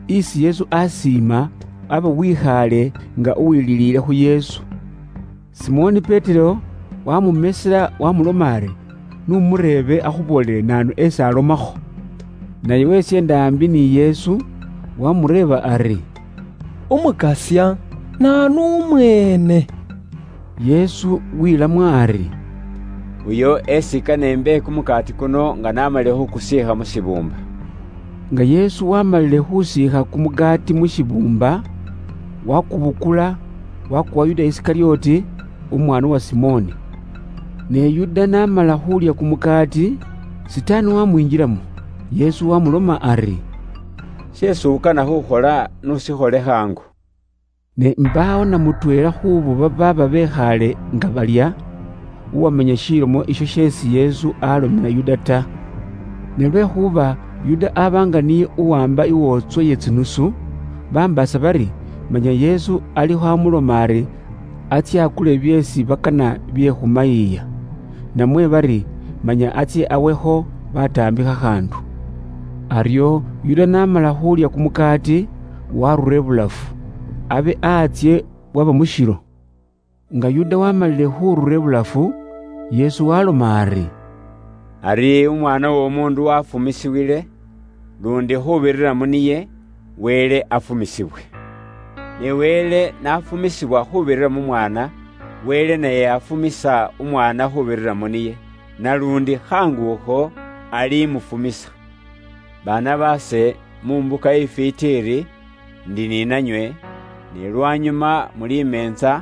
isi Yesu asiima, aba wikhaale nga uwililiile khu Yesu. Simoni Petero wamumesela wamuloma ari, "Numureebe akhuboolele naanu esi alomakho." Naye wetsyenda ambi ni Yesu, wamureeba ari, "Umukasya, naanu umweene?" Yesu wilamo ari, "Uyo esi kane imbe kumukaati kuno nga namalile khukusiikha mu shibuumba." Nga Yesu wamalile khusiikha kumukaati mu shibuumba, wakubukula, wakuwa Yuda Isikarioti, umwaana wa Simoni. Ne Yuda namala khulya kumukaati, Sitaani wamwinjilamo. Yesu wamuloma ari, "Sheesi ukana khukhola, nusikhole khangu." Ne mbaawo na mutweela khuubo babaaba bekhaale nga balya, uwamanya shilomo isho sheesi Yesu alomela Yuda ta. Ne lwekhuba Yuda aba nga niye uwamba iwootswa ye tsinusu, bambaasa bari manya Yesu alikho amuloma ari atsye akule byeesi bakana bye khumayiiya, namwe bari manya atsye awekho bataambikha khaandu. Aryo Yuda n'amala khulya kumukaati, warura ibulafu, abe aatsye bwaba mushilo. Nga Yuda wamalile khurura ibulafu, Yesu waloma ari, "Ari Umwaana w'Omuundu wafumisiwile, lundi khubirira mu niye, Wele afumisibwe. Ne Wele nafumisibwa khubirira mu Mwaana, Wele naye afumisa Umwaana khubirira mu niye, nalundi khanguukho alimufumisa. Baana baase, mu mbuka ifwiiti iri, ndi ninanywe, ne lwanyuma mulimensa,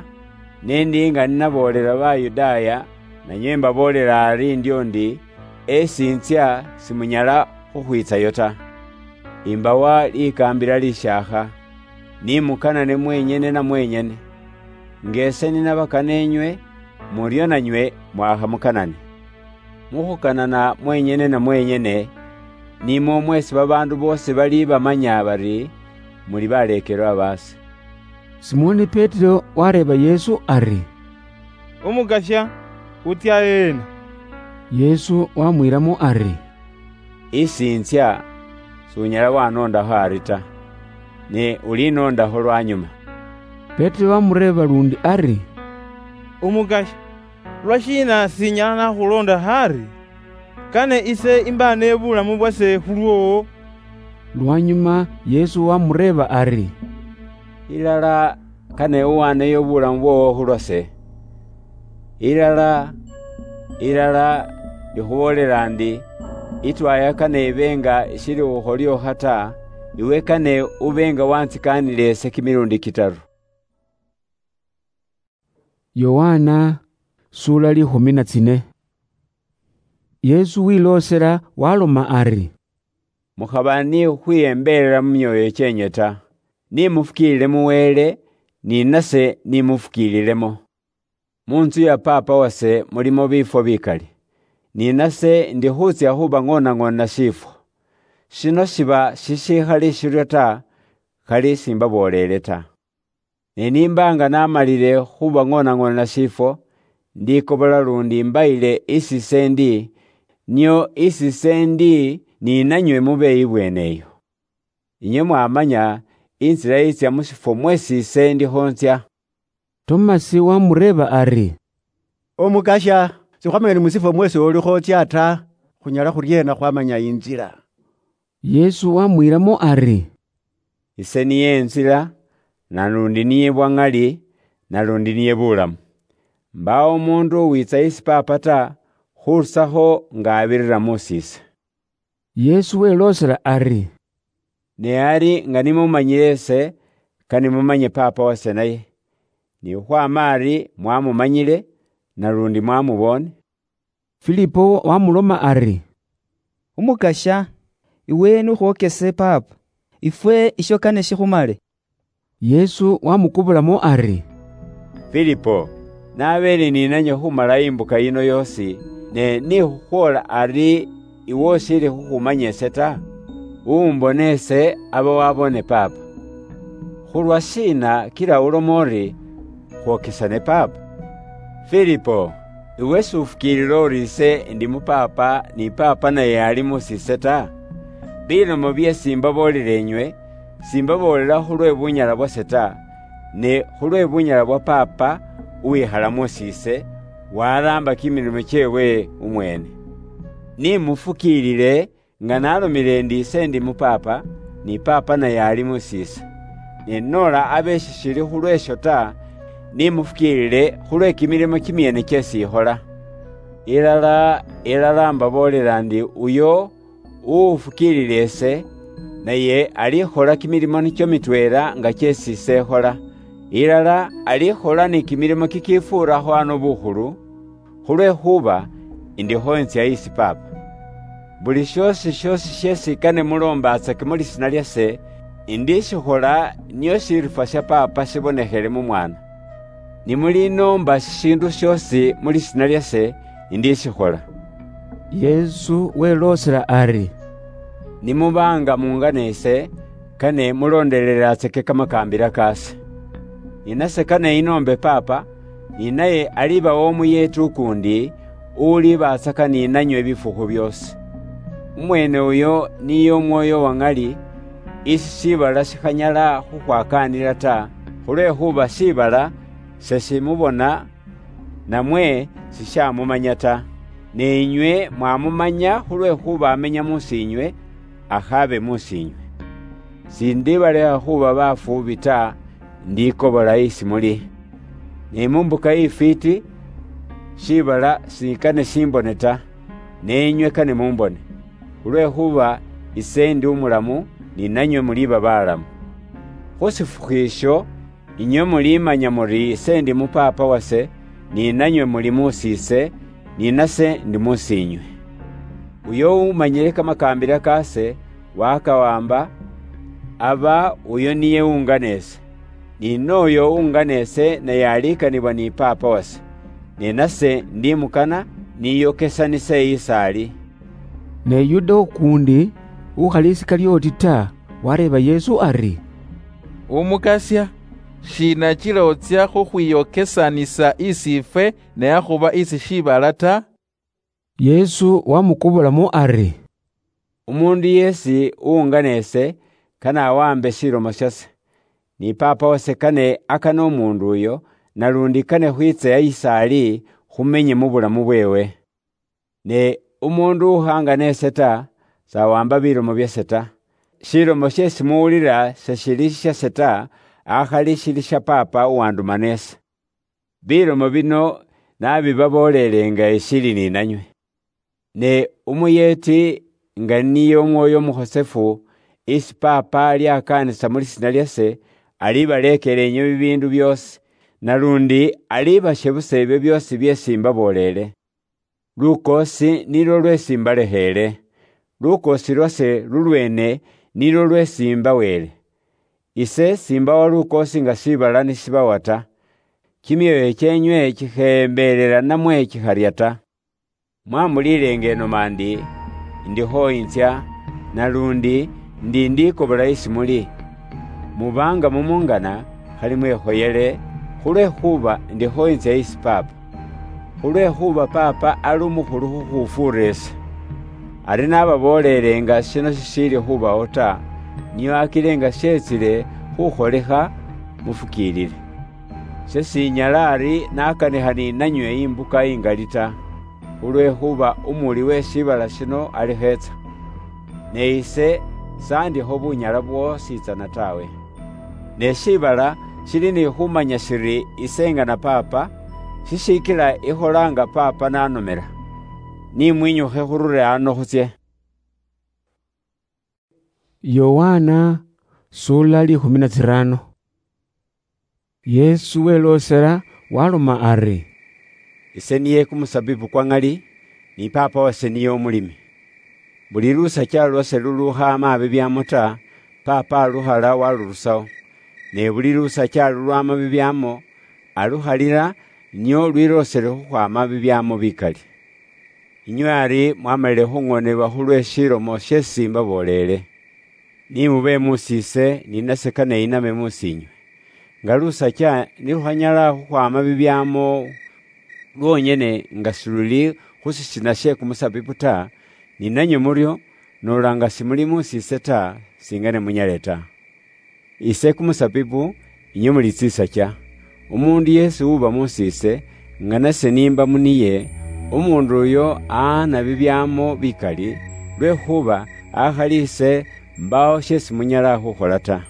ne ndi nga ninaboolela Bayudaaya, nanywe imbaboolela ari ndio ndi, esintsya simunyala khukhwitsayo ta. Imbawa likaambila lishaakha, ni mukanane mwenyene na mwenyene. Nga ese ninabakana enywe, muryo nanywe mwakhamukanane. Mukhukanana mwenyene na mwenyene, nimwo mwesi babaandu boosi bali bamanya bari muli baleekelwa baase." Simoni Petero wareeba Yesu ari, "Umukasya, utsya heena?" Yesu wamwiilamo ari, "Isi intsya, sunyala wanondaho ari ta, ne ulinondaho lwanyuma. Petero wamureeba lundi ari, Umukasya, lwashiina sinyala nakhulonda ari, kane ise imba nebulamu bwase khulwowo? Lwanyuma Yesu wamureeba ari, Ilala kane uwaneyo bulamu bwowo khulwase. Ilala, ilala, ndikhuboolera ndi, itwaya kane ibe nga ishili khukholiokha ta, iwe kane ube nga wantsikaanile ise kimilundi kitaru. Yohana, sura likhumi na tsine. Yesu wiloosela waloma ari, Mukhaba ni khukhwiyembelela mu myoyo kyenywe ta, ni mufukiilile mu Wele, ni nase ni mufukiililemo. Mu ntsu ya Paapa wase mulimo biifwo bikali, ni nase ndi khutsya khubang'onang'ona shifwo. Shino shiba shishikhali shiryo ta, khali simbaboolele ta. Ne nimba nga namalile khubang'onang'ona shifwo, ndikobola lundi mbayile isi ise ndi, nio isi ise ndi ni nanywe mube ibweene eyo. Inywe mwamanya intsila yitsya mu shifwo mwesi ise ndikho ntsya. Tomasi wamureeba ari, Omukasya, sikhwamanya ni mu shifwo mwesi olikho otsya ta, khunyala khuryeena khwamanya intsila? Yesu wamwiilamo ari, Ise niye intsila, nalundi niye bwang'ali, nalundi niye bulamu. Mbaawo omundu uwitsa isi Paapa ta, khurusakho nga abirira musise. Yesu weloosela ari, Ne ari nga nimumanyile ise, kane mumanye Paapa wase naye. Ni khukhwama ari mwamumanyile, nalundi mwamubone. Filipo wamuloma ari, Umukasya, iwe nukhwokese Paapa, ifwe isho kane shikhumale. Yesu wamukubulamo ari, Filipo, nabeele ninanywe khumala imbuka yino yoosi, ne nikhukhwoola ari iwe ushiili khukhumanya ise ta? Umbone ise aba wabone Paapa. Khulwa shiina kila uloma uri, khwokesane Paapa? Filipo, iwe s'ufukiilila uri ise ndi mu Paapa, ni Paapa naye ali musise ta? Bilomo bye simbaboolele inywe, simbaboolela khulwe bunyala bwase ta, ne khulwe bunyala bwa Paapa uwikhala musise, waraamba kimilimo kyeewe umweene. Ni mufukiilile nga nalomile ndi ise ndi mu Paapa, ni Paapa naye ali musise. Ne noola abe shishili khulwesho ta, ni mufukiilile khulwe kimilimo kimyeene kyesi ikhola. Ilala, ilala mbaboolela ndi uyo uwufukiilila ise, naye alikhola kimilimo nikyo mitweela nga kyesi ise ikhola. Ilala alikhola ni kimilimo kikifuurakho ano bukhulu, khulwekhuba indiho intsya isi Paapa. Buli shiosi shiosi shesi kane muloombatsake mu lisiina lyase, indishikhola nio shirifwa sha Paapa shibonekhele mu Mwana. Nimulinoomba shishiindu shiosi mu lisiina lyase, indishikhola. Yesu weloosela ari, Nimuba nga muungana ise, kane muloondelelatsake kamakaambila kaase. Ni nase kane inoombe Paapa, ni naye alibawa omuyeeti ukuundi, uwulibatsaka ni nanywe bifukhu byoosi. Umweene uyo niye Umwooyo wa ŋali, isi shiibala shikhanyala khukhwakaanila ta, khulwekhuba shiibala sheshimubona, namwe shishamumanya ta. Ne inywe mwamumanya khulwekhuba amenya musiinywe, akhaabe musiinywe. Sindibalekha khuba bafuubi ta, ndikobola isi muli. Ne mu mbuka ifwiiti, shiibala sikane shimbone ta, ne inywe kane mumbone, khulwekhuba ise ndi umulamu, ni nanywe muliba balamu. Khu shifukhu isho, inywe mulimanya muri ise ndi mu Paapa wase, ni nanywe muli musise, ni nase ndi musiinywe. Uyo umanyile kamakaambila kaase, wakawamba, aba uyo niye uungana ise. Ni nooyo uungana ise naye alikanibwa ni Paapa wase, ne nase ndimukana, niyokesanise isi ali. Ne Yuda ukuundi, ukhali Isikarioti ta, wareeba Yesu ari, Umukasya, shiina kila otsya khukhwiyokesanisa isi ifwe, ne akhuba isi shiibala ta? Yesu wamukobolamu ari, Umundu yesi uungana ese, kane awambe shilomo shase. Ni Papa wase kane akane umundu uyo, nalundi kane khwitse yisali khumenye mu bulamu bwewe. Ne umundu ukhangana ese ta, sawamba bilomo byase ta. Shilomo shesi muwulira shashili shase ta, akhali shili sha Papa uwandumana ese. Bilomo bino nabibabolelenga eshili ninanywe. Ne umuyeti nga niye Umwoyo Umukhosefu, isi Papa aliakanisa mu lisina liase, alibaleekela enywe bibindu byoosi, nalundi alibashe busa ebyo byoosi byesi mbaboleele. Lukoosi nilwo lwesi mbalekheele. Lukoosi lwase lulweene nilwo lwesi mbaweele. Ise simbawa lukoosi nga shiibala nishibawa ta. Kimyoyo kyenywe kikheembelela namwe kikharya ta. Mwamuliilenga enoma ndi, ndikhoyintsya, nalundi ndi ndikobola isi muli. Muba nga mumungana, khali mwekhoyele, khulwekhuba ndikhoyintsya isi Papa. Khulwekhuba Papa ali umukhulu khukhufuura ese. Ari nababoolele nga shino shishiili khubawo ta, nio akile nga shetsile khukholekha, mufukiilile. Sesinyala ari nakanikha ninanywe imbuka ingali ta, khulwekhuba umuuli we shiibala shino alikhetsa. Ne ise sandikho bunyala bwoosi tsana tawe. Ne shiibala shili ni khumanya shiri ise ngana Papa, shishikila ikholanga Papa nanomela. Nimwinyukhe khurule ano khutsie. Yohana, sula likhumi na tsirano. Yesu weloosela, waloma ari, "Ise niye kumusabibu kwa ŋali, ni Papa wase niye umulimi. Buli lusakya lwase lulukhaama bibyamo ta, Papa alukhala walurusawo. Ne buli lusakya lulwama bibyamo, alukhalira, nio lwiloosele khukhwaama bibyamo bikali. Inywe ari mwamalile khuŋoonebwa khulwe shilomo sheesi mbaboolele. Ni mube muusi ise, ni nase kane iname muusi inywe. Nga lusakya nilukhanyala khukhwaama bibyamo lwonyene nga siluli khu sisina she kumusabibu ta, ni nanywe muryo, noola nga simuli muusi ise ta, singene munyale ta. Ise kumusabibu, inywe muli tsisakya. Umuundu yeesi uba muusi ise, nga nase nimba muniye, umuundu uyo aana bibyamo bikali, lwekhuba akhali ise, mbaawo sheesi munyala khukhola ta.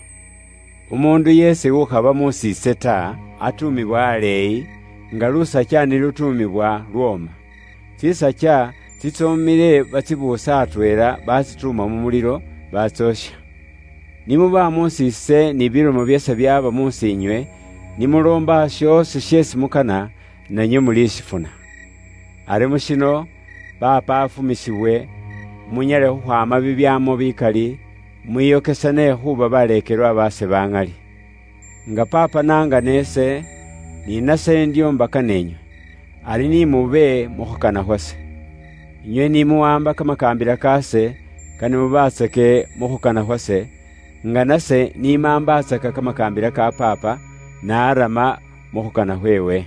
Umuundu yeesi ukhaba muusi ise ta, atuumibwa aleeyi, nga lusakya nilutuumibwa lwooma. Tsisakya tsitsoomile batsibuusa atweela, batsituuma mu mulilo, batsoosha. Nimuba muusi ise ni bilomo byase byaba muusi inywe, nimuloomba shoosi sheesi mukana, nanywe mulishifuna. Ari mushino, Papa afumisibwe, munyale khukhwaama bibyamo bikali, mwiyokesane khuba baleekelwa baase ba ŋali. Nga Papa nangana ise, ni nase ndiombaka nenywe, ari ni mube mu khukana khwase. Inywe ni muwamba kamakaambila kaase, kane mubatsake mu khukana khwase, nga nase nimambatsaka kamakaambila ka Papa, naarama mu khukana khweewe.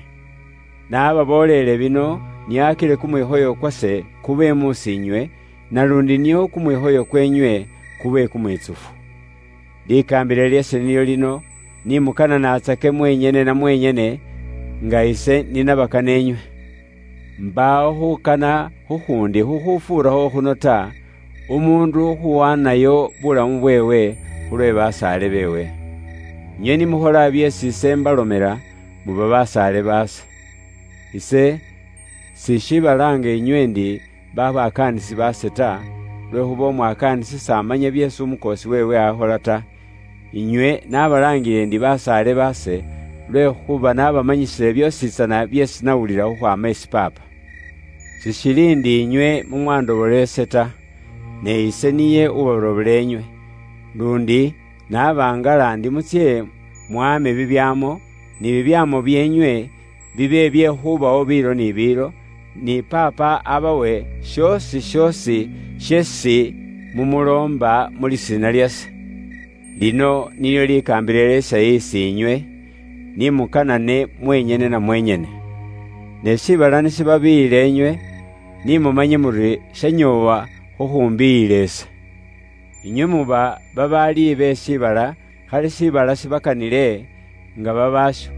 Naababoolele bino, niakile kumwikhoyo kwase kube muusi inywe, nalundi nio kumwikhoyo kwenywe kube kumwitsufu. Likaambila lyase nilyo lino, ni mukana natsake mwenyene na mwenyene, nga ise ninabakana enywe. Mbaawo khukana khukhuundi khukhufuurakho khuno ta, umuundu khuwaanayo bulamu bweewe khulwe basaale beewe. Inywe nimukhola byeesi ise mbalomela, muba basaale baase. Ise sishibalaanga inywe ndi babakaanisi baase ta, lwekhuba umwakaanisi samanya byeesi umukoosi weewe akhola ta. Inywe nabalaangile ndi basaale baase, lwekhuba nabamanyisile byoosi tsana byeesi nawulila khukhwaama isi Paapa. Sishili ndi inywe mumwandobola ise ta, ne ise niye ubarobola enywe. Lundi nabangala ndi mutsye mwaame bibyaamo, ni bibyaamo byeenywe bibe bye khubawo biilo ni biilo, ni Paapa abawe syoosi syoosi syeesi mumuloomba mu lisiina lyase. Lino nilyo likaambila lyase isi inywe, ni mukanane mwenyene na mwenyene. Ne shiibala nishibabiyila inywe, ni mumanye muri shanyoowa khukhumbiiyila ise. Inywe muba babaali be shiibala, khali shiibala shibakanile nga babaasho,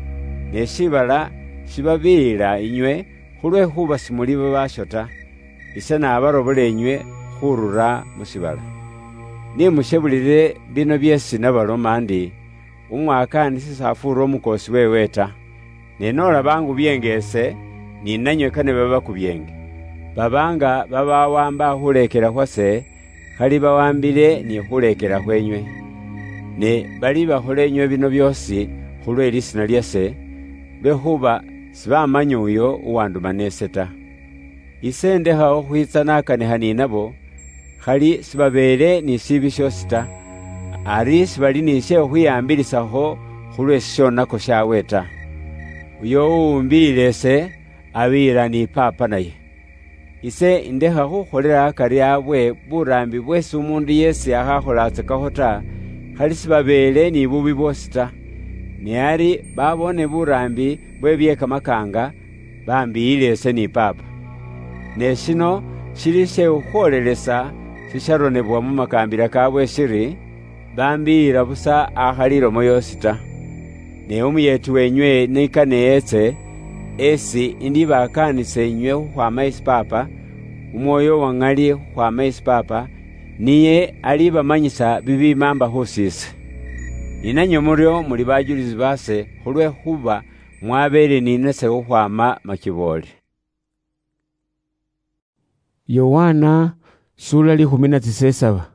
ne shiibala shibabiyila inywe, khulwekhuba simuli babaasho ta. Ise nabarobola inywe khurura mu shiibala. Nimushebulile bino byeesi nabaloma ndi, umwakaanisi s'afuura umukoosi weewe ta. Ne n'olaba ngubyeenge ise, ni nanywe kane babakubyeenge. Baba nga babawamba khuleekela khwase, khali bawambile ni khuleekela khwenywe. Ne balibakhola inywe bino byoosi khulwe lisiina lyase, lwekhuba sibamanya uyo uwandumana ise ta. Ise ndekha okhwitsa nakanikha ni nabo, khali sibabeele ni shiibi shiosi ta, ari sibali ni she khukhwiyaambilisakho khulwe shishonako shaawe ta. Uyo uwumbiile ise, abiyila ni Paapa naye. Ise indekha khukholela akari abwe buraambi bweesi umuundu yeesi akhakholaatsakakho ta, khali sibabeele ni bubi bwoosi ta. Ne ari babone buraambi bwe bye kamakaanga, bambiyile ise ni Paapa. Ne shino shili she khukhwoolelesa shisharonebwa mu makaambila kaabwe shiri, bambiyila busa akhali ilomo yoosi ta. Ne umuyeeti wenywe nikane etse, esi indibakaanisa inywe khukhwaama isi Paapa, Umwoyo wa ŋali khukhwaama isi Paapa, niye alibamanyisa bibimaamba khusi ise. Ni nanywe muryo muli bajulisi baase khulwekhuba mwabeele ni nase khukhwaama makiboole. Yohana, sura likhumi na tsisesaba.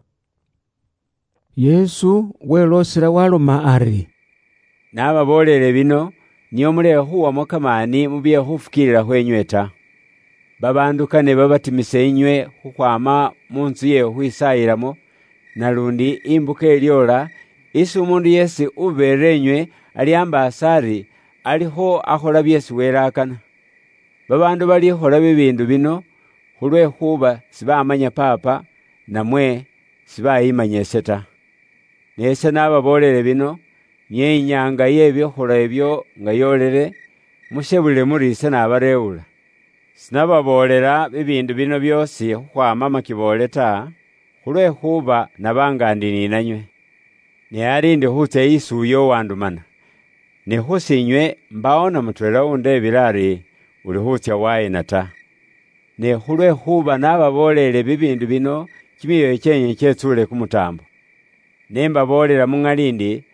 Yesu weloosela waloma ari, "Nababoolele bino, nio mulekhe khuwamo kamaani mu bye khufukiilila khwenywe ta. Babaandu kane babatimise inywe khukhwaama mu ntsu ye khukhwisaayilamo, nalundi imbuka ilyoola, isi umuundu yeesi ubeera inywe alyaambaasa ari alikho akhola byeesi Wele akana. Babaandu balikhola bibiindu bino khulwekhuba sibamanya Paapa, namwe sibayimanya ise ta. Ne ise nababoolele bino, niye inyaanga ye bikhola ebyo nga yoolele, mushebulile muri ise nabareewula. Sinababoolela bibiindu bino byoosi khukhwaama makiboole ta, khulwekhuba naba nga ndi ni nanywe. Ne ari ndi khutsya isi uyo uwandumana. Ne khusi inywe mbawo na mutweela undeebile ari, 'Uli khutsya waayina ta.' Ne khulwekhuba nababoolele bibiindu bino, kimyoyo kyenywe kyetsuule kumutaambo. Ne mbaboolela mu ŋali ndi,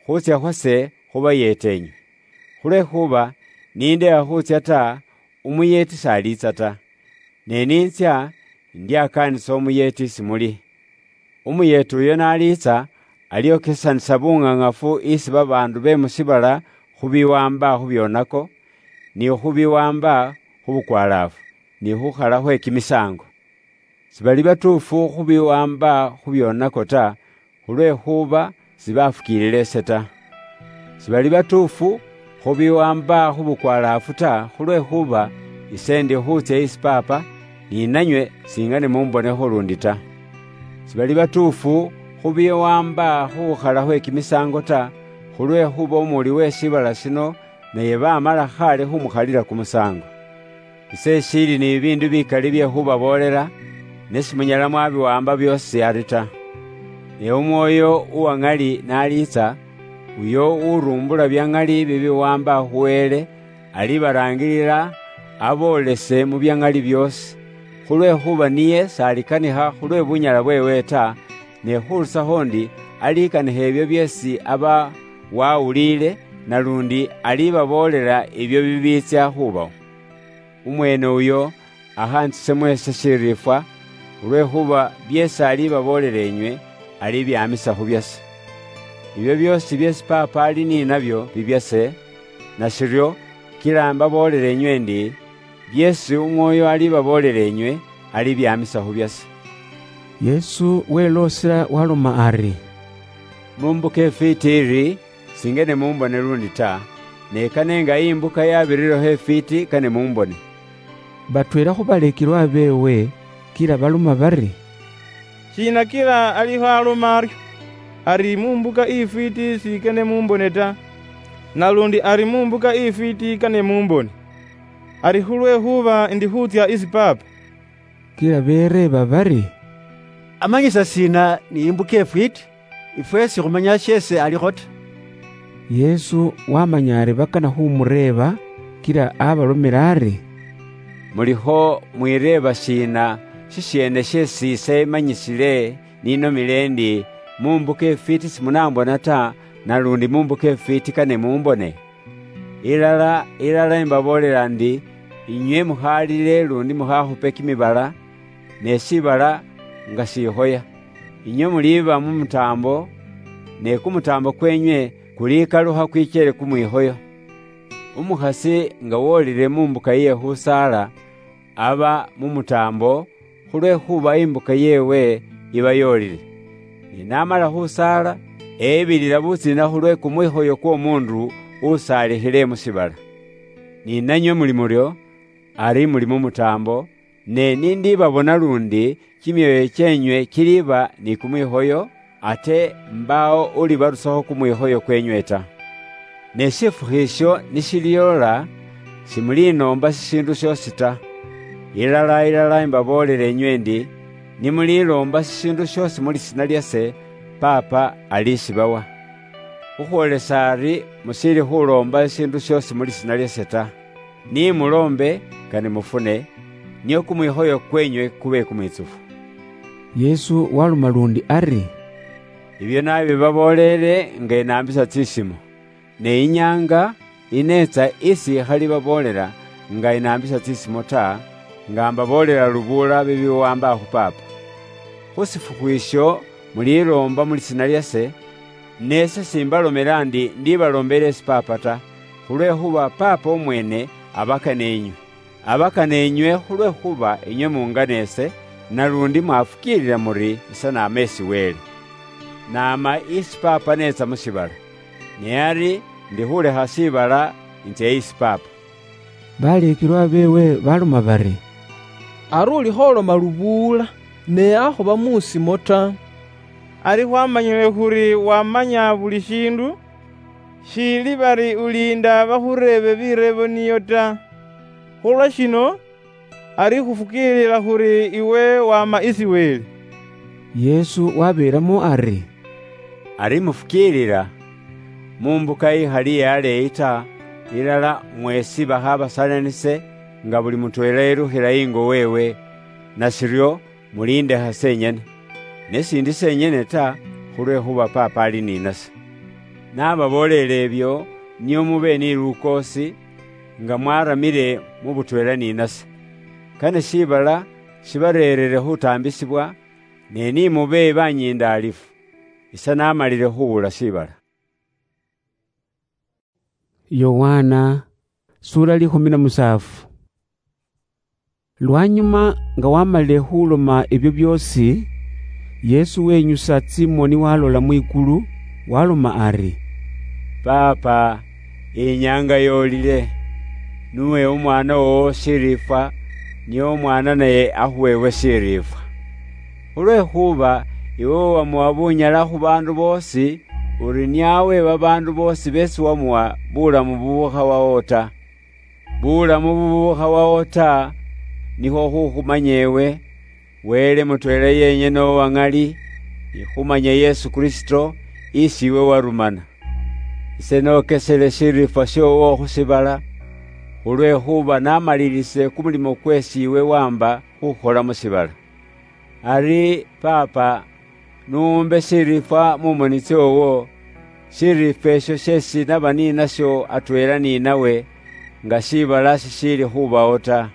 khutsya khwase khubayeete inywe. Khulwekhuba nindeha khutsya ta, umuyeeti s'aliitsa ta. Ne nintsya, indyakaanisa umuyeeti isi muli. Umuyeeti uyo n'aliitsa, alyokesanisa buŋaŋafu isi babaandu be mu shiibala khu biwaamba khu byonako, ni khu biwaamba khu bukwalaafu, ni khukhala khwe kimisaango. Sibali batuufu khu biwaamba khu byonako ta, khulwekhuba sibafukiilila ise ta. Sibali batuufu khu biwaamba khu bukwalaafu ta, khulwekhuba ise ndi khutsya isi Paapa, ni nanywe singane mumbonekho lundi ta. Sibali batuufu khu biwaamba khu khukhala khwe kimisaango ta, khulwekhuba umuwuli we shiibala shino naye bamala khale khumukhalila kumusaango. Ise ishiili ni bibiindu bikali bye khubaboolela, ne simunyala mwabiwamba byoosi ari ta. Ne Umwoyo uwa ŋali n'aliitsa, uyo urumbula bya ŋali bibiwaamba khu Wele, alibaraangilila aboolese mu bya ŋali byoosi, khulwekhuba niye s'alikanikha khulwe bunyala bweewe ta, ne khurusakho ndi alikanikha ebyo byeesi aba wawuliile, nalundi alibaboolela ebyo bibiitsya khubawo. Umweene uyo akhantsise mweese shiriifwa, khulwekhuba byeesi alibaboolela inywe, alibyaamisa khu byase. Ibyo byoosi byeesi Paapa ali ni nabyo bibyase, nashiryo kila mbaboolela inywe ndi, byeesi Umwoyo alibaboolela inywe, alibyaamisa khu byase. Yesu weloosela waloma ari, "Mu mbuka ifwiiti iri, singene mumbone lundi ta, ne kane nga imbuka yabirireho ifwiiti kane mumbone." Batweela khu baleekelwa beewe kila baloma bari, "Shiina kila alikho aloma aryo, ari mu mbuka ifwiiti sikene mumbone ta, nalundi ari mu mbuka ifwiiti kane mumbone? Ari khulwekhuba ndi khutsya isi Paapa." Kila bereeba bari, "Amanyisa sina ni imbuka ifwiti? Ifwe sikhumanya shesi alikho ta." Yesu wamanya ari bakana khumureeba, kila abalomela ari, "Mulikho mwireeba sina shishiene shesi ise manyisile ninomile endi, 'Mumbuka ifwiti simunambona ta, nalundi mumbuka ifwiti kane mumbone'? Ilala, ilala, imbaboolela ndi, inywe mukhaalile lundi mukhakhupe kimibala, ne shibala nga shikhoya. Inywe muliiba mu mutaambo, ne kumutaambo kwenywe kulikalukha kwichele kumwikhoyo. Umukhasi nga wolile mu mbuka iye khusaala, aba mu mutaambo, khulwekhuba imbuka yeewe iba yoolile. Ne n'amala khusaala, ebilila butsina khulwe kumwikhoyo kw'omuundu usaalikhile mu shibala. Ni nanywe muli muryo, ari muli mu mutaambo, ne nindibabona lundi, kimyoyo kyenywe kiliba ni kumwikhoyo, ate mbaawo ulibarusakho kumwikhoyo kwenywe ta. Ne shifukhu isho nishiliola, shimulinoomba shishiindu shiosi ta. Ilala, ilala, imbaboolela enywe ndi, nimuliloomba shishiindu shiosi mu lisiina liase, Paapa alishibawa. Khukhwolesa ari mushiili khuloomba shishiindu shiosi mu lisiina liase ta. Ni muloombe, kane mufune, nio kumwikhoyo kwenywe kube kumwitsufu." Yesu waloma lundi ari, "Ibyo nabibabooleele nga inaambisa tsisimo, ne inyaanga ineetsa isi ikhali baboolela nga inaambisa tsisimo ta, nga mbaboolela lubuula bibiwaamba khu Paapa. Khu shifukhu isho muliloomba mu lisiina liase, nese simbalomela ndi ndibaloombela esi Paapa ta, khulwekhuba Paapa omwene abakana enywe. Abakana enywe khulwekhuba inywe mungana ese, nalundi mwafukiilila muri ise naama esi Wele. Naama isi Paapa neetsa mu shibala, ne ari ndi khulekha shibala inzia isi Paapa." Baleekelwa beewe baloma bari, "Ari uli kholoma lubuula, ne akhuba mu simo ta. Ari khwamanyile khuri wamanya buli shiindu, shiili bari uliinda bakhureebe bireebo niyo ta. Khulwa shino, ari khufukiilila khuri iwe wama isi Wele." Yesu wabeelamo ari, "Ari mufukiilila, mu mbuka ikhali aleeyi ta, ilala mwesi bakhabasalanise nga buli mutweela yelukhila ingo weewe, nashiryo mulindekha senyene. Ne sindi senyene ta, khulwekhuba Paapa ali ninase. Nababooleele ebyo, nio mube ni lukoosi, nga mwaramile mu butweela ninase. Kane shibala shibareerere khutaambisibwa, ne ni mube banyindaalifu. Ise namalile khuwula shibala." Yohana, sura likhumi na musaafu. Lwanyuma nga wamalile khuloma ebyo byoosi, Yesu wenyusa tsimoni walola mwikulu, waloma ari, "Paapa, inyaanga yoolile, nuwe Umwaana wowo shiriifwa, nio Umwaana naye akhuweebwe shiriifwa. Khulwekhuba iwe wamuwa bunyala khu baandu boosi, uri niawe babaandu boosi beesi wamuwa bulamu bubukhawawo ta. Bulamu bubukhawawo ta, nikhwo khukhumanya ewe, Wele mutweela yenyene owa ŋali, ni khumanya Yesu Kristo, isi iwe warumana. Ise nokesele shiriifwa shiowo khu shibala, khulwekhuba namalilise kumulimo kwesi iwe wamba khukhola mu shibala. Ari Paapa, nuumbe shiriifwa mu moni tsoowo, shiriifwa esho sheesi naba ninasho atweela ninawe, nga shiibala shishiili khubawo ta.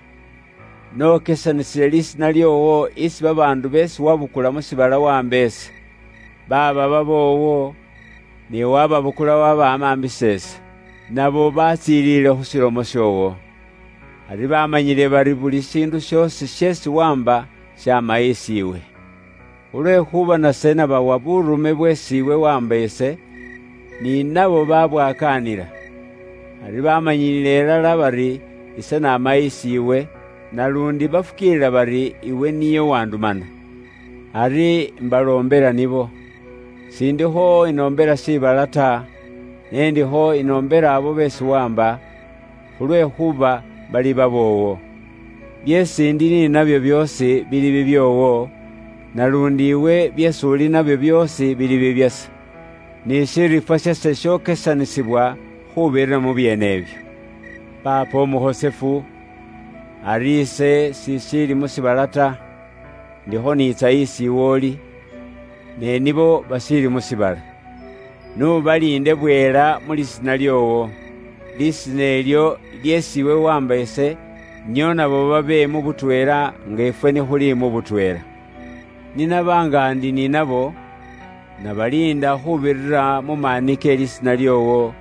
Nokesanisile lisiina lyoowo isi babaandu beesi wabukula mu shiibala wamba ese, baaba baboowo, ne wababukula wabamambisa ese, nabo batsiilile khu shilomo shoowo. Ari bamanyile bari buli shiindu shoosi sheesi wamba shaama isiiwe. Khulwekhuba nase nabawa burume bweesi iwe wamba ise, ni nabo babwakaanila. Ari bamanyilile ilala bari ise naama isiiwe, nalundi bafukiilila bari iwe niye wandumana. Ari mbaloombela nibo. Sindikho inoombela shiibala ta, ne ndikho inoombela abo beesi wamba, khulwekhuba bali baboowo. Byeesi ndi ninabyo byoosi bili bibyoowo, Nalundi iwe byesi uli nabyo byoosi bili bibyase, ni shirifwa shase shookesanisibwa khubirira mu byeene ebyo. Paapa omuhosefu, ari ise sishiili mu shiibala ta, ndikho niitsa isi iwe oli, ne nibo bashiili mu shiibala. N'ubaliinde bweela mu lisiina lyoowo, lisiina elyo lyeesi iwe wamba ise, nio nabo babe mu butweela nga ifwe nikhuli mu butweela. Ninaba nga ndi ninabo, nabaliinda khubirira mu maani ke lisiina lyoowo,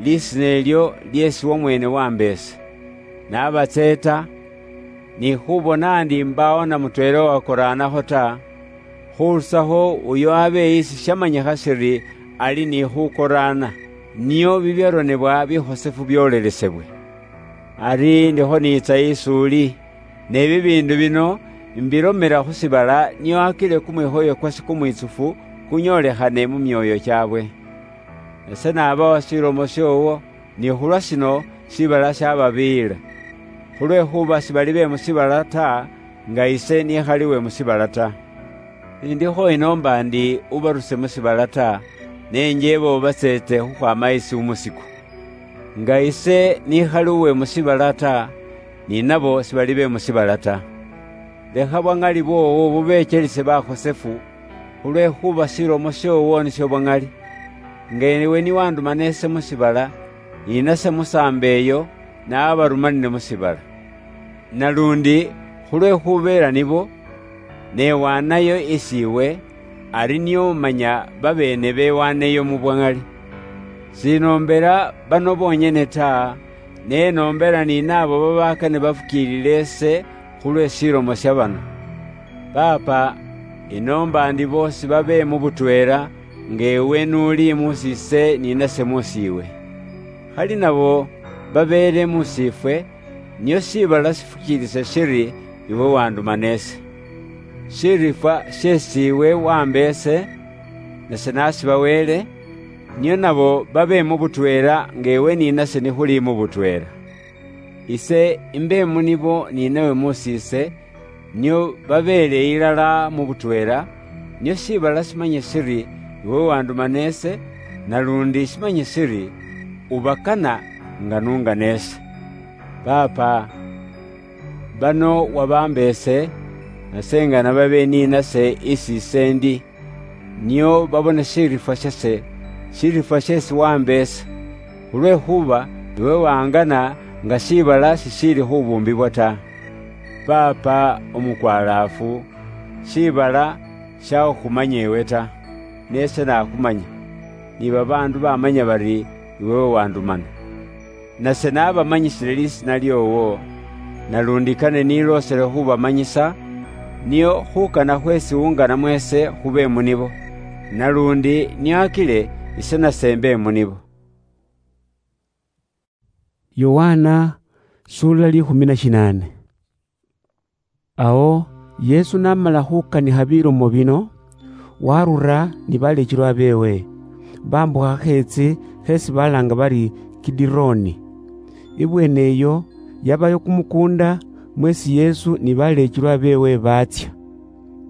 lisiina elyo lyeesi wamweene wamba ise. Nabatseeta, ni khubona ndi mbaawo na mutweela owakoraanakho ta, khurusakho uyo abe isi shamanyikha shiri ali ni khukoraana, nio bibyaronebwa bikhosefu byolelesebwe. Ari ndikho niitsa isi uli, ne bibiindu bino mbilomela khu shiibala, nio akile kumwikhoyo kwase kumwitsufu kunyoolekhane mu myooyo kyaabwe. Ese nabawa shilomo shoowo, ni khulwa shino shiibala shababiiyila. Khulwekhuba shibali be mu shiibala ta, nga ise nikhali we mu shiibala ta. Sindikho inoomba ndi ubaruse mu shiibala ta, ne njeebo batseetse khukhwaama isi umusiku. Nga ise nikhali uwe mu shiibala ta, ni nabo shibali be mu shiibala ta. Lekha bwa ŋali bwoowo bubechelise bakhosefu, khulwekhuba shilomo shoowo nisho bwa ŋali. Nga ewe niwandumana ise mu shiibala, ni nase musaambe eyo, nabarumanile mu shiibala. Nalundi khulwekhubeela nibo, newaanayo isi iwe, ari nio manya babeene bewaaneyo mu bwa ŋali. Sinoombela bano bonyene ta, ne noombela ni naabo babaakane bafukiilile ise khulwe shilomo sha bano. Paapa, inoomba ndi boosi babe mu butweela, nga ewe n'uli muusi ise ni nase muusi iwe. Khali nabo babeele muusi ifwe, nio shiibala shifukiilise shiri iwe wandumana ise. Shirifwa sheesi iwe wamba ise, nase nasiba Wele, nio nabo babe mu butweela nga ewe ni nase nikhuli mu butweela. Ise imbe mu nibo ni nawe muusi ise, nio babeele ilala mu butweela, nio shiibala shimanye shiri iwe wandumana ise, nalundi shimanye shiri ubakana nga nungana ise. Paapa, bano wabamba ise, nase ngana babe ni nase isi ise ndi, nio babone shirifwa shase, shirifwa sheesi wamba ise, khulwekhuba iwe wangana nga shiibala shishiili khubuumbibwa ta. Paapa omukwalaafu, shiibala shakhukhumanya iwe ta, ne ise nakhumanya, ni babaandu bamanya bari iwe wandumana. Nase nabamanyisile lisiina lyoowo, nalundi kane niloosele khubamanyisa, nio khukana khweesi unganamo ise khube mu nibo, nalundi nio akile ise nase mbe mu nibo. Yohana, sura likhumi na shinane. Ao Yesu namala khukanikha bilomo bino, warura ni balechilwa beewe, bambukha kheetsi kheesi balaanga bari Kidironi. Ibweene eyo yabayo kumukuunda mweesi Yesu ni balechilwa beewe baatsya.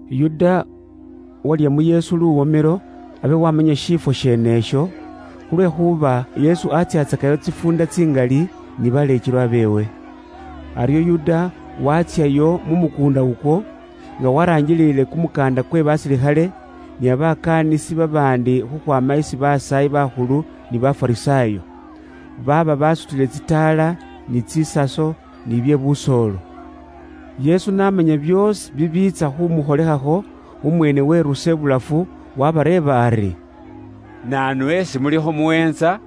Yuda walya mu Yesu luwomelo abe wamanya shifwo sheenesho, khulwekhuba Yesu atsyatsakayo tsifuunda tsingali ni balechilwa beewe. Aryo Yuda watsyayo mu mukuunda ukwo, nga waraanjiliile kumukaanda kwe basilikhale, ni babakaanisi babaandi khukhwaama isi basaayi bakhulu ni Bafarisaayo, baaba basutile tsitaala, ni tsisaso, ni bye busoolo. Yesu n'amanya byoosi bibiitsa khumukholekhakho, umweene werusa ibulafu, wabareeba ari, "Naanu esi mulikho muweentsa?"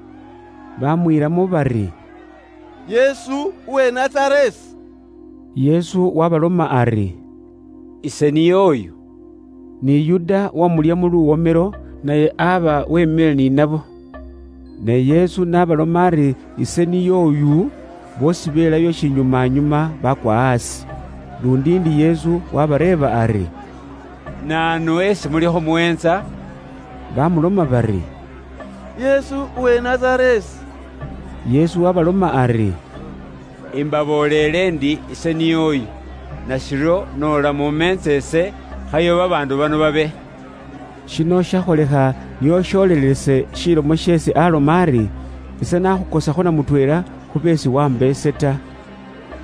Bamwiilamo bari, "Yesu uwe Nazaresi." Yesu wabaloma ari, "Ise niye oyu." Ni Yuda wamulya mu luwomelo, naye aba wemile ni nabo. Ne Yesu nabaloma ari ise niye oyu, boosi belayo shinyumanyuma bakwa asi. Lundi ndi Yesu wabareeba ari, "Naanu esi mulikho muweentsa?" Bamuloma bari, "Yesu uwe Nazaresi." Yesu wabaloma ari, "Imbabooleele ndi ise niye oyu, nashiryo noola mumeentsa ise, Ayo babaandu bano babe. Shino shakholekha nio sholelese shilomo sheesi aloma ari, "Ise nakhukosakho na mutweela khu beesi wamba ise ta."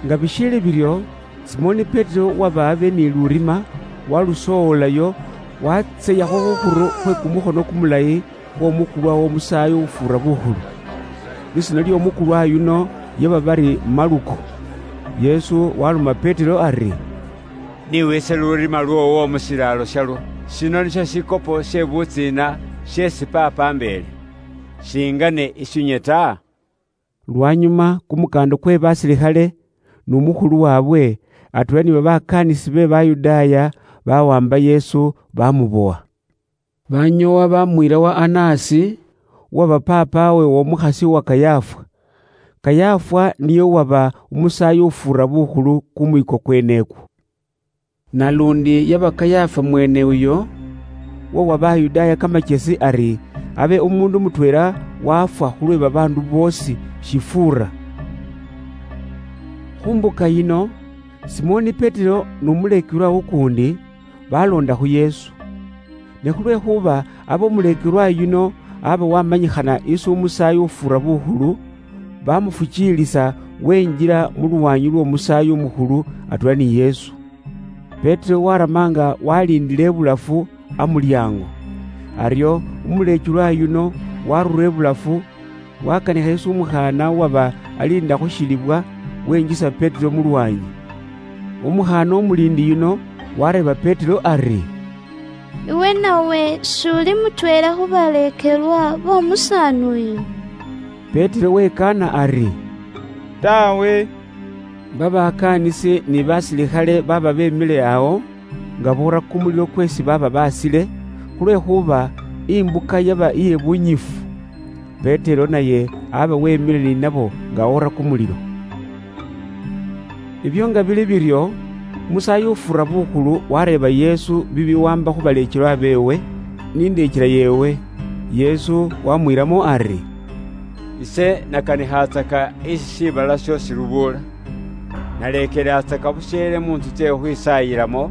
Nga bishiili biryo, Simoni Petero waba abe ni lurima, walusowolayo, watseyakho khukhuru khwe kumukhono kumulayi khwomukulwa womusaayi ufuura bukhulu. Lisina lyomukulwa yuno yaba bari Maluko. Yesu waloma Petero ari, "Niwise lurima lwoowo mu shilaalo shalwo. Shino nisho shikopo she butsiina sheesi Paapa ambeele. Shingane ishunye ta." Lwanyuma, kumukanda kwe basilikhale, n'umukhulu waabwe, atweela ni babakaanisi be Bayudaaya, bawamba Yesu, bamubowa. Banyoowa bamwiira wa Anasi, uwaba paapaawe w'omukhasi wa Kayafa. Kayafa niye uwaba umusaayi ufuura bukhulu kumwiko kwenekwo. Nalundi yaba Kayafa mweene uyo, uwawa Bayudaaya kamachesi ari abe umuundu mutweela wafwa khulwe babaandu boosi shifuura. Khu mbuka yino, Simoni Petero n'umuleekelwa ukuundi baloonda khu Yesu. Ne khulwekhuba aba umuleekelwa yuno aba wamanyikhana isi umusaayi ufuura bukhulu, bamufukiilisa wenjila mu lwanyi lw'omusaayi umukhulu atweela ni Yesu. Petero warama nga waliindile ibulafu amulyaango. Aryo umuleekelwa yuno warura ibulafu, wakanikha isi umukhaana uwaba aliinda khushilibwa, wenjisa Petero mu lwanyi. Umukhaana umuliindi yuno wareeba Petero ari, "Iwe nawe s'uli mutweela khu baleekelwa b'omusaani uyu?" Petero wekaana ari, "Tawe." Babakaanisi ni basilikhale baba bemile awo, nga boora kumulilo kwesi baba basile, khulwekhuba imbuka yaba iye bunyifu. Petero naye aba wemile ni nabo nga oora kumulilo. Ibyo nga bili biryo, umusaayi ufuura bukhulu wareeba Yesu bibiwamba khu baleekelwa beewe, ni ndeechela yeewe. Yesu wamwiiramo ari, "Ise nakanikhatsaka isi shiibala shiosi lubuula. Naleekelatsaka busheele mu ntsu tse khukhwisaayilamo,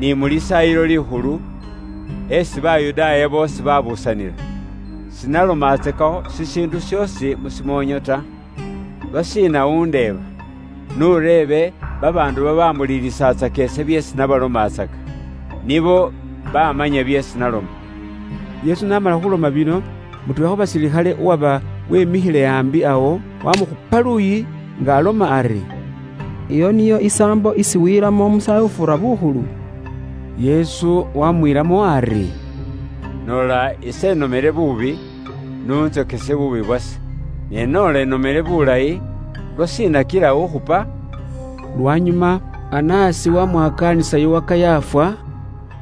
ni mu Lisaayilo Likhulu, esi Bayudaaya boosi babusanila. Sinalomatsakakho shishiindu shiosi mu shimoonyo ta. Lwashiina undeeba? N'ureebe babaandu babamuliilisatsaka ise byeesi nabalomatsaka. Nibo bamanya byeesi naloma." Yesu n'amala khuloma bino, mutweela khu basilikhale uwaba wemikhile aambi awo, wamukhupa luuyi nga aloma ari, "Iyo niyo isaambo isi wiiramo umusaayi ufuura bukhulu?" Yesu wamwiiramo ari, "Noola ise enomere buubi, n'untsokese buubi bwase. Ne noola enomere bulayi, lwashiina kila ukhupa?" Lwanyuma, Anasi wamwakaanisa yowa Kayafa,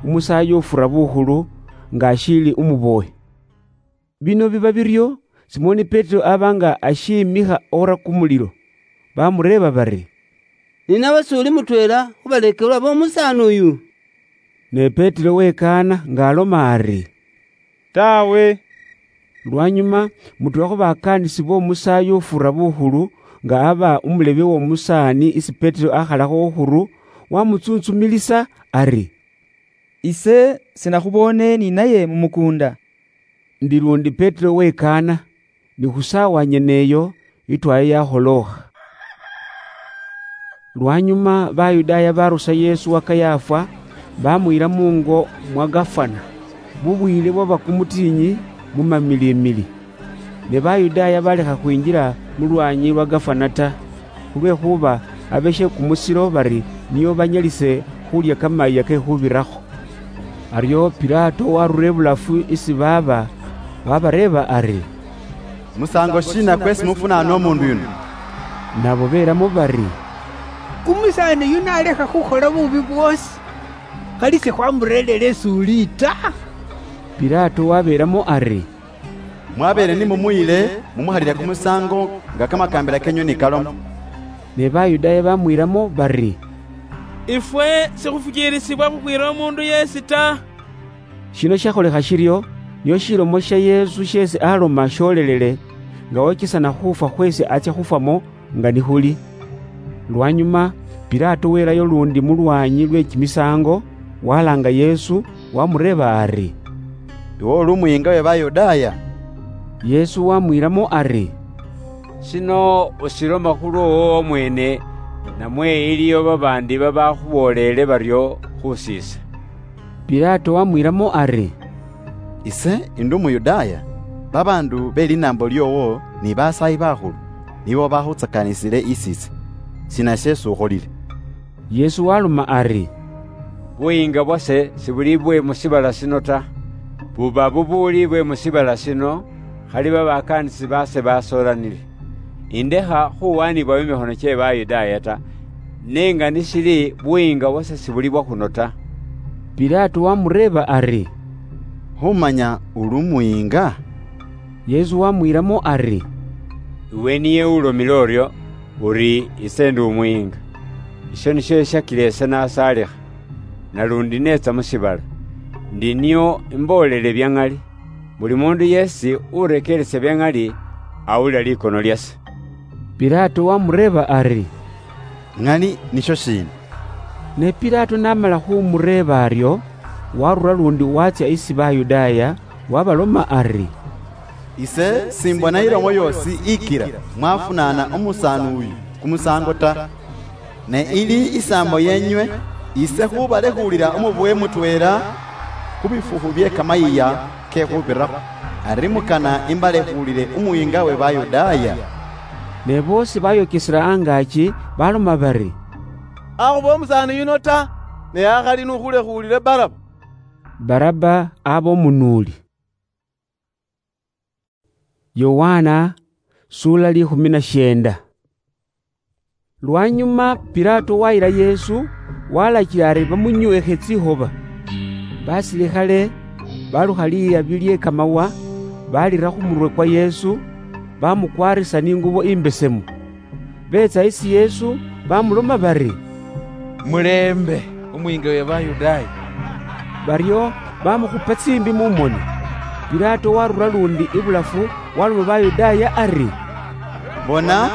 umusaayi ufuura bukhulu, nga ashiili umubowe. Bino biba biryo, Simoni Petero aba nga ashiimikha oora kumulilo. Bamureeba bari, "Ni nawe s'uli mutweela khu baleekelwa b'omusaani uyu?" Ne Petero wekaana nga aloma ari, "Tawe." Lwanyuma, mutweela khu bakaanisi b'omusaayi ufuura bukhulu, nga aba umulebe w'omusaani isi Petero akhalakho khukhuru, wamutsuntsumilisa ari, "Ise sinakhuboone ni naye mu mukuunda." Ndi lundi Petero wekaana, ni khu saawa nyene eyo, itwaya yakholookha. Lwanyuma Bayudaaya barusa Yesu wa Kayafa, bamwiira mungo mwa gafana, mu bwiile bwaba kumutiinyi mu mamilimili. Ne Bayudaaya balekha khwinjila mu lwaanyi lwa gafana ta, khulwekhuba abe she kumusilo bari nio banyalise khulya kamayiiya ke khubirakho. Aryo Pilato warura ibulafu isi baaba, wabareeba ari, "Musaango shiina kwesi mufunaana omuundu yuno?" Nabo belamo bari, "Umusaani yuno alekha khukhola buubi bwoosi, khali sikhwamureerera isuuli ta." Pilato wabelamo ari, "Mwabeele ni mumuyile, mumukhalile kumusaango nga kamakaambila kenywe ni kaloma." Ne Bayudaaya bamwiiramo bari, "Ifwe sikhufukiilisibwa khukhwiira omuundu yeesi ta." Shino shakholekha shiryo, nio shilomo sha Yesu sheesi aloma shoolelele, nga wochesana khufwa khweesi atsya khufwamo nga nikhuli. Lwanyuma, Pilato welayo lundi mu lwaanyi lwe kimisaango, Walanga Yesu, wamureeba ari, "Iwe uli umuyinga we Bayudaaya?" Yesu wamwiiramo ari, "Shino ushiloma khulwoowo omweene, namwe iliyo babaandi babakhuboolele baryo khusiise?" Pilato wamwiiramo ari, "Ise indi Umuyudaaya? Babaandu be linaambo lyoowo ni basaayi bakhulu nibo bakhutsakaanisile isiise. Sina sheesi ukholile?" Yesu waloma ari, "Buyiinga bwase sibuli bwe mu shiibala shino ta. Buba bubuuli bwe mu shiibala shino, khali babakaanisi baase basoolanile. Indekha khuwaanibwa mu mikhono kye Bayudaaya ta, ne nga nishili buyiinga bwase sibuli bwa khuno ta." Pilato wamureeba ari, "Khumanya uli umuyinga?" Yesu wamwiiramo ari, "Iwe niye ulomile uryo, uri ise ndi umuyinga. Isho nisho eshakila ise nasaalikha, nalundi neetsa mu shiibala, ndi nio imboolele bya ŋali. Buli muundu yeesi urekeeresa bya ŋali, awulila likono lyase." Pilato wamureeba ari, "Ŋali nisho shiina?" Ne Pilato namala khumureeba aryo, warura lundi watsya isi Bayudaaya, wabaloma ari, "Ise simbona ilomo yoosi ikira mwafunaana umusaani uyu kumusaango ta. Ne ili isaambo yenywe, ise khubalekhuulila umubowe mutweela khu bifukhu bye kamayiiya ke khubirakho. Ari mukana imbalekhuulile umuyinga we Bayudaaya?" Ne boosi bayokesela angaaki, baloma bari, "Akhube umusaani yuno ta, ne akhali n'ukhulekhuulile Baraba." Baraba aba umunuuli. Yohana, sula likhumi na shienda. Lwanyuma Pilato wayila Yesu, walachila ari bamunyuukhe tsikhoba. Basilikhale balukha liyabi lye kamawa, balira khu murwe kwa Yesu, bamukwarisa ni ingubo imbesemu. Beetsa isi Yesu, bamuloma bari, "Muleembe, umwiinga we Bayudaaya." Baryo bamukhupa tsiimbi mu moni. Pilato warura lundi ibulafu, waloma Bayudaaya ari, "Bona,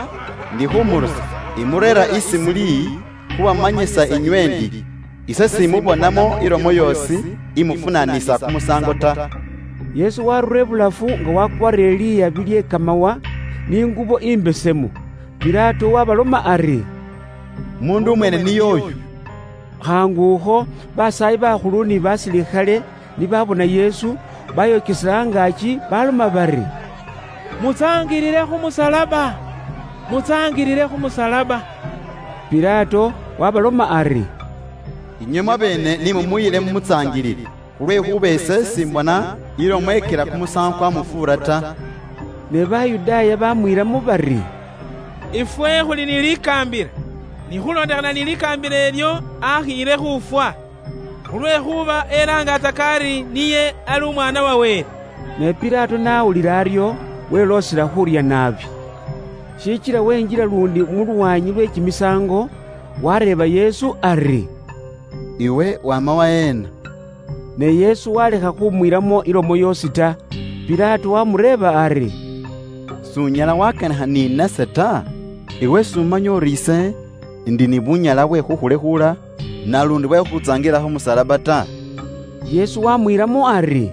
ndi khumurusa, imureera isi muli, khubamanyisa inywe ndi, ise simubonamo ilomo yoosi imufunaanisa kumusaango ta." Yesu warura ibulafu nga wakwarire liyabi lye kamawa ni ingubo imbesemu. Pilato wabaloma ari, "Mundu umweene niye uyu." Khaangukho, basaayi bakhulu ni basilikhale ni babona Yesu, bayokesela angaaki, baloma bari, "Mutsaangilile khu musalaba! Mutsaangilile khu musalaba!" Pilato wabaloma ari, "Inywe mwabeene ni mumuyile mumutsaangilile, khulwekhuba ise simbona ilomo ikira kumusaango kwamufuura ta." Ne Bayudaaya bamwiilamo bari, "Ifwe khuli ni likaambila, ni khulondekhana ni likaambila ilyo akhiile khufwa, khulwekhuba elaangatsaka ari niye ali Umwaana wa Wele." Ne Pilato n'awulila aryo, weloosela khurya naabi. Shichila wenjila lundi mu lwaanyi lwe kimisaango, wareeba Yesu ari, "Iwe wama waheena?" Ne Yesu walekha khumwiilamo ilomo yoosi ta. Pilato wamureeba ari, "S'unyala wakanikha ni nase ta? Iwe s'umanya uri ise ndi ni bunyala bwe khukhulekhuula, nalundi bwe khukhutsangilila khu musalaba ta?" Yesu wamwiilamo ari,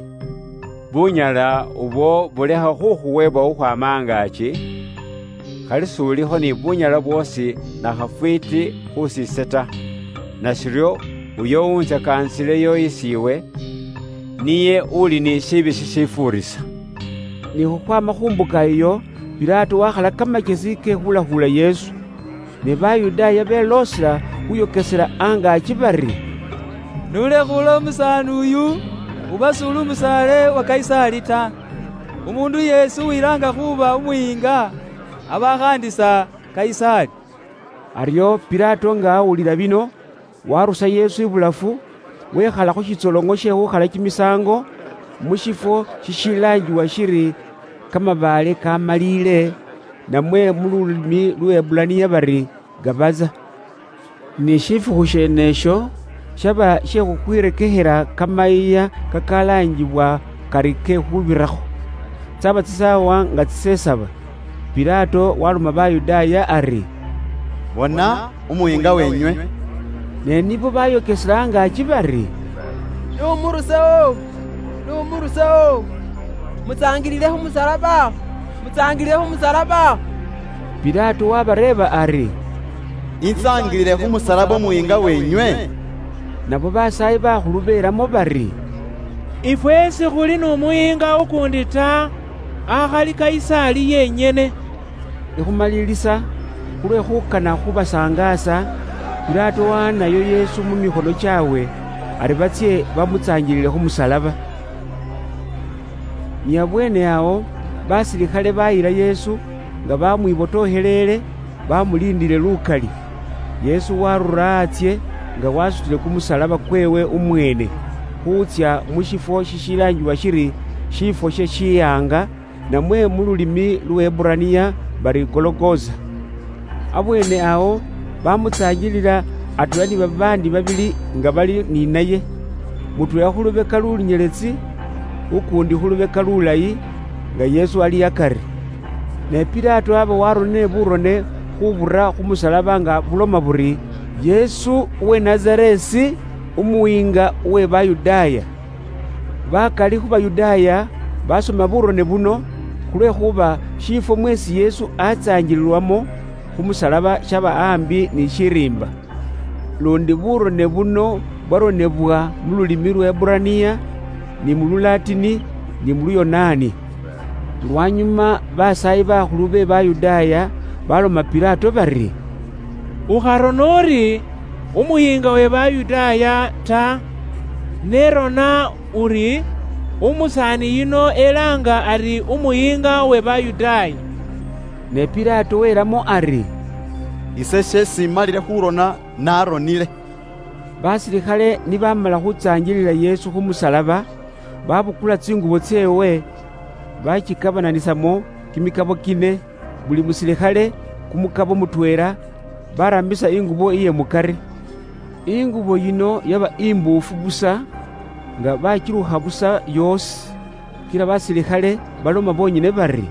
"Bunyala ubwo bulekha khukhuwebwa khukhwaama angaaki, khali s'ulikho ni bunyala bwoosi na khafwiiti khus'ise ta. Nashiryo uyo untsakaanisileyo isi iwe, niye uli ni shiibi shishifuurisa." Ni khukhwaama khu mbuka iyo, Pilato wakhala kamachesi ke khulakhuula Yesu. Ne Bayudaaya beloosela khuyokesela angaaki bari, "Nulekhuula umusaani uyu, uba s'uli umusaale wa Kayisaali ta. Umuundu yeesi uwilaanga khuuba umuyiinga, aba akhaandisa Kayisaali." Aryo Pilato nga awulila bino, warusa Yesu ibulafu, wekhala khu shitsoloŋo she khukhala kimisaango, mu shifwo shishilaangiwa shiri Kamabaale Kamaliile, namwe mu lulimi lu Hebulaniya bari Gabaza. Ni shifukhu sheenesho shaba she khukhwirekekhela kamayiiya kakalaanjibwa kari ke khubirakho. Tsaba tsisaawa nga tsisesaba, Pilato waloma Bayudaaya ari, "Bona umuyiinga wenywe." Ne nibo bayokesela angaaki bari, "Numurusewo! Numurusewo! Mutsangilile khumusalaba! Mutsangilile khumusalaba!" Pilato wabareeba ari, "Intsangilile khumusalaba omuhinga wenywe?" Nabo basaayi bakhulu beelamo bari, "Ifwe sikhuli n'umuhinga ukundi ta, akhali Kaisari yenyene." Ikhumalilisa, khulwe khukana khubasangaasa, Pilato wahanayo Yesu mu mikhono chaawe, ari batsye bamutsanjilile khu musalaba. Ni abweene awo, basilikhale bayila Yesu nga bamwibotooheleele, bamuliindile lukali. Yesu warura atsye nga wasutile kumusalaba kweewe umweene, khuutsya mu shifwo shishilaangiwa shiri Shifwo she Shiyaanga, namwe mu lulimi Luheburaniya bari Gologosa. Abweene awo bamutsaanjilila atweela ni babaandi babili nga bali ninaye, mutweela khu lubeka lunyeletsi, ukuundi khu lubeka lulayi, nga Yesu ali akari. Ne Pilato aba waronile burone khubura khu musalaba nga buloma buri, "Yesu uwe Nazaresi, umuwiinga uwe Bayudaaya." Bakali khu Bayudaaya basoma burone buno, khulwekhuba shifwo mweesi Yesu atsaanjililwamo khu musalaba shaba aambi ni shiriimba. Lundi burone buno bwaronebwa mu lulimi Luheburaniya, ni mu Lulatini, ni mu Luyonaani. Lwanyuma basaayi bakhulu be Bayudaaya baloma Pilato bari, "Ukharona uri, 'Umuyiinga we Bayudaaya' ta, ne rona uri, 'Umusaani yuno elaanga ari Umuyiinga we Bayudaaya.'" Ne Pilato welamo ari, "Ise sheesi malile khurona, naronile." Basilikhale nibamala khutsaanjilila Yesu khu musalaba, babukula tsingubo tseewe, bachikabananisamo kimikabo kine, buli musilikhale kumukabo mutweela, barambisa ingubo iye mukari. Ingubo yino yaba imbuufu busa, nga bachilukha busa yoosi. Kila basilikhale baloma bonyene bari,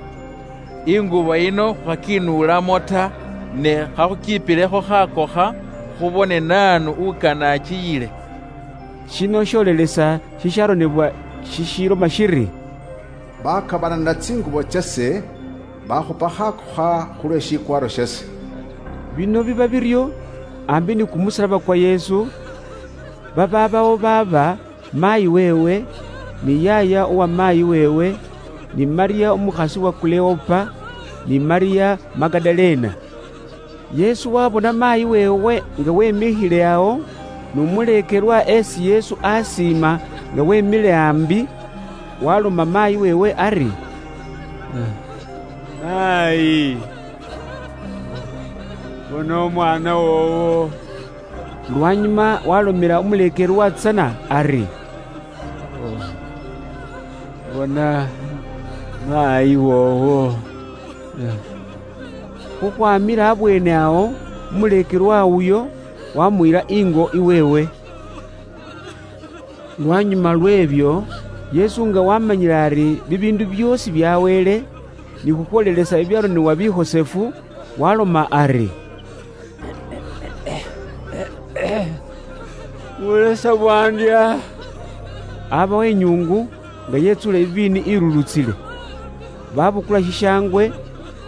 "Ingubo yino khwakinuulamo ta, ne khakhukiipilekho khakokha, khubone naanu ukana achiyile." Shino sholelesa shisharonebwa shishiloma shiri, "Bakabananila tsingubo tsase, bakhupa khakokha khulwe shikwaaro shase." Bino biba biryo ambi ni kumusalaba kwa Yesu, bababawo baaba maayi weewe, ni yaaya uwa maayi weewe, ni Maria umukhasi wa Kuleopa, ni Maria Magadalena. Yesu wabona maayi weewe nga wemikhile awo, n'umuleekelwa esi Yesu asiima nga wemile ambi, waloma maayi weewe ari, "Maayi, bona omwaana woowo." Lwanyuma walomela umuleekelwa tsana ari, "Bona maayi woowo." Khukhwamila abweene awo, umuleekelwa uyo wamuyila ingo iweewe. Lwanyuma lw'ebyo, Yesu nga wamanyile ari bibiindu byoosi bya Wele, ni khukhwolelesa ibyaronebwa bikhosefu, waloma ari, "Bulesa bwandya." Abawo inyuungu nga yetsuula iviini ilulutsile. Babukula shishaangwe,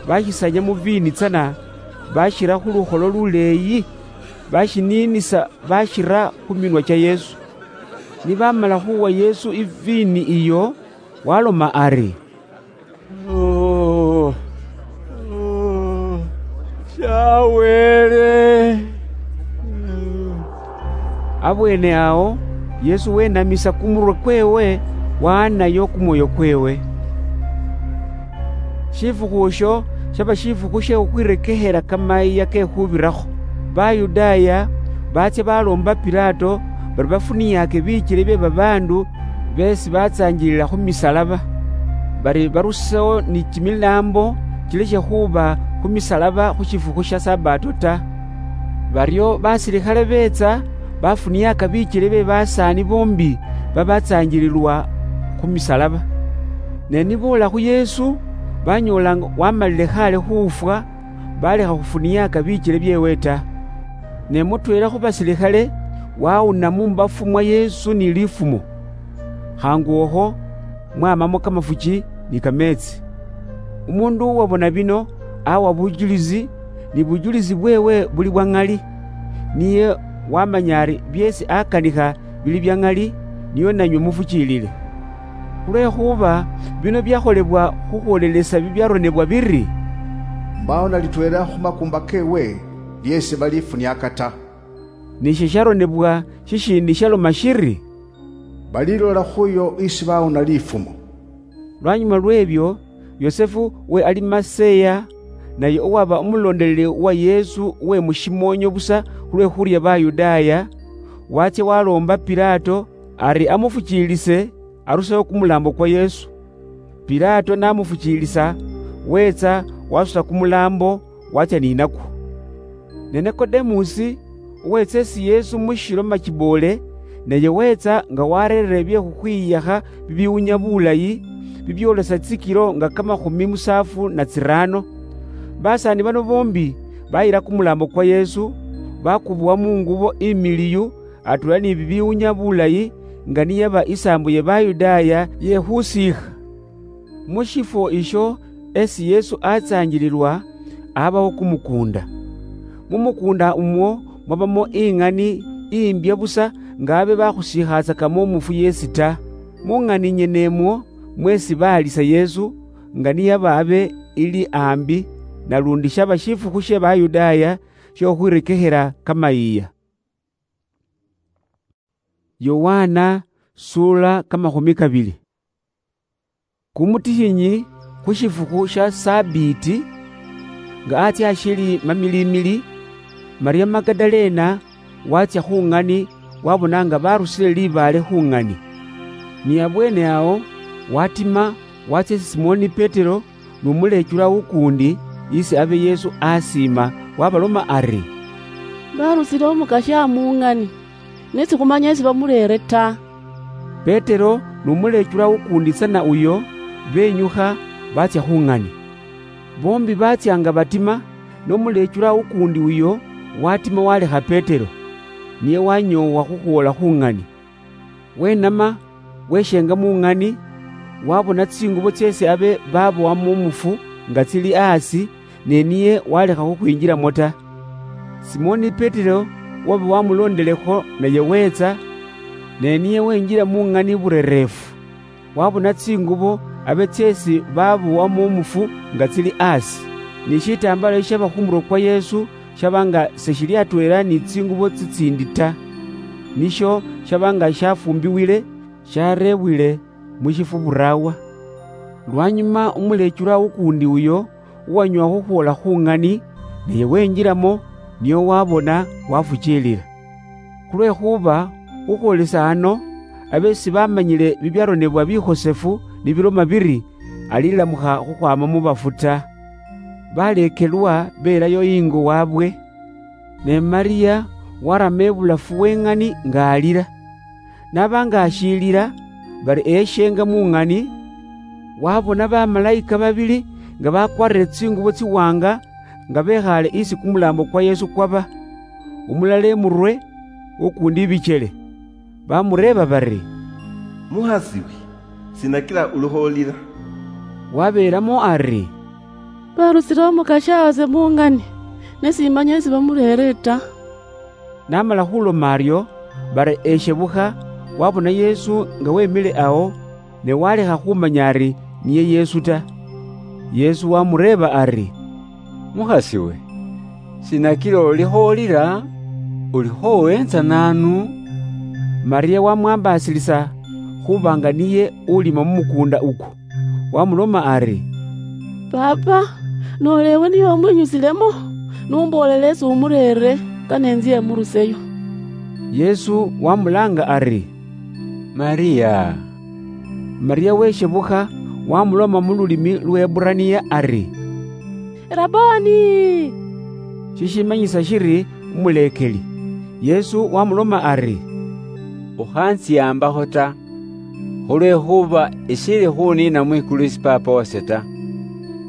bashisanya mu viini tsana, bashira khu lukholo luleeyi, bashiniinisa, bashira khu minwa cha Yesu. Nibamala khuwa Yesu iviini iyo, waloma ari, "Oh, oh, sha Wele." Abweene awo, Yesu wenamisa kumurwe kweewe, waanayo kumwoyo kweewe. Shifukhu isho shaba shifukhu she khukhwirekekhela kamayiiya ke khubirakho. Bayudaaya baatsya baloomba Pilato bari bafuniyaake bikyele bye babaandu beesi batsaangilila khu misalaba, bari barusewo ni kimilaambo kilekhe khuuba khu misalaba khu shifukhu sha Sabato ta. Baryo basilikhale beetsa, bafuniyaaka bikyele bye basaani boombi babatsaangililwa khu misalaba. Ne niboola khu Yesu, banyoola nga wamalile khaale khufwa, balekha khufuniyaaka bikyele byeewe ta. Ne mutweela khu basilikhale wawuna mu mbafu mwa Yesu ni lifumo, Khangu okho mwamamo kamafuchi ni kameetsi. Umundu uwabona bino awa bujulizi, ni bujulizi bwewe buli bwa ng'ali. Niye wamanya ari byeesi akanikha bili bya ng'ali, niyo nanywe mufuchilile. Khulwekhuba bino byakholebwa khukhwolelesa bibyaronebwa biri, "Mbawo na litweela khu makumba kewe lyeesi balifuniaka ta." Ni shisharonebwa shishindi shaloma shiri, "Balilola khuyo isi bawuna lifumo." Lwanyuma lw'ebyo, Yosefu we Alimaseya, naye owaba omulondeleli wa Yesu we mushimoonyo busa khulwe khurya Bayudaaya, watsya waloomba Pilato ari amufuchiilise arusewo kumulambo kwa Yesu. Pilato namufuchiilisa, wetsa wasuta kumulambo, watsya ninakwo. Ne Nikodemusi, uwetsa esi Yesu mushilo machiboole, naye wetsa nga warerere bye khukhwiyakha bibiwunya bulayi, bibyoolesa tsikilo nga kamakhumi musaafu na tsiraano. Basaani bano boombi bayila kumulambo kwa Yesu, bakubuwa mungubo imiliyu, atweela ni bibiwunya bulayi, nga niyaba isaambo ye Bayudaaya ye khusiikha. Mu shifwo isho esi Yesu atsanjililwa, abawo kumukuunda. Mu mukuunda umwo mwabamo ing'ani imbya busa, nga abe bakhusiikhatsakamo umufu yesi ta. Mu ng'ani nyene imwo mwesi baalisa Yesu, nga niyaba abe ili ambi, nalundi shaba shifukhu she Bayudaaya shiokhwirekekhela kamayiiya. Yohana sura kamakhumi kabili. Kumutikhinyi khu shifukhu sha Sabiiti, nga atsya ashili mamilimili, Maria Magadalena watsya khu ng'ani, wabona nga barusile libaale khu ng'ani. Ni abweene awo watima, watsya isi Simoni Petero nu mulechula ukuundi, isi abe Yesu asiima, wabaloma ari, "Barusile Umukasya mu ng'ani, ne sikhumanya esi bamureere ta." Petero nu mulechula ukuundi tsana uyo benyukha, batsya khu ng'ani. Boombi batsya nga batima, ne umulechula ukuundi uyo watima walekha Petero, niye wanyoowa khukhwoola khu ng'ani. Wenama, weshenga mu ng'ani, wabona tsingubo tseesi abe babowamo umufu nga tsili asi, ne niye walekha khukhwinjilamo ta. Simoni Petero waba wamulondelekho, naye wetsa, ne niye wenjila mu ng'ani burereefu. Wabona tsingubo abe tseesi babowamo umufu nga tsili asi, ni shitambala ishaba khu murwe kwa Yesu shaba nga seshili atweela ni tsingubo tsitsiindi ta, nisho shaba nga shafumbiwile, shareebwile mu shifu buraawa. Lwanyuma umulechula ukuundi uyo uwanyoowa khukhwoola khu ng'ani, naye wenjilamo, niyo wabona, wafukiilila. Khulwekhuba khukhwolesa ano, abe sibamanyile bibyaronebwa bikhosefu nibiloma biri, alilamukha khukhwama mu bafu ta. Baleekelwa belayo ingo waabwe. Ne Maria warama ibulafu w'eng'ani nga alila. Naba nga ashiilila bari eyeshenga mu ng'ani, wabona bamalayika babili nga bakwarire tsingubo tsiwanga nga bekhaale isi kumulaambo kwa Yesu kwaba, umulala imurwe, ukuundi ibichele. Bamureeba bari, "Mukhasiwe, sina kila ulikholila?" Wabeelamo ari, "Barusile Umukasya wase mu ng'ani, ne simanya esi bamureere ta." Namala khuloma aryo, bari eshebukha, wabona Yesu nga wemile awo, ne walekha khumanya ari niye Yesu ta. Yesu wamureeba ari, "Mukhasiwe, sina kila ulikholila? Ulikho weenza naanu?" Maria wamwambaasilisa khuba nga niye ulima mu mukuunda uku. Wamuloma ari, "Paapa, noola ewe niye umwinyusilemo, numboolele esi umureere, kane nzye emuruseyo." Yesu wamulaanga ari, "Maria." Maria weshebukha, wamuloma mu lulimi Luheburania ari, "Rabboni!" Shishimanyisa shiri Umuleekeli. Yesu wamuloma ari, "Ukhantsiambakho ta, khulwekhuba eshili khuniina mwikulu isi Paapa wase ta.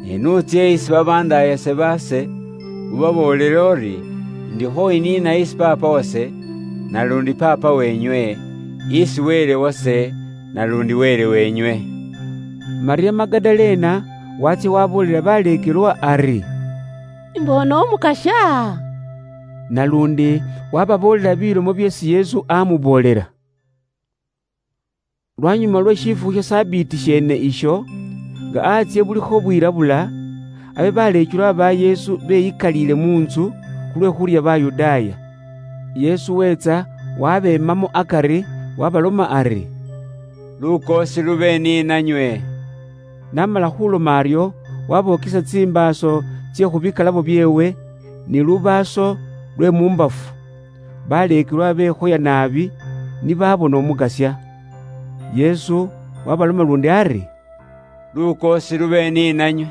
Ne nutsya isi babandaayase baase, ubaboolele uri, 'Ndikho iniina isi Paapa wase, nalundi Paapa wenywe, isi Wele wase, nalundi Wele wenywe. Maria Magadalena watsia waboolera baleekelwa ari, "Mbona Omukasya." Nalundi wababoolera bilomo byeesi Yesu amuboolera. Lwanyuma lwe shifukhu sha Sabiiti shene isho, nga atsye bulikho bwirabula, abe baleekelwa ba Yesu beyikaliile mu ntsu khulwe khurya Bayudaaya. Yesu wetsa wabemamo akari, wabaloma ari, "Lukoosi lube ni nanywe." Namala khuloma aryo, wabokesa tsimbaaso tsye khu bikalabo byeewe ni lubaaso lwe mumbafu. Baleekelwa bekhoya naabi, nibabona Omukasya. Yesu wabaloma lundi ari, "Lukoosi lube ni nanywe.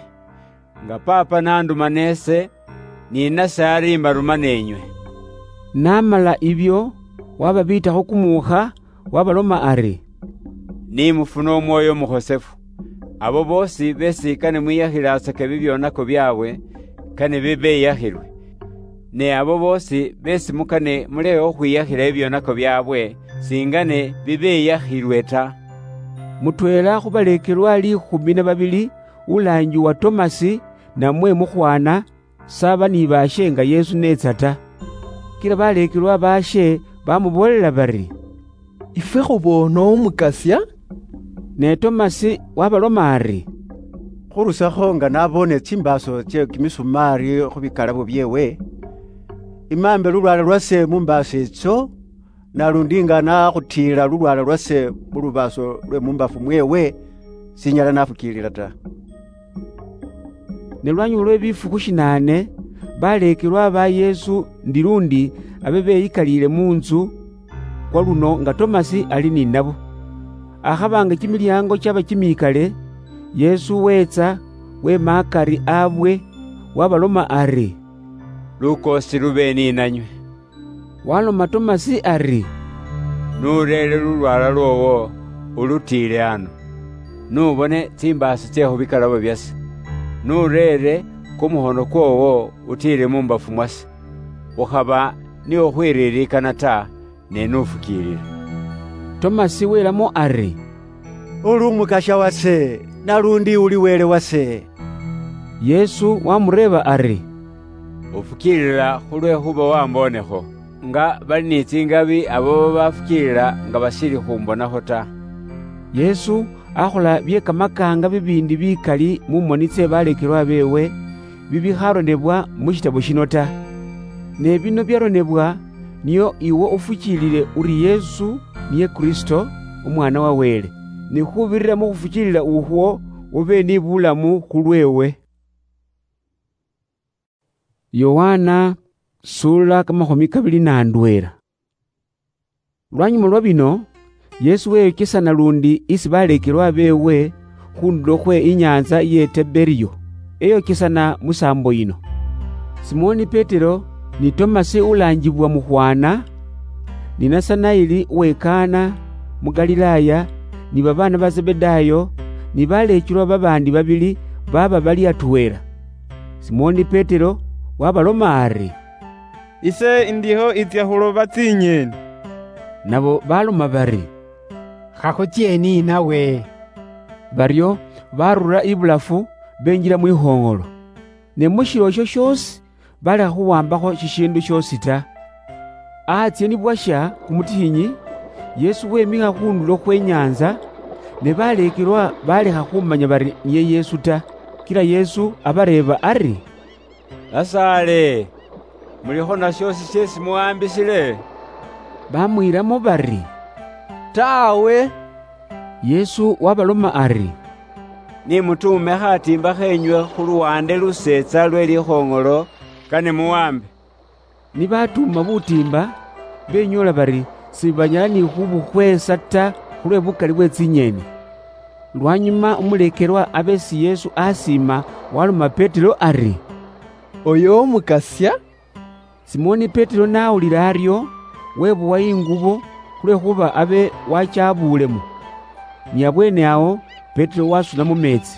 Nga Paapa nanduma nese, ni nase ari mbaruma nenywe." Namala ibyo, wababiitakho kumuukha, wabaloma ari, "Nimufuna Omwoyo Omukhosefu, abo boosi besi kane mwiyakhilatsake bibyonako byabwe, kane bibeyakhilwe. Ne abo boosi besi mukane mulekhe khukhwiyakhila ebyonako byabwe, singane bibeyakhilwe ta." Mutweela khu baleekelwa liikhumi na babili, ulaangiwa Tomasi, namwe Mukhwana, saba ni baashe nga Yesu neetsa ta. Kila baleekelwa baashe bamuboolela bari, "Ifwe khuboona Omukasya." Ne Tomasi wabaloma ari, "Khurusakho nga naboone tsimbaaso tsye kimisumaari khu bikalabo byeewe, imaambe lulwala lwase mu mbaaso itsyo, nalundi nga nakhutiila lulwala lwase mu lubaaso lwe mumbafu mweewe, sinyala nafukiilila ta." Ne lwanyuma lwe bifukhu shinaane, baleekelwa ba Yesu ndi lundi abe beyikaliile mu ntsu kwa luno nga Tomasi ali ninabo. Akhaba nga kimilyaango kyaba kimiikale, Yesu weetsa, wema akari abwe, wabaloma ari, "Lukoosi lube ni nanywe." Waloma Tomasi ari, "Nureere lulwala lwoowo, ulutiile ano. Nubone tsimbaaso tsye khu bikalabo byase. Nureere kumukhono kwoowo utiile mu mbafu mwase. Ukhaba ni ukhwiriirikana ta, ne nufukiilila." Tomasi welamo ari, "Uli Umukasya wase, nalundi uli Wele wase." Yesu wamureeba ari, "Ufukiilila khulwekhuba wambonekho, nga bali ni tsingabi abo babafukiilila nga bashili khumbonakho ta." Yesu akhola bye kamakaanga bibiindi bikali mu moni tsye baleekelwa beewe, bibikharonebwa mu shitabo shino ta. Ne bino byaronebwa, nio iwe ufukiilile uri Yesu niye Kristo, Umwaana wa Wele, ni khubirira mu khufukiilila ukhwo, ube ni bulamu khulweewe. Yohana, sura kamakhumi kabili na ndweela. Lwanyuma lwa bino, Yesu weyochesana lundi isi baleekelwa beewe khundulo khwe inyaantsa iye Tiberiyo, eyochesana musaambo yino. Simoni Petero, ni Tomasi ulaanjibwa Mukhwana, ni Nasanaeli uwe Kana mu Galilaya, ni babaana ba Zebedayo, ni baleekelwa babaandi babili baaba bali atweela. Simoni Petero wabaloma ari, "Ise indiho itsya khuloba tsinyeeni." Nabo baloma bari, "Khakhutsye ni nawe." Baryo barura ibulafu, benjila mwikhoong'olo. Ne mu shilo isho shoosi balekha khuwambakho shishiindu shoosi ta. Ahatsye ni bwasha kumutihinyi, Yesu wemikha khundulo khwe nyaantsa, ne baleekelwa balekha khumanya bari niye Yesu ta. Kila Yesu abareeba ari, "Basaale, mulikho na shoosi sheesi muwambisile?" Bamwiilamo bari, "Taawe." Yesu wabaloma ari, "Ni mutuume khatiimba kheenywe khu luwande luseetsa lwe likhoong'olo, kane muwambe." Ni batuuma butiimba, benyoola bari sibanyala ni khubukhweesa ta khulwe bukali bwe tsinyeeni. Lwanyuma umuleekelwa abe esi Yesu asiima waloma Petero ari, "Oyo Umukasya." Simoni Petero n'awulira aryo, webuwa ingubo, khulwekhuba abe wachabuulemo. Ni abweene awo, Petero wasuna mu meetsi.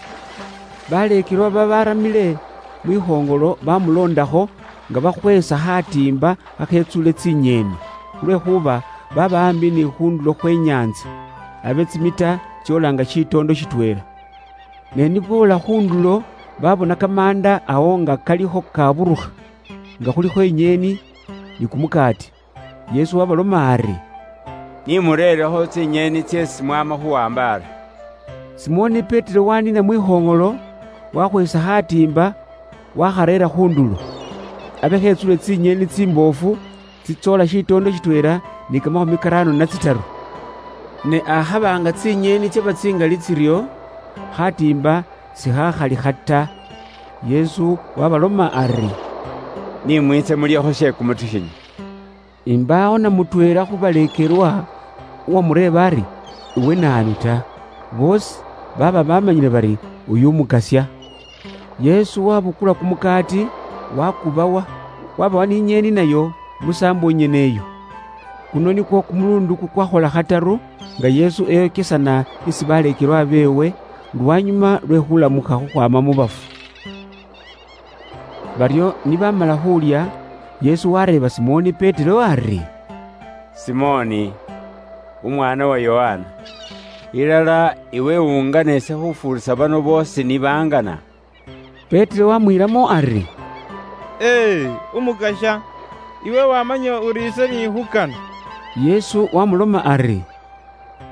Baleekelwa babaramile mwikhoongolo bamuloondakho, nga bakhweesa khatiimba khakhetsuule tsinyeeni, khulwekhuba baba ambi ni khundulo khwe nyaantsa. abe tsimita tsiolanga shitondo shitwela. Ne niboola khundulo, babona kamanda ao nga kalikho kaburukha, nga khulikho inyeeni ni kumukaati. Yesu wabaloma ari, "Nimureerekho tsinyeeni tseesi mwama khuwambaara." Simoni Petero wanina mwikhong'olo, wakhwesa khatiimba, wakhareera khundulo. Abe khetsule tsinyeeni tsimboofu tsitsoola shitoondo shitweela ni kamakhumi karaano na tsitaru. Ne akhaba nga tsinyeeni tsaba tsingali tsiryo, khatiimba sikhakhalikha ta. Yesu wabaloma ari, "Nimwiitse mulyekho she kumutikhinyi." Imbaawo na mutweela khu baleekelwa uwamureeba ari, "Iwe naanu ta?" Boosi baaba bamanyile bari uyu Umukasya. Yesu wabukula kumukaati, wakubawa, wabawa n'inyeeni nayo musaambo inyene iyo. Kuno nikwo kumuluundu kukwakhola khataru nga Yesu eyokesana isi baleekelwa beewe, lwanyuma lwe khulamukha khukhwaama mu bafu. Baryo nibamala khulya, Yesu wareeba Simoni Petero ari, "Simoni, umwana wa Yohana, ilala iwe ungana ese khufuurisa bano boosi nibangana?" Petero wamwiilamo ari, "Ee, Umukasya, iwe wamanya uri ise niikhukana." Yesu wamuloma ari,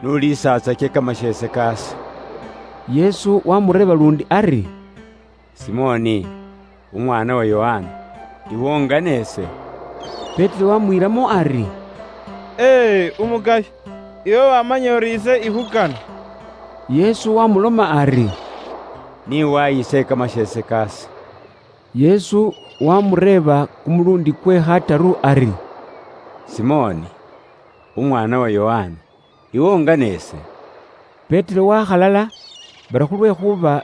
"Nuliisatsake kamasheese kaase." Yesu wamureeba lundi ari, "Simoni, umwana wa Yohana, iwe ungana ese?" Petero wamwiilamo ari, "Ee, Umukasya, iwe wamanya uri ise ikhukana." Yesu wamuloma ari, "Niwaye ise kamasheese kaase." Yesu wamureeba kumulundi kwe khataru ari, "Simoni, umwana wa Yohana, iwe ungana ese?" Petero wakhalala, bari khulwekhuba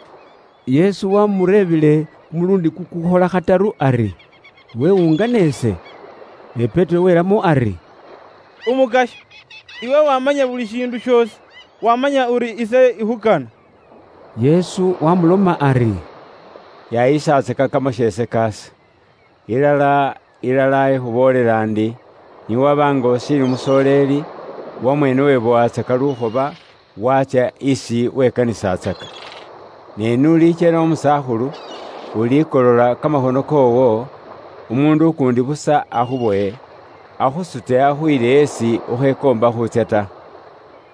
Yesu wamureebile kumulundi kukukhola khataru ari, "Iwe ungana ese?" Ne Petero welamo ari, "Umukasya, iwe wamanya buli shindu shiosi, wamanya uri ise ikhukana." Yesu wamuloma ari, "Yayisatsaka kamasheese kaase. Ilala, ilala, ikhuboolela ndi, niwaba nga usiili umusoleeli, wamweene webowatsaka lukhoba, watsya isi wekanisatsaka. Ne n'ulichela umusakhulu, ulikolola kamakhono koowo, umuundu ukuundi busa akhuboye, akhusute akhuyile esi ukhekoomba khutsya ta."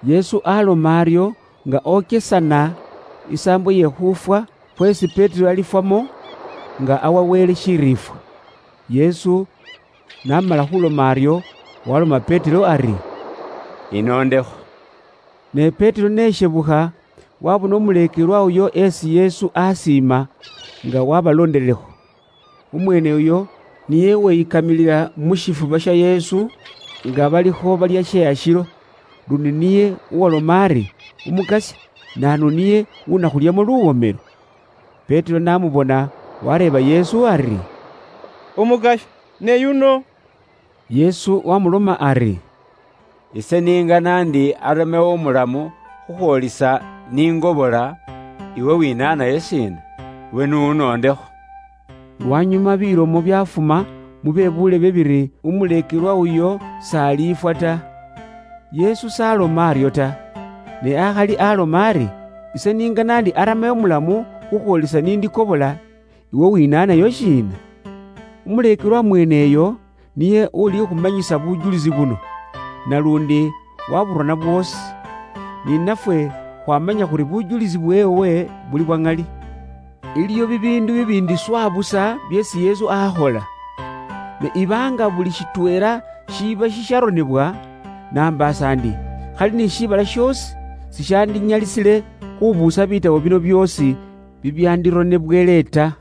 Yesu aloma aryo nga okesana isaambo ye khufwa, khwesi Petero alifwamo, nga awa Wele shiriifwa. Yesu namala khuloma aryo, waloma Petero ari, "Inondekho." Ne Petero neshebukha, wabona umuleekelwa uyo esi Yesu asiima, nga wabalondelelekho. Umweene uyo niye weyikamilila mu shifuba sha Yesu, nga balikho balya she ashilo, lundi niye uwaloma ari, "Umukasya, naanu niye unakhulyamo luwomelo?" Petero namubona, wareeba Yesu ari, "Umukasya, ne yuno?" Yesu wamuloma ari, "Ise ningana ndi aramewo umulamu khukhwolisa ningobola, iwe winaanayo shiina? Iwe nuwunoondekho." Lwanyuma bilomo byafuma mu bebuule bye biri umuleekelwa uyo s'aliifwa ta. Yesu s'aloma aryo ta, ne akhali aloma ari, "Ise ningana ndi aramewo umulamu khukhwolisa nindikobola, iwe winaanayo shiina?" Umuleekelwa mweeneyo niye ulikhumanyisa bujulisi buno, nalundi waburona bwoosi. Ninafwe khwamanya khuri bujulisi bweewe buli bwa ŋali. Iliyo bibiindu bibiindi swa busa byeesi Yesu akhola. Ne ibaanga buli shitweela shiiba shisharonebwa, nambaasa ndi, khali ni shiibala shoosi sishandinyalisile khubuusa bitabo bino byoosi bibyandironebwele ta.